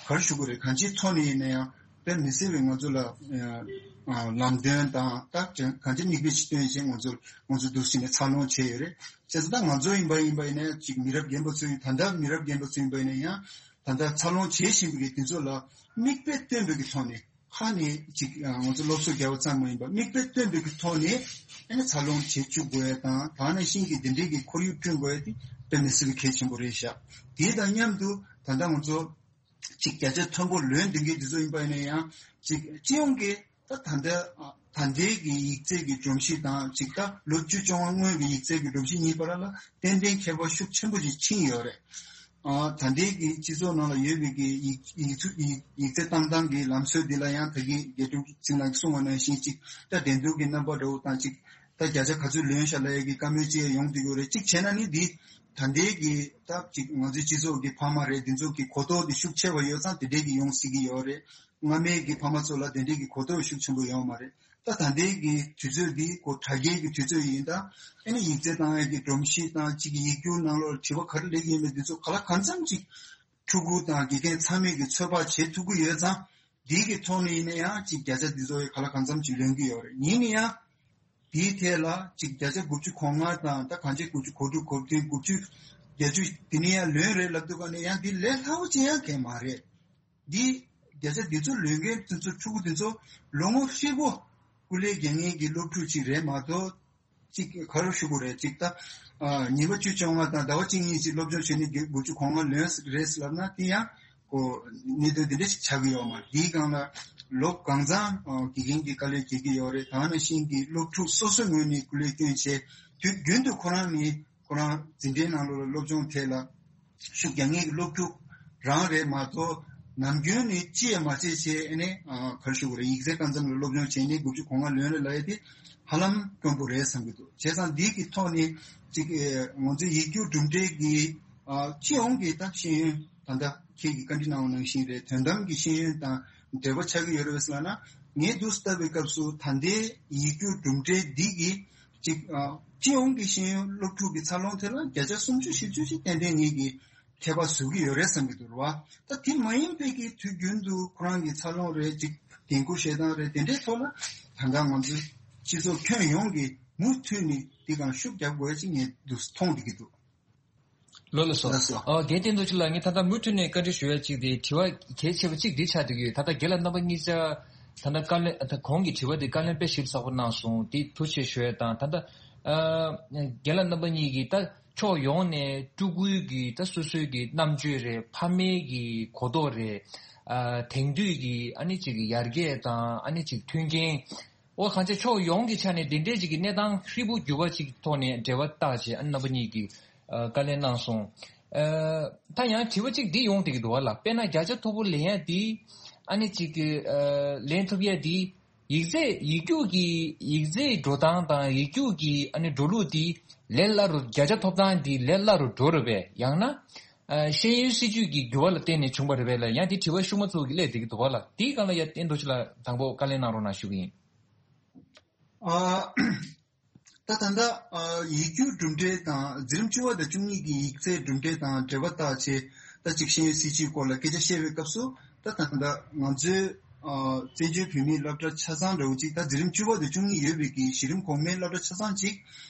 ག་རེ་ཞུ་དགོས་རེད། གང་ཅིའི་ཐོག་ནས་ཡིན་ན་ཡང་དཔེ་མི་སྲིད་པའི་ང་ཚོ་ལ་ཨ་ལམ་སྟོན་དང་ད་གང་ཅི་མིག་དཔེ་ཞིག་སྟོན་བྱས་ང་ཚོ་ང་ཚོ་འདུག་སེ་ནས་འཚར་ལོངས་བྱས་ཡོད་རེད། བྱས་ཙང་ད་ང་ཚོ་ཡིན་པ་ཡིན་པ་ཡིན་ན་ཅིག་མི་རབས་རྒན་པ་ཚོ་ཡིན། ད་ལྟ་མི་རབས་རྒན་པ་ཚོ་ཡིན་པ་ཡིན་ན་ཡང་ད་ལྟ་འཚར་ལོངས་བྱེད་བཞིན་པའི་དེ་ཚོ་ལ་མིག་དཔེ་སྟོན་པའི་གི་ཐོག་ནས་ཁ་ནས་ཅིག་ང་ཚོ་སློབ་གསོ་རྒྱག་པ་ཙམ་མ་ཡིན་པར་མིག་དཔེ་སྟོན་པའི་གི་ཐོག་ནས་ཨ་ནི་འཚར་ལོངས་བྱེད་བཅུག་དགོས་ཡ་དང་ད་ནང་བཞིན་གྱི་དེ་འདྲའི་གི་ཁོར་ཡུག་བསྐྲུན་དགོས་ཡ་དེ་དཔེ་མི་སྲིད་པའི་གལ་ཆེན་པོ་རེད་ཤག་དེ་དང་མཉམ་དུ་ད་ལྟ་ང་ཚོ་ཅིག་བརྒྱ་ཆ་མཐོན་པོ་ལོན་བསྡད་མཁན་དེ་ཚོ་ཡིན་པ་ཡིན་ན་ཡང་ཅིག་སྤྱི་ཡོངས་ཀྱི་ད་ད་ལྟ་ད་ལྟའི་གི་ཡིག་ཚད་ཀྱི་སྒྲོམ་གཞི་དང་ཅིག་ད་ལོ་བཅུ་བཅོ་ལྔ་སྔོན་གྱི་ཡིག་ཚད་ཀྱི་སྒྲོམ་གཞི་གཉིས་བར་ལ་ཏན་ཏན་ཁྱད་པར་ཤུགས་ཆེན་པོ་ཅིག་ཕྱིན་ཡོད་རེད། ཨ་ད་ལྟའི་གི་སྤྱི་ཚོགས་ནང་ལ་ཡོད་པའི་གི་ཡིག་ཡིག་ཚུ་ཡིག་ཡིག་ཚད་བཏང་སྟངས་ཀྱི་ལམ་སྲོལ་འདི་ལ་ཡང་ད་གིན་རྒྱལ་དྲུང་ཚེ་རིང་ལགས་ཀྱིས་གསུངས་པ་ནང་བཞིན་ཅིག་ད་འགྲན་བསྡུར་གྱི་རྣམ་པ་འདྲ་བོ་དང་ཅིག་ད་བརྒྱ་ཆ་ག་ཚོད་ལོན་ཤག་ལབ་ཡས་ཀྱི་བཀའ་མོལ་ཅིག་ཡོང་བསྡད་ཀྱི་ཡོད་རེད། གཅིག་བྱས་ན་ནི་འདི་ད་ལྟའི་གི་ད་ཅིག་ང་ཚོའི་སྤྱི་ཚོགས་ཀྱི་ཕ་མ་རེད། འདི་ཚོ་གི་གོ་རྟོགས་འདི་ཤུགས་ཆེ་བ་ཡོད་ཙང་དེ་འདྲའི་གི་ཡོང་སྲིད་ཀྱི་ཡོད་རེད། སྔ་མའི་གི་ཕ་མ་ཚོ་ལ་དེ་འདྲའི་གི་གོ་རྟོགས་ཤུགས་ཆེན་པོ་ཡོད་མ་རེད། ད་ད་ལྟའི་གི་དུས་ཚོད་འདི་ཁོ་དྲ་རྒྱའི་གི་དུས་ཚོད་ཡིན། ད་ཨ་ནི་ཡིག་ཚད་བཏང་ཡས་ཀྱི་སྒྲོམ་གཞི་དང་གཅིག་གི་ཡིག་སྒྱུར་ནང་ལོགས་དྲི་བ་ག་རེ་སླེབས་ཀྱི་ཡོད་མེད་འདི་ཚོ་ག་ལ་གང་འཚམ་ཅིག་ཕྲུ་གུ་དང་དགེ་རྒན་ཚང་མས་ཀྱི་ཚོད་དཔག་བྱེད་ཐུབ་ཀྱི་ཡོད་ཙང་འདིའི་གི་ཐོག་ནས་ཡིན་ན་ཡང་ཅིག་བརྒྱ་ཆ་འདི་ཚོ་ག་ལ་གང་འཚམ་ཅིག་ལོན་གྱི་ཡོད་རེད། ཡིན་ན་ཡང་དེའི་ཐད་ལ་ཅིག་བརྒྱ་ཆ་དགུ་བཅུ་གོ་ལྔ་དང་ད་གང་ཅི་དགུ་བཅུ་གོ་དྲུག་གོ་བདུན་དགུ་བཅུ་བརྒྱད་ཅུ་དེ་ནས་ཡང་ལོན་རེད་ལབ་དུས་ག་ནས་ཡང་འདི་ལས་སླ་བོ་ཅིག་ཡང་གང་ཡང་མ་རེད། འདི་བརྒྱ་ཆ་འདི་ཚོ་ལོན་མཁན་དེ་ཚོ་ཕྲུ་གུ་དེ་ཚོ་ལོ་ངོ་ཧྲིལ་པོ་སྐུ་ལས་རྒྱག་མཁན་གྱི་སློབ་ཕྲུག་ཅིག་རེད་མ་གཏོགས། ཅིག་ག་རེ་ཞུ་དགོས་རེད། ཅིག་ད་ཨ་ཉི་མ་བཅུ་བཅོ་ལྔ་དང་ཟླ་བ་གཅིག་གཉིས་ཅིག་སློབ་སྦྱོང་བྱས་ནས་དགུ་བཅུ་གོ་ལྔ་ལོན་རེད་ལབ་ན་དེ་ཡང་ཁོ་གནད་དོན་དེ་འདྲ་ཞིག་ཆགས་ཀྱི་ཡོད་མ་རེད། དེའི་སྒང་ལ་ལོ་གང་ཙམ་ཨ་དགེ་རྒན་གྱི་དཀའ་ལས་རྒྱག་གི་ཡོད་རེད། ད་ནང་བཞིན་གྱི་སློབ་ཕྲུག་སོ་སོའི་ངོས་ནས་སྐུ་ལས་བསྐྱོན་བྱས་དུས་རྒྱུན་དུ་ཁོ་རང་ནི་ཁོ་རང་འཛིན་གྲྭའི་ནང་ལོགས་ལ་སློབ་སྦྱོང་ཐད་ལ་ཤུགས་རྒྱག་མཁན་གྱི་སློབ་ཕྲུག་རང་རེད་མ་གཏོགས་ནམ་རྒྱུན་ནས་ཅི་ཡང་མ་བྱས་བྱས་ཨ་ནི་ཨ་ག་རེ་ཞུ་དགོས་རེད། ཡིག་ཚད་གང་འཚམ་ལ་སློབ་སྦྱོང་བྱས་ནས་དགུ་བཅུ་གོ་ལྔ་ལོན་རེད་ལབ་ཡས་དེ་ཧ་ལམ་དཀོན་པོ་རེད་བསམ་གྱི་འདུག་བྱས་ཙང་འདི་གི་ཐོག་ནས་ཅིག་ཨེ་ང་ཚོའི་ཡིག་རྒྱུགས་གྲུབ་འབྲས་ཀྱི་ཨ་སྤྱི་ཡོངས་ཀྱི་ད་ཤེས་ཡོན་ད་ལྟ་ཁྱེད་ཀྱིས་བཀའ་འདྲི་གནང་བ་ནང་བཞིན་རེད། དོན་དམ་གྱི་ཤེས་ཡོན་དང་འབྲེལ་བ་ཆགས་ཀྱི་ཡོད་རེད་ཟེར་ལབ་ན། ངས་འདུག་སེ་ལྟ་བའི་སྐབས་སུ་ད་ལྟའི་ཡིག་རྒྱུགས་གྲུབ་འབྲས་འདི་གིས་ཅིག་ཨ་སྤྱི་ཡོངས་ཀྱི་ཤེས་ཡོན་སློབ་ཕྲུག་གི་འཚར་ལོངས་ཐད་ལ་བརྒྱ་ཆ་སུམ་ཅུ་བཞི་བཅུ་ཞིག་ཏན་ཏན་ངེད་ཀྱིས་ཁྱད་པར་བཟོ་གི་ཡོད་རེད་བསམ་གྱི་འདུག་རེད་བ། ད་དེ་མ་ཡིན་པའི་གི་དུས་རྒྱུན་དུ་ཁོ་རང་གི་འཚར་ལོངས་རེད། ཅིག་འགན་ཁུར་བཞེས་སྟངས་རེད། དེ་འདྲའི་ཐོག་ལ་ད་ལྟ་ང་ཚོའི་སྤྱི་ཚོགས་ཁྱོན་ཡོངས་ཀྱིས་མུ་མཐུད་ནས་འདི་གང་ཤུགས་རྒྱག་དགོས་ཅིག་ངས་འདུག་མཐོང་བསྡད་ཀྱི་འདུག་ལགས་སོ། ལགས་སོ། ཨ་རྒན་བསྟན་རྡོ་རྗེ་ལགས། ངས་ད་ལྟ་མུ་མཐུད་ནས་བཀའ་འདྲི་ཞུ་ཡ་གཅིག་དེ་དྲི་བ་གལ་ཆེ་བ་གཅིག་འདི་ཆགས་བསྡད་ཀྱི་ཡོད། ད་ལྟ་རྒན་ལགས་རྣམ་པ་གཉིས་ཆ་ད་ལྟ་བཀའ་ལན་ད་གོང་གི་དྲི་བ་དེ་བཀའ་ལན་དཔེ་ཞིབ་ཚགས་པོ་གནང་སོང་། དེ་ཐུགས་རྗེ་ཆེ་ཞུ་ཡ་དང་། ད་ལྟ་ཨ་རྒན་ལགས་རྣམ་པ་གཉིས་ཀྱིས་ད་ཕྱོགས་ཡོངས་ནས་ཕྲུ་གུའི་གི་ད་སོ་སོའི་གི་རྣམ་དཔྱོད་རེད། ཕ་མའི་གི་གོ་རྟོགས་རེད། ཨ་དེང་དུས་ཀྱི་ཨ་ནི་ཅིག་ཡར་རྒྱས་དང་ཨ་ནི་ཅིག་མཐུན་རྐྱེན། འོ་གང་ཅི་ཕྱོགས་ཡོངས་ཀྱི་ཆ་ནས་དེ་འདྲའི་ཅིག་གི་གནས་སྟངས་ཧྲིལ་པོ་འགྱུར་བ་ཅིག་ཐོག་ནས་འབྲེལ་བ་བཏགས་བྱས་ཨ་ནི་རྣམ་པ་གཉིས་ཀྱིས་ཨ་བཀའ་ལན་གནང་སོང་། ཨ་ད་ཡང་དྲི་བ་ཅིག་འདི་ཡོང་བསྡད་ཀྱི་འདུག་བ་ལ། དཔེར་ན་བརྒྱ་ཆ་མཐོ་པོ་ལེན་ཡ་འདི་ཨ་ནི་ཅིག་གི་ཨ་ལེན་ཐུབ་ཡ་འདི། ཡིག་ཚད་ཡིག་རྒྱུགས་ཀྱི་ཡིག་ཚད་འགྲོ་སྟངས་དང་ཡིག་རྒྱུགས་ཀྱི་ཨ་ནི་འགྲོ་ལུགས་འདི་ལས་སླ་རུ་བརྒྱ་ཆ་ཐོབ་ཐང་འདི་ལས་སླ་རུ་འགྲོ་རེད་པས། ཡང་ན་ཨ་ཤེས་ཡོན་སྲིད་བྱུས་ཀྱི་འགྱུར་བ་ལ་བརྟེན་ནས་བྱུང་བ་རེད་པས་ལ། ཡང་འདི་དྲི་བ་ཤུགས་མ་ཚུགས་ཀྱི་སླེབས་བསྡད་ཀྱི་འདུག་བ་ལ། དེའི་སྒང་ལ་ཡ་བསྟན་རྡོ་རྗེ་ལགས་དང་པོ་བཀའ་ལན་གནང་རོགས་གནང་ཞུ་གི་ཡིན། ཨ། ད་ད་ལྟ་ཨ་ཡིག་རྒྱུགས་གྲུབ་འབྲས་དང་འཛིན་རིམ་བཅུ་པ་དང་བཅུ་གཉིས་ཀྱི་ཡིག་ཚད་གྲུབ་འབྲས་དང་འབྲེལ་བ་བཏགས་བྱས། ད་ཅིག་ཤེས་ཡོན་སྲིད་བྱུས་སྐོར་ལ་སྐད་ཆ་བཤད་པའི་སྐབས་སུ། ད་ད་ལྟ་ང་ཚོའི་ཨ་བཙན་བྱོལ་བོད་མིའི་སློབ་གྲྭ་ཆ་ཚང་འདྲ་བོ་ཅིག་ད་འཛིན་རིམ་བཅུ་པ་དང་བཅུ་གཉིས་ཡོད་པའི་གི་གཞི་རིམ་གོང་མའི་སློབ་གྲྭ་ཆ་ཚང་ཅིག་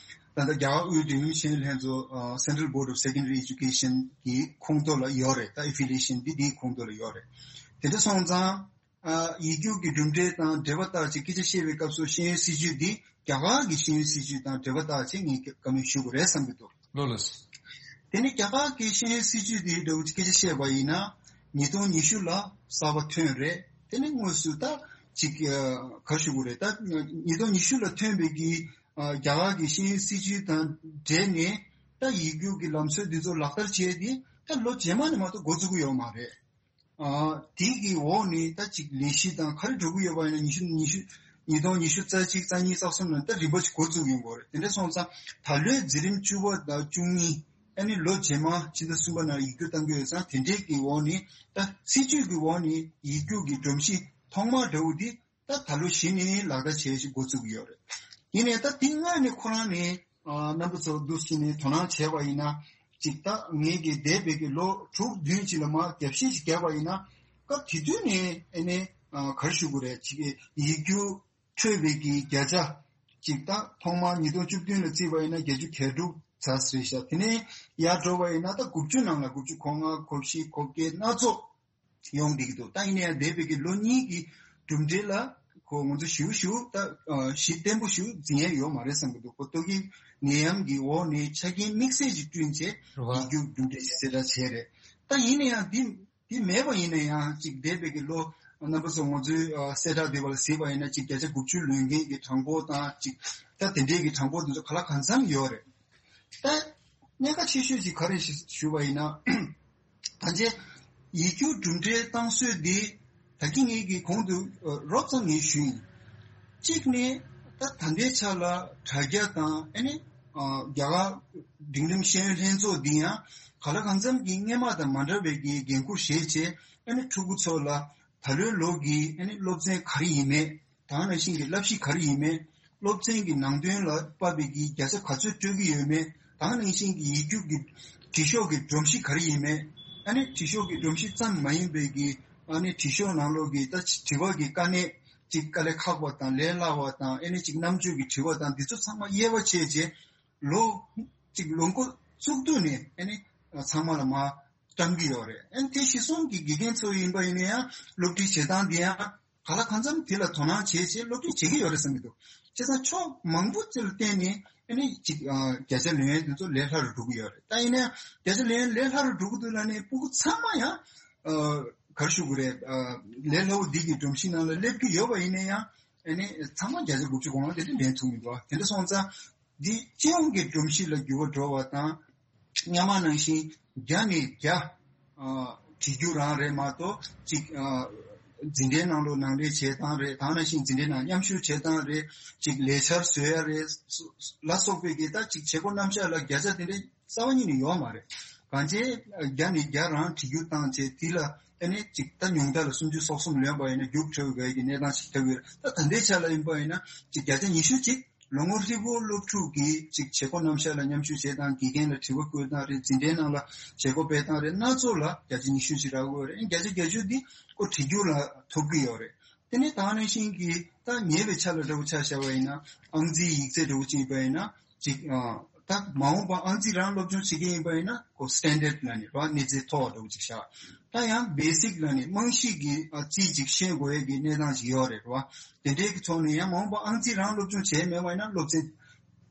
ད་ལྟ་རྒྱ་གར་དབུས་འབྲིང་རིམ་ཤེས་ཡོན་ལྷན་ཚོགས་ཨ་Central Board of Secondary Education གི་ཁོངས་གཏོགས་ལ་ཡོད་རེད། ད་ཨེ་ཕི་ལི་ཡེ་ཤན་འདི་འདིའི་ཁོངས་གཏོགས་ལ་ཡོད་རེད། དེ་འདྲ་སོང་ཙང་། ཨ་ཡིག་རྒྱུགས་ཀྱི་གྲུབ་འབྲས་དང་འབྲེལ་བ་བཏགས་བྱས་སྐད་ཆ་བཤད་པའི་སྐབས་སུ་ཤེས་ཡོན་སྲིད་བྱུས་འདི་རྒྱ་གར་གྱི་ཤེས་ཡོན་སྲིད་བྱུས་དང་འབྲེལ་བ་བཏགས་བྱས་ངས་བཀའ་མོལ་ཞུ་དགོས་རེད་བསམ་གྱི་འདུག་ལགས་ལགས། དེ་ནི་རྒྱ་གར་གྱི་ཤེས་ཡོན་སྲིད་བྱུས་འདི་འདྲ་བོ་སྐད་ཆ་བཤད་པ་ཡིན་ན། ཉིས་སྟོང་ཉི་ཤུ་ལ་གསར་པ་ཐོན་རེད། དེ་ནི་དངོས་སུ་ད་ཅིག་ཨ་ག་རེ་ཞུ་དགོས་རེད། ད་ཉིས་སྟོང་ཉི་ཤུ་ལ་ཐོན་པའི་གི་ཨ་རྒྱ་གར་གྱི་ཤེས་ཡོན་སྲིད་བྱུས་དང་འབྲེལ་ནས་ད་ཡིག་རྒྱུགས་ཀྱི་ལམ་སྲོལ་འདི་ཚོ་ལག་བསྟར་བྱས་ཏེ་ད་ལོ་རྗེས་མ་ནས་མ་གཏོགས་འགོ་བཙུགས་ཀྱི་ཡོད་མ་རེད། ཨ་དེ་གི་འོག་ནས་ད་ཅིག་ལས་གཞི་དང་ག་རེ་འགྲོ་གི་ཡོད་པ་ཡིན་ན། ཉི་ཤུ་ཉི་ཤུ་ཉིས་སྟོང་ཉི་ཤུ་རྩ་གཅིག་རྩ་གཉིས་རྩ་གསུམ་ནང་ད་རིམ་པ་ཅིག་འགོ་བཙུགས་ཡོང་གི་རེད། དེ་འདྲ་སོང་ཙང་ད་ལོའི་འཛིན་རིམ་བཅུ་པ་དང་བཅུ་གཉིས་ཨ་ནི་ལོ་རྗེས་མ་ཕྱི་ཟླ་གསུམ་པ་ནང་ཡིག་རྒྱུགས་གཏང་གི་ཡོད་ཙང་། དེ་འདྲའི་གི་འོག་ནས་ད་སྲིད་བྱུས་ཀྱི་འོག་ནས་ཡིག་རྒྱུགས་ཀྱི་སྒྲོམ་གཞི་ཐོག་མ་འདྲ་བོ་འདི་ད་ད་ལོ་གཞི་ནས་ལག་བསྟར་བྱེད་ཅིག་འགོ་བཙུགས་ཀྱི་ཡོད་རེད། ཡིན་ནའི་ད་དེ་སྔ་ནས་ཁོ་རང་ནས་ཨ་རྣམ་པ་ཚོ་འདུག་སེ་ནས་དོ་སྣང་བྱས་པ་ཡིན་ན། ཅིག་ད་ངེད་ཀྱི་འདས་པའི་གི་ལོ་དྲུག་བདུན་ཅིག་ལ་མར་རྒྱབ་བཤིག་ཅིག་བརྒྱབ་པ་ཡིན་ན། སྐབས་དེ་དུས་ནས་ཨ་ནི་ཨ་ག་རེ་ཞུ་དགོས་རེད། ཅིག་ཡིག་རྒྱུགས་འཕྲོད་པའི་གི་བརྒྱ་ཆ་ཅིག་ད་ཐོག་མར་ཉིས་སྟོང་བཅུ་བདུན་ལ་བརྩིས་པ་ཡིན་ན་བརྒྱད་ཅུ་གྱ་དྲུག་ཙམ་རེད་ཤག་དེ་ནས་ཡར་འགྲོ་བ་ཡིན་ན་ད་དགུ་བཅུ་ནང་ལ་དགུ་བཅུ་གོ་ལྔ་གོ་བཞི་གོ་བརྒྱད་སྣ་ཚོགས་ཡོང་བསྡད་ཀྱི་འདུག་ད་ཡིན་ན་ཡང་འདས་པའི་གི་ལོ་གཉིས་ཀྱི་གྲུབ་འབྲས་ལ་ཁོ་ང་ཚོ་ཞིབ་ཞིབ་ད་ཨ་གཞི་བརྟན་པོ་ཞིག་འཛིན་ཡ་ཡོད་མ་རེད་བསམ་གྱི་འདུག་ཁོ་ལྟོ་གོས་ནད་ཡམས་ཀྱི་འོག་ནས་ཆ་རྐྱེན་དམིགས་བསལ་ཅིག་བསྐྲུན་བྱས་རེད་བ། ཡིག་རྒྱུགས་གྲུབ་འབྲས་ཞིག་གསལ་བསྒྲགས་བྱས་རེད། ད་ཡིན་ན་ཡང་འདི་འདི་མེད་པ་ཡིན་ན་ཡང་ཅིག་འདས་པའི་གི་ལོ་རྣམ་པ་ཚོ་ང་ཚོའི་ཨ་གསལ་བསྒྲགས་འདི་བ་ལ་གཟིགས་པ་ཡིན་ན་ཅིག་བརྒྱ་ཆ་དགུ་བཅུ་ལོན་མཁན་གྱི་གྲངས་འབོར་དང་ཅིག་ད་དེ་འདྲའི་གི་གྲངས་འབོར་འདི་ཚོ་ག་ལ་གང་འཚམ་ཡོད་རེད། ད་གནད་འགག་ཆེ་ཤོས་ཅིག་ག་རེ་ཞུ་ཞུ་བ་ཡིན་ན། ད་ཆ་ཡིག་རྒྱུགས་གྲུབ་འབྲས་བཏང་སྲོལ་འདི་ད་གིན་ངེད་ཀྱིས་གོང་དུ་ཨ་རོབ་ཙམ་ངས་ཞུས་ཡིན། གཅིག་ནས་ད་ད་ལྟའི་ཆ་ལ་དྲ་རྒྱ་དང་ཨ་ནི་ཨ་རྒྱ་གར་འབྲིང་རིམ་ཤེས་ཡོན་ལྷན་ཚོགས་འདི་ཡང་ག་ལ་གང་འཚམ་གྱི་སྔོན་མ་དང་མ་འདྲ་བའི་གི་འགན་ཁུར་བཞེས་བྱས། ཨ་ནི་ཕྲུ་གུ་ཚོ་ལ་ད་ལོའི་ལོ་གི་ཨ་ནི་སློབ་ཚན་ག་རེ་ཡིན་མེད། ད་ག་ནང་བཞིན་གྱི་བསླབ་གཞི་ག་རེ་ཡིན་མེད། སློབ་ཚན་གྱི་ནང་དོན་ལ་དཔག་པའི་གི་བརྒྱ་ཆ་ག་ཚོད་སྤྲོད་ཀྱི་ཡོད་མེད། ད་ག་ནང་བཞིན་གྱི་ཡིག་རྒྱུགས་ཀྱི་དྲི་ཤོག་གི་སྒྲོམ་གཞི་ག་རེ་ཡིན་མེད། ཨ་ནི་དྲི་ཤོག་གི་སྒྲོམ་གཞི་ཙམ་མ་ཡིན་པའི་གི་ཨ་ནི་དྲི་ཤོག་ནང་ལོགས་ཀྱི་ད་དྲི་བ་གི་དཀའ་གནད་ཅིག་དཀའ་ལས་ཁག་པ་དང་ལས་སླ་བ་དང་ཨ་ནི་ཅིག་རྣམ་དཔྱོད་ཀྱི་དྲི་བ་དང་འདི་ཚོ་ཚང་མ་དབྱེ་བ་ཕྱེ་བྱས་ལོ་ཅིག་ལོ་འགོ་བཙུགས་དུས་ནས་ཨ་ནི་ཚང་མ་ལ་མར་བཀྲམ་གྱི་ཡོད་རེད། ཨ་ནི་དེ་གཞི་བཟུང་གི་དགེ་རྒན་ཚོ་ཡིན་པ་ཡིན་ན་ཡང་སློབ་ཁྲིད་བྱེད་སྟངས་འདི་ཡང་ག་ལ་གང་འཚམ་དེ་ལ་དོ་སྣང་བྱས་བྱས་སློབ་ཁྲིད་བྱེད་ཀྱི་ཡོད་རེད་བསམ་གྱི་འདུག་བྱས་ཙང་ཕྱོགས་མང་པོ་ཅིག་ལ་བརྟེན་ནས་ཨ་ནི་ཅིག་ཨ་བརྒྱ་ཆ་ལོན་ཡས་དེ་ཚོ་ལས་སླ་རུ་འགྲོ་གི་ཡོད་རེད། ད་ཡིན་ན་ཡང་བརྒྱ་ཆ་ལོན་ཡས་ལས་སླ་རུ་འགྲོ་གི་འདུག་ལབ་ནས་སྤུ་གུ་ཚང་མ་ཡང་ཨ་ག་རེ་ཞུ་དགོས་རེད། ཨ་ལས་སླ་བོ་འདི་གི་སྒྲོམ་གཞི་ནང་ལ་སླེབས་ཀྱི་ཡོད་པ་ཡིན་ན་ཡང་ཨ་ནི་ཚང་མ་བརྒྱ་ཆ་དགུ་བཅུ་གོ་ལྔ་དེ་འདྲ་ལེན་ཐུབ་མི་འདུག་དེ་འདྲ་སོང་ཙང་འདི་སྤྱི་ཡོངས་ཀྱི་སྒྲོམ་གཞི་ལ་འགྱུར་བ་འགྲོ་བ་དང་། སྔོན་མ་ནང་བཞིན་བརྒྱ་ནས་བརྒྱ་ཨ་བྲིས་རྒྱུགས་རང་རེད་མ་གཏོགས་ཅིག་ཨ་འཛིན་གྲྭའི་ནང་ལོགས་ནང་འདྲེན་བྱེད་སྟངས་རེད། ད་ག་ནང་བཞིན་འཛིན་གྲྭའི་ནང་མཉམ་ཞུགས་བྱེད་སྟངས་རེད། ཅིག་ལས་འཆར་བཟོ་ཡ་རེད་ལ་སོགས་པའི་གི་ད་ཅིག་བྱེད་སྒོ་རྣམ་གཞག་ལ་བརྒྱ་ཆ་དེ་འདྲའི་རྩ་བ་ཉིད་ནས་ཡོད་མ་རེད། གང་ཅི་བརྒྱ་ནས་བརྒྱ་རང་བྲིས་རྒྱུགས་བཏང་བྱས་དེ་ལ་ཨ་ནི་ཅིག་ད་ཉུང་མཐའ་ལ་སུམ་ཅུ་སོ་གསུམ་ལོན་པ་ཡིན་ན་རྒྱུགས་འཕྲོད་དགོས་ཀྱི་གནས་སྟངས་ཤིག་ཆགས་ཀྱི་ཡོད་རེད། ད་ད་ལྟའི་ཆ་ལ་ཡིན་པ་ཡིན་ན་ཅིག་བརྒྱ་ཆ་ཉི་ཤུ་ཅིག་ལོ་ངོ་ཧྲིལ་པོ་སློབ་ཕྲུག་གིས་ཅིག་བྱེད་སྒོ་རྣམ་གཞག་ལ་མཉམ་ཞུགས་བྱེད་སྟངས། དགེ་རྒན་ལ་དྲི་བ་བཀོད་སྟངས་རེད། འཛིན་གྲྭའི་ནང་ལ་བྱེད་སྒོ་སྤེལ་སྟངས་རེད། སྣ་ཚོགས་ལ་བརྒྱ་ཆ་ཉི་ཤུ་ཅིག་རག་གི་ཡོད་རེད། བརྒྱ་ཆ་བརྒྱད་ཅུ་འདི་ཁོ་བྲིས་རྒྱུགས་ལ་ཐོབ་ཀྱི་ཡོད་རེད། དེ་ནས་ད་ག་ནང་བཞིན་གྱི་ད་ཉེ་བའི་ཆ་ལ་འདྲ་བོ་ཆ་བཞག་པ་ཡིན་ན་ཨང་རྩིས་ཡིག་ཚད་འདྲ་བོ་ཅིག་ཡིན་པ་ཡིན་ན་ཅིག་ཨ་ད་མ་འོངས་པ་ཨང་རྩིས་རང་སློབ་སྦྱོང་བྱེད་ཀྱི་ཡིན་པ་ཡིན་ན་ཁོ་standard་ལབ་ནས་རེད་བ། གནས་ཚད་མཐོ་བ་འདྲ་བོ་ཅིག་བཞག་ད་ཡང་basic་ལབ་ནས་རྨང་གཞི་གི་ཨ་རྩིས་ཅིག་ཤེས་དགོས་ཡས་ཀྱི་གནས་སྟངས་ཅིག་ཡོད་རེད་རེད་བ། དེ་འདྲའི་གི་ཐོག་ནས་ཡང་མ་འོངས་པ་ཨང་རྩིས་རང་སློབ་སྦྱོང་བྱས་མེད་པ་ཡིན་ན་སློབ་ཚན་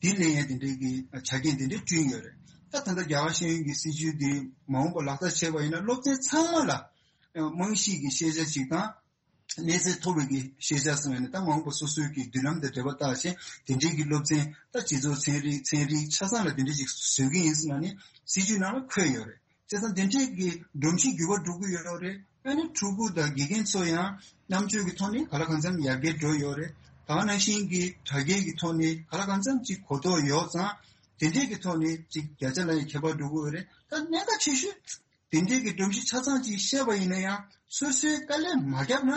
འདི་ལེན་ཡས་དེ་འདྲའི་གི་ཆ་རྐྱེན་དེ་འདྲའི་བསྐྲུན་ཡོད་རེད། ད་ད་ལྟ་རྒྱ་གར་ཤེས་ཡོན་གྱི་སྲིད་བྱུས་འདི་མ་འོངས་པ་ལག་བསྟར་བྱས་པ་ཡིན་ན་སློབ་ཚན་ཚང་མ་ལ་ རྨང་གཞི་གི་ཤེས་བྱ་ཅིག་དང་། གནས་ཚད་མཐོ་བའི་གི་ཤེས་བྱ་སོང་བས་ནི། ད་མ་འོངས་པ་སོ་སོའི་གི་མདུན་ལམ་དང་འབྲེལ་བ་བཏགས་ཤིང་། དེ་འདྲའི་གི་སློབ་ཚན། ད་སྤྱི་ཚོགས་ཚན་རིག་ཚན་རིག་ཆ་ཚང་ལ་དེ་འདྲ་ཅིག་བཟོ་གི་ཡིན་ཟེར་ན་ནི། སྲིད་ཇུས་ནང་ལ་འཁོད་ཡོད་རེད། བྱས་ཙང་དེ་འདྲའི་གི་སྒྲོམ་གཞི་འགྱུར་བ་འགྲོ་གི་ཡོད་རེད། ཨ་ནི་ཕྲུ་གུ་དང་དགེ་རྒན་ཚོ་ཡང་རྣམ་དཔྱོད་ཀྱི་ཐོག་ནས་ག་ལ་གང་འཚམ་ཡར་རྒྱས་འགྲོ་ཡོད་རེད། ད་ག་ནང་བཞིན་གྱི་དྲ་རྒྱའི་གི་ཐོག་ནས་ག་ལ་གང་འཚམ་ཅིག་གོ་རྟོགས་ཡོད་ཙང་། དེ་འདྲའི་གི་ཐོག་ནས་ཅིག་བརྒྱ་ཆ་ལ་ཡང་ཁྱད་པར་འགྲོ་གི་ཡོད་རེད། ད་གནད་འགག་ཆེ་ཤོས་དེ་འདྲའི་གི་སྒྲོམ་གཞི་ཆ་ཚང་ཅིག་བཤད་པ་ཡིན་ན་ཡང་། སོ་སོའི་དཀའ་ལས་མ་བརྒྱབ་ན།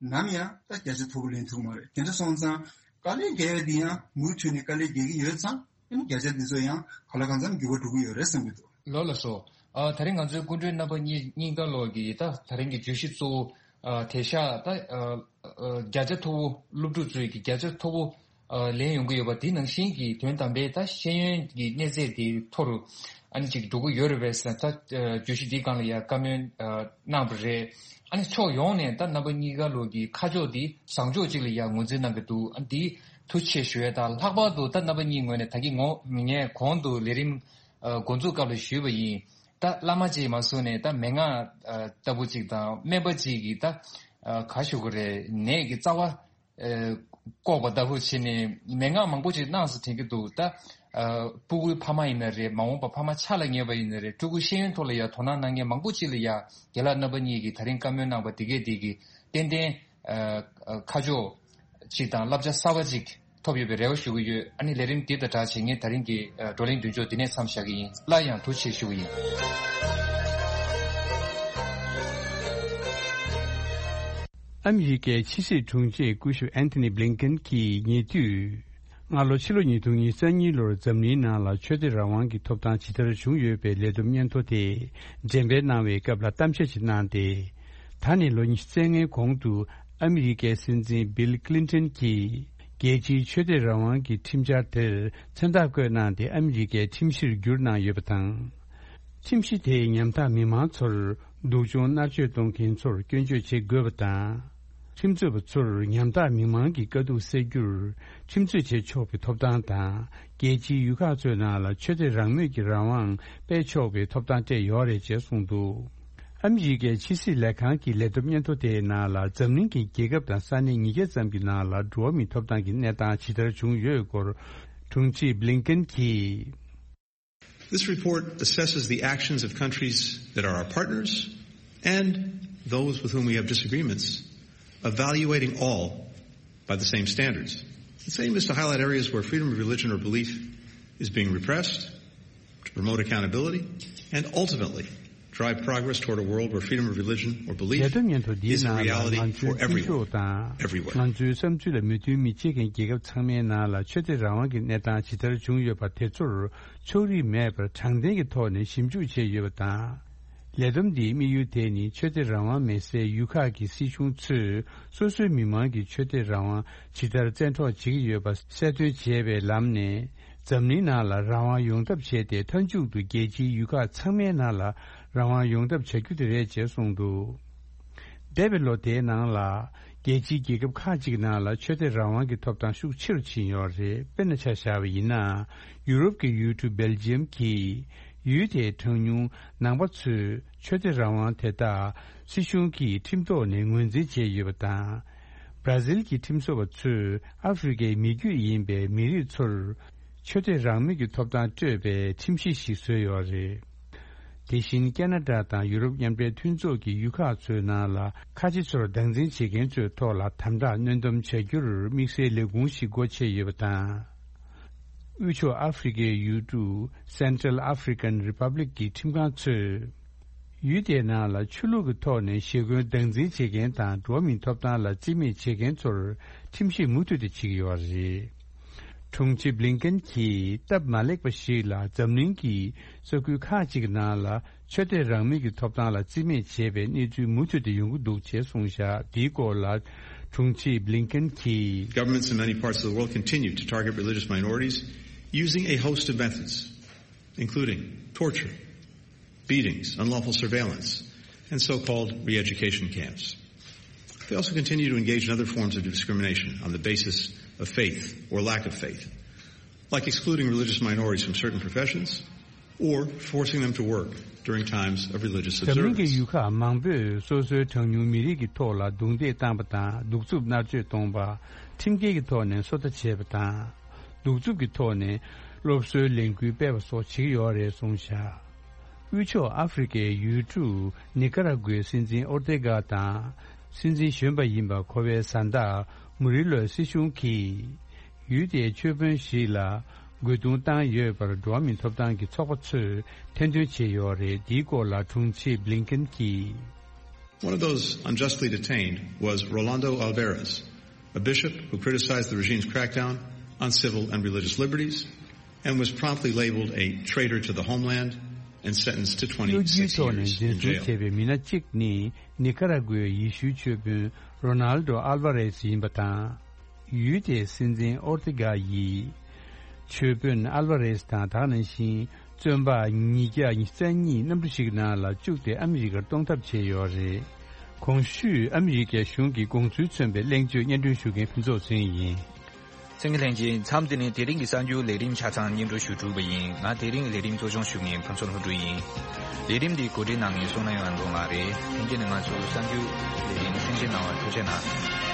ནམ་ཡང་ད་བརྒྱ་ཆ་མཐོ་པོ་ལེན་ཐུབ་མ་རེད། དེ་འདྲ་སོང་ཙང་། དཀའ་ལས་རྒྱག་ཡ་འདི་ཡང་མུ་མཐུད་ནས་དཀའ་ལས་རྒྱག་གི་ཡོད་ཙང་། ཨ་ནི་བརྒྱ་ཆ་འདི་ཚོ་ཡང་ག་ལ་གང་འཚམ་འགྱུར་བ་འགྲོ་གི་ཡོད་རེད་བསམ་གྱི་འདུག། ལགས་ལགས་སོ། ཨ། ད་རིང་ང་ཚོའི་སྐུ་མགྲོན་རྣམ་པ་གཉིས་གཉིས་ཀ་ལོག་གིས་ད་ད་རིང་གི་བརྗོད་གཞི་གཙོ་བོ། ཨ། དེ་ཤག་ད། ཨ། ཨ། བརྒྱ་ཆ་མཐོ་བོ་སློབ་ཕྲུག་ཚོའི་གི་བརྒྱ་ཆ་མཐོ་བོ། ཨ། ལེན་ཡོང་གི་ཡོད་པ་དེ་ནང་བཞིན་གྱི་དོན་དམ་པའི་ད་ཤེས་ཡོན་གྱི་གནས་ཚད་དེ་མཐོ་རུ་ཨ་ནི་ཅིག་འགྲོ་གི་ཡོད་རེད་པས་ཟེར། ད། ཨ། བརྗོད་གཞི་འདིའི་སྒང་ལ་ཡང་བཀའ་མོལ། ཨ། གནང་བ་རེད། ཨ་ནི་ཕྱོགས་ཡོངས་ནས་ད་རྣམ་པ་གཉིས་ཀ་ལོག་གི་ཁ་ཕྱོགས་འདི་བཟང་ཕྱོགས་ཅིག་ལ་ཡང་ངོས་འཛིན་གནང་གི་འདུག། ཨ། འདི་ཐུགས་རྗེ་ཆེ་ཞུ་ཡས་དང་། ལྷག་པར་དུ་ད་རྣམ་པ་གཉིས་ངོས་ནས་ད་གིན་ངོ་ངས་གོང་དུ་ལས་རིམ། ཨ། འགོ་འཛུགས་སྐབས་ལ་ཞུས་པ་ཡིན། ད་བླ་མ་ཅིག་མ་སོང་ནས་ད་མན་ངག་ཨ། ལྟ་བུ་ཅིག་དང་སྨན་པ་ཅིག་གིས་ད། ཨ། ག་ཞུ་གི་རེད། ནད་ཀྱི་རྩ་བ། ཨ། བཀོག་པ་ལྟ་བུ་བྱས་ནས་མན་ངག་མང་པོ་ཅིག་གནང་ཟེར་དྲན་གྱི་འདུག། ད། ཨ། སྤུ་གུའི་ཕ་མ་ཡིན་ན་རེད། མ་འོངས་པ་ཕ་མ་ཆགས་ལ་ཉེ་བ་ཡིན་ན་རེད། ཕྲུ་གུ་ཤེས་ཡོན་ཐོག་ལ་ཡང་དོ་སྣང་གནང་མཁན་མང་པོ་ཅིག་ལ་ཡང་རྒན་ལགས་རྣམ་པ་གཉིས་ཀྱིས་ད་རིང་བཀའ་མོལ་གནང་བ་དེ་གས་དེ་གིས་ཏན་ཏན། ཨ། ཨ། ཁ་ཕྱོགས་ཅིག་དང་བསླབ་བྱ་གསར་བ་ཅིག་ཐོབ་ཡོད་པའི་རེ་བ་ཞུ་གི་ཡོད། ཨ་ནི་ལས་རིམ་འདི་དང་སྦྲགས་བྱས་ངས་ད་རིང་གི། ཨ། བགྲོ་གླེང་མདུན་ལྕོག་འདི་ནས་མཚམས་བཞག་གི་ཡིན། སླར་ཡང་ཐུགས་རྗེ་ཆེ་ཞུ་གི་ཡིན། ཨ་མི་རི་ཀའི་ཕྱི་སྲིད་དྲུང་ཆེ་སྐུ་ཞབས་ཨན་ཐོ་ནི་བྷི་ལིན་ཀེན་གྱིས་ཉེ་དུས། སྔ་ལོ་ཕྱི་ལོ་ཉིས་སྟོང་ཉེར་གཉིས་ལོར་འཛམ་གླིང་ནང་ལ་ཆོས་དད་རང་དབང་གི་ཐོབ་ཐང་ཇི་ལྟར་བྱུང་ཡོད་པའི་ལས་བསྡོམས་སྙན་ཐོ་དེ་འགྲེམས་སྤེལ་གནང་བའི་སྐབས་ལ་གཏམ་བཤད་ཅིག་གནང་སྟེ། ད་ནས་ལོ་ཉི་ཤུ་རྩ་ལྔའི་གོང་དུ་ཨ་མི་རི་ཀའི་སྲིད་འཛིན་བྷིལ་ཀི་ལིན་ཏོན་གྱིས་རྒྱལ་སྤྱིའི་ཆོས་དད་རང་དབང་གི་ཁྲིམས་འཆར་དེར་མཚན་རྟགས་བཀོད་གནང་སྟེ། ཨ་མི་རི་ཀའི་ཁྲིམས་གཞིར་བསྒྱུར་གནང་ཡོད་པ་དང་། ཁྲིམས་གཞི་དེས་ཉམ་ཐག་མི་མང་ཚོར་སྡུག་སྦྱོང་མནར་གཅོད་གཏོང་མཁན་ཚོར་སྐྱོན་བརྗོད་བྱེད་དགོས་པ་དང་། ཁྲིམས་རྩོད་པ་ཚོར་ཉམ་ཐག་མི་མང་གི་དཀའ་སྡུག་སེལ་རྒྱུར་ཁྲིམས་རྩོད་བྱེད་ཆོག་པའི་ཐོབ་ཐང་དང་། རྒྱལ་སྤྱིའི་ཡུལ་ཁག་ཚོའི་ནང་ལ་ཆོས་དད་རང་མོས་ཀྱི་རང་དབང་སྤེལ་ཆོག་པའི་ཐོབ་ཐང་སྤྲད་ཡོད་རེད་ཅེས་གསུངས་འདུག། ཨ་མི་རི་ཀའི་ཕྱི་སྲིད་ལས་ཁང་གི་ལས་བསྡོམས་སྙན་ཐོ་དེའི་ནང་ལ། འཛམ་གླིང་གི་རྒྱལ་ཁབ་དང་ས་གནས་ཉིས་བརྒྱ་ཙམ་གྱི་ནང་ལ་འགྲོ་བ་མིའི་ཐོབ་ཐང་གི་གནས་སྟངས་ཇི་ལྟར་བྱུང་ཡོད་སྐོར་དྲུང་ཆེ་བྷི་ལིན་ཀེན་གྱིས། This report assesses the actions of countries that are our partners and those with whom we have disagreements, evaluating all by the same standards. This aim is to highlight areas where freedom of religion or belief is being repressed, to promote accountability, and ultimately drive progress toward a world where freedom of religion or belief is a reality for everyone, everywhere. ལས་དོན་སྙན་ཐོ་འདིའི་ནང་ལ་ང་ཚོའི་ཀུན་སྤྱོད་དང་། ང་ཚོའི་བསམ་ཚུལ་ལ་མོས་མཐུན་མི་བྱེད་མཁན་རྒྱལ་ཁབ་ཚང་མའི་ནང་ལ་ཆོས་དད་རང་དབང་གི་གནས་སྟངས་ཇི་ལྟར་བྱུང་ཡོད་པ་དེ་ཚོར་ཕྱོགས་རིས་མེད་པར་དྲང་བདེན་གྱི་ཐོག་ནས་ཞིབ་འཇུག་བྱས་ཡོད་པ་དང་། ལས་བསྡོམས་འདིའི་དམིགས་ཡུལ་དེ་ནི་ཆོས་དད་རང་དབང་མེད་སའི་ཡུལ་ཁག་གི་སྲིད་གཞུང་ཚོས་སོ་སོའི་མི་མང་གི་ཆོས་དད་རང་དབང་ཇི་ལྟར་བཙན་འཕྲོག་བྱེད་ཀྱི་ཡོད་པ་གསལ་སྟོན་བྱེད་པའི་ལམ་ནས། འཛམ་གླིང་ནང་ལ་རང་དབང་ཡོང་ཐབས་བྱས་ཏེ། མཐའ་མཇུག་ཏུ་རྒྱལ་སྤྱིའི་ཡུལ་ཁག་ཚང་མའི་ནང་ལ་རང་དབང་ཡོང་ཐབས་བྱ་རྒྱུ་དེ་རེད་ཅེས་གསུངས་འདུག། འདས་པའི་ལོ་དེའི་ནང་ལ། རྒྱལ་སྤྱིའི་རྒྱལ་ཁབ་ཁག་ཅིག་ནང་ལ་ཆོས་དད་རང་དབང་གི་ཐོབ་ཐང་ཤུགས་ཆེ་རུ་ཕྱིན་ཡོད་རེད། དཔེར་ན་ཆ་བཞག་པ་ཡིན་ན། ཡུ་རོབ་ཀྱི་ཡུལ་གྲུ་སྦེལ་ཇི་ཡམ་གྱིས། ཡུལ་དེའི་གྲངས་ཉུང་ནང་པ་ཚོས་ཆོས་དད་རང་དབང་དེ་དག་སྲིད་གཞུང་གིས་ཁྲིམས་ཐོག་ནས་ངོས་འཛིན་བྱས་ཡོད་པ་དང་། བྲ་ཟིལ་གྱི་ཁྲིམས་བཟོ་བ་ཚོས་ཨ་ཧྥེ་རི་ཁའི་མི་རྒྱུད་ཡིན་པའི་མི་རིགས་ཚོར་ཆོས་དད་རང་མོས་ཀྱི་ཐོབ་ཐང་སྤྲོད་པའི་ཁྲིམས་གཞི་ཞིག་བཟོས་ཡོད་རེད། དེ་བཞིན་ཁེ་ན་ཌ་དང་ཡུ་རོབ་མཉམ་འབྲེལ་མཐུན་ཚོགས་ཀྱི་ཡུལ་ཁག་ཚོའི་ནང་ལ་ཁ་ཆེ་ཚོར་སྡང་འཛིན་བྱེད་མཁན་ཚོའི་ཐོག་ལ་དམ་དྲག་གནོན་སྡོམ་བྱ་རྒྱུར་དམིགས་བསལ་ལས་ཁུངས་ཤིག་སྒོ་ཕྱེ་ཡོད་པ་དང་། དབུས་ཕྱོགས་ཨ་ཧྥེ་རི་ཁའི་ཡུལ་གྲུ་Central African Republic གི་ཁྲིམས་ཁང་ཚོས། ཡུལ་དེའི་ནང་ལ་ཆོས་ལུགས་ཀྱི་ཐོག་ནས་ཞེ་འཁོན་སྡང་འཛིན་བྱེད་མཁན་དང་། འགྲོ་བ་མིའི་ཐོབ་ཐང་ལ་བརྩི་མེད་བྱེད་མཁན་ཚོར་ཁྲིམས་ཞིབ་མུ་མཐུད་དུ་བྱེད་ཀྱི་ཡོད་པ་རེད། དྲུང་ཆེ་བྷི་ལིན་ཀེན་གྱིས་སྟབས་མ་ལེགས་པ་ཞིག་ལ། འཛམ་གླིང་གི་ས་ཁུལ་ཁག་ཅིག་ནང་ལ་ཆོས་དད་རང་མོས་ཀྱི་ཐོབ་ཐང་ལ་བརྩི་མེད་བྱས་པའི་གནས་ཚུལ་མུ་མཐུད་དུ་ཡོང་གི་འདུག་ཅེས་གསུངས་བཞག། འདིའི་སྐོར་ལ་དྲུང་ཆེ་བྷི་ལིན་ཀེན་གྱིས། Governments in many parts of the world continue to target religious minorities using a host of methods, including torture, beatings, unlawful surveillance, and so-called re-education camps. They also continue to engage in other forms of discrimination on the basis of faith or lack of faith, like excluding religious minorities from certain professions or forcing them to work during times of religious observance. འཛམ་གླིང་གི་ཡུལ་ཁག་མང་པོས་སོ་སོའི་གྲངས་ཉུང་མི་རིགས་ཀྱི་ཐོག་ལ་རྡུང་རྡེག་བཏང་པ་དང་། གདུག་རྩུབ་མནར་གཅོད་གཏོང་པ། ཁྲིམས་འགལ་གྱི་ཐོག་ནས་སོ་ལྟ་བྱས་པ་དང་། གདུག་རྩུབ་ཀྱི་ཐོག་ནས་སློབ་གསོའི་ལས་འགུལ་སྤེལ་བ་སོགས་བྱེད་ཀྱི་ཡོད་རེད་གསུངས་བཞག་དབུས་ཕྱོགས་ཨ་ཧྥེ་རི་ཁའི་ཡུལ་གྲུ་ནི་ཀ་ར་གུའི་སྲིད་འཛིན་ཨོར་ཏེ་གྷ་དང་། སྲིད་འཛིན་གཞོན་པ་ཡིན་པ་གོ་བའི་བཟའ་ཟླ་མུ་རི་ལོའི་སྲིད་གཞུང་གིས། ཡུལ་དེའི་ཆོས་དཔོན་ཞིག་ལ་རྒོལ་རྡུང་བཏང་ཡོད་པར་འགྲོ་བ་མིའི་ཐོབ་ཐང་གི་ཚོགས་པ་ཚོས་ཐེར་འདོན་བྱས་ཡོད་རེད། འདིའི་སྐོར་ལ་དྲུང་ཆེ་བྷི་ལིན་ཀེན་གྱིས། One of those unjustly detained was Rolando Alvarez, a bishop who criticized the regime's crackdown on civil and religious liberties and was promptly labeled a traitor to the homeland and sentenced to གཡོ་སྒྱུའི་twenty-six ཐོག་ནས་years འཛིན་in བཟུང་jail. བྱས་པའི་མི་སྣ་གཅིག་ནི་ནི་ཀ་ར་གུའི་ཡེ་ཤུའི་ཆོས་དཔོན་རོ་ནལ་ཌོ་ཨལ་ཝ་རེས་ཡིན་པ་དང་། ཡུལ་དེའི་སྲིད་འཛིན་ཨོར་ཏི་ག་ཡིས། ཆོས་དཔོན་ཨལ་ཝ་རེས་དང་། དེ་ནང་བཞིན་བཙོན་པ་ཉིས་བརྒྱ་ཉི་ཤུ་རྩ་གཉིས་གནམ་གྲུ་ཞིག་ནང་ལ་བཅུག་སྟེ་ཨ་མི་རི་ཀར་གཏོང་ཐབས་བྱས་ཡོད་རེད། གོང་ཞུས་ཨ་མི་རི་ཀའི་གཞུང་གི་དགོངས་ཚུལ་མཚོན་པའི་གླེང་བརྗོད་སྙན་སྒྲོན་ཞུ་མཁན་ཕུན་ཚོགས་ཚེ་རིང་ཡིན། གསན་མཁན་ལྷན་རྒྱས། མཚམས་འདི་ནས་དེ་རིང་གི་གསར་འགྱུར་ལས་རིམ་ཆ་ཚང་སྙན་སྒྲོན་ཞུ་གྲུབ་པ་ཡིན། ང་དེ་རིང་གི་ལས་རིམ་གཙོ་སྐྱོང་ཞུ་མཁན་ཕུན་ཚོགས་ལྷུན་གྲུབ་ཡིན། ལས་རིམ་འདི་གོ་སྒྲིག་གནང་མཁན་བསོད་ནམས་དབང་འདུས་ལགས་རེད། ལྷན་རྒྱས་ནས་ང་ཚོའི་གསར་འགྱུར་ལས་རིམ་གསན་བཞེས་གནང་བར་ཐུགས་རྗེ་གནང་།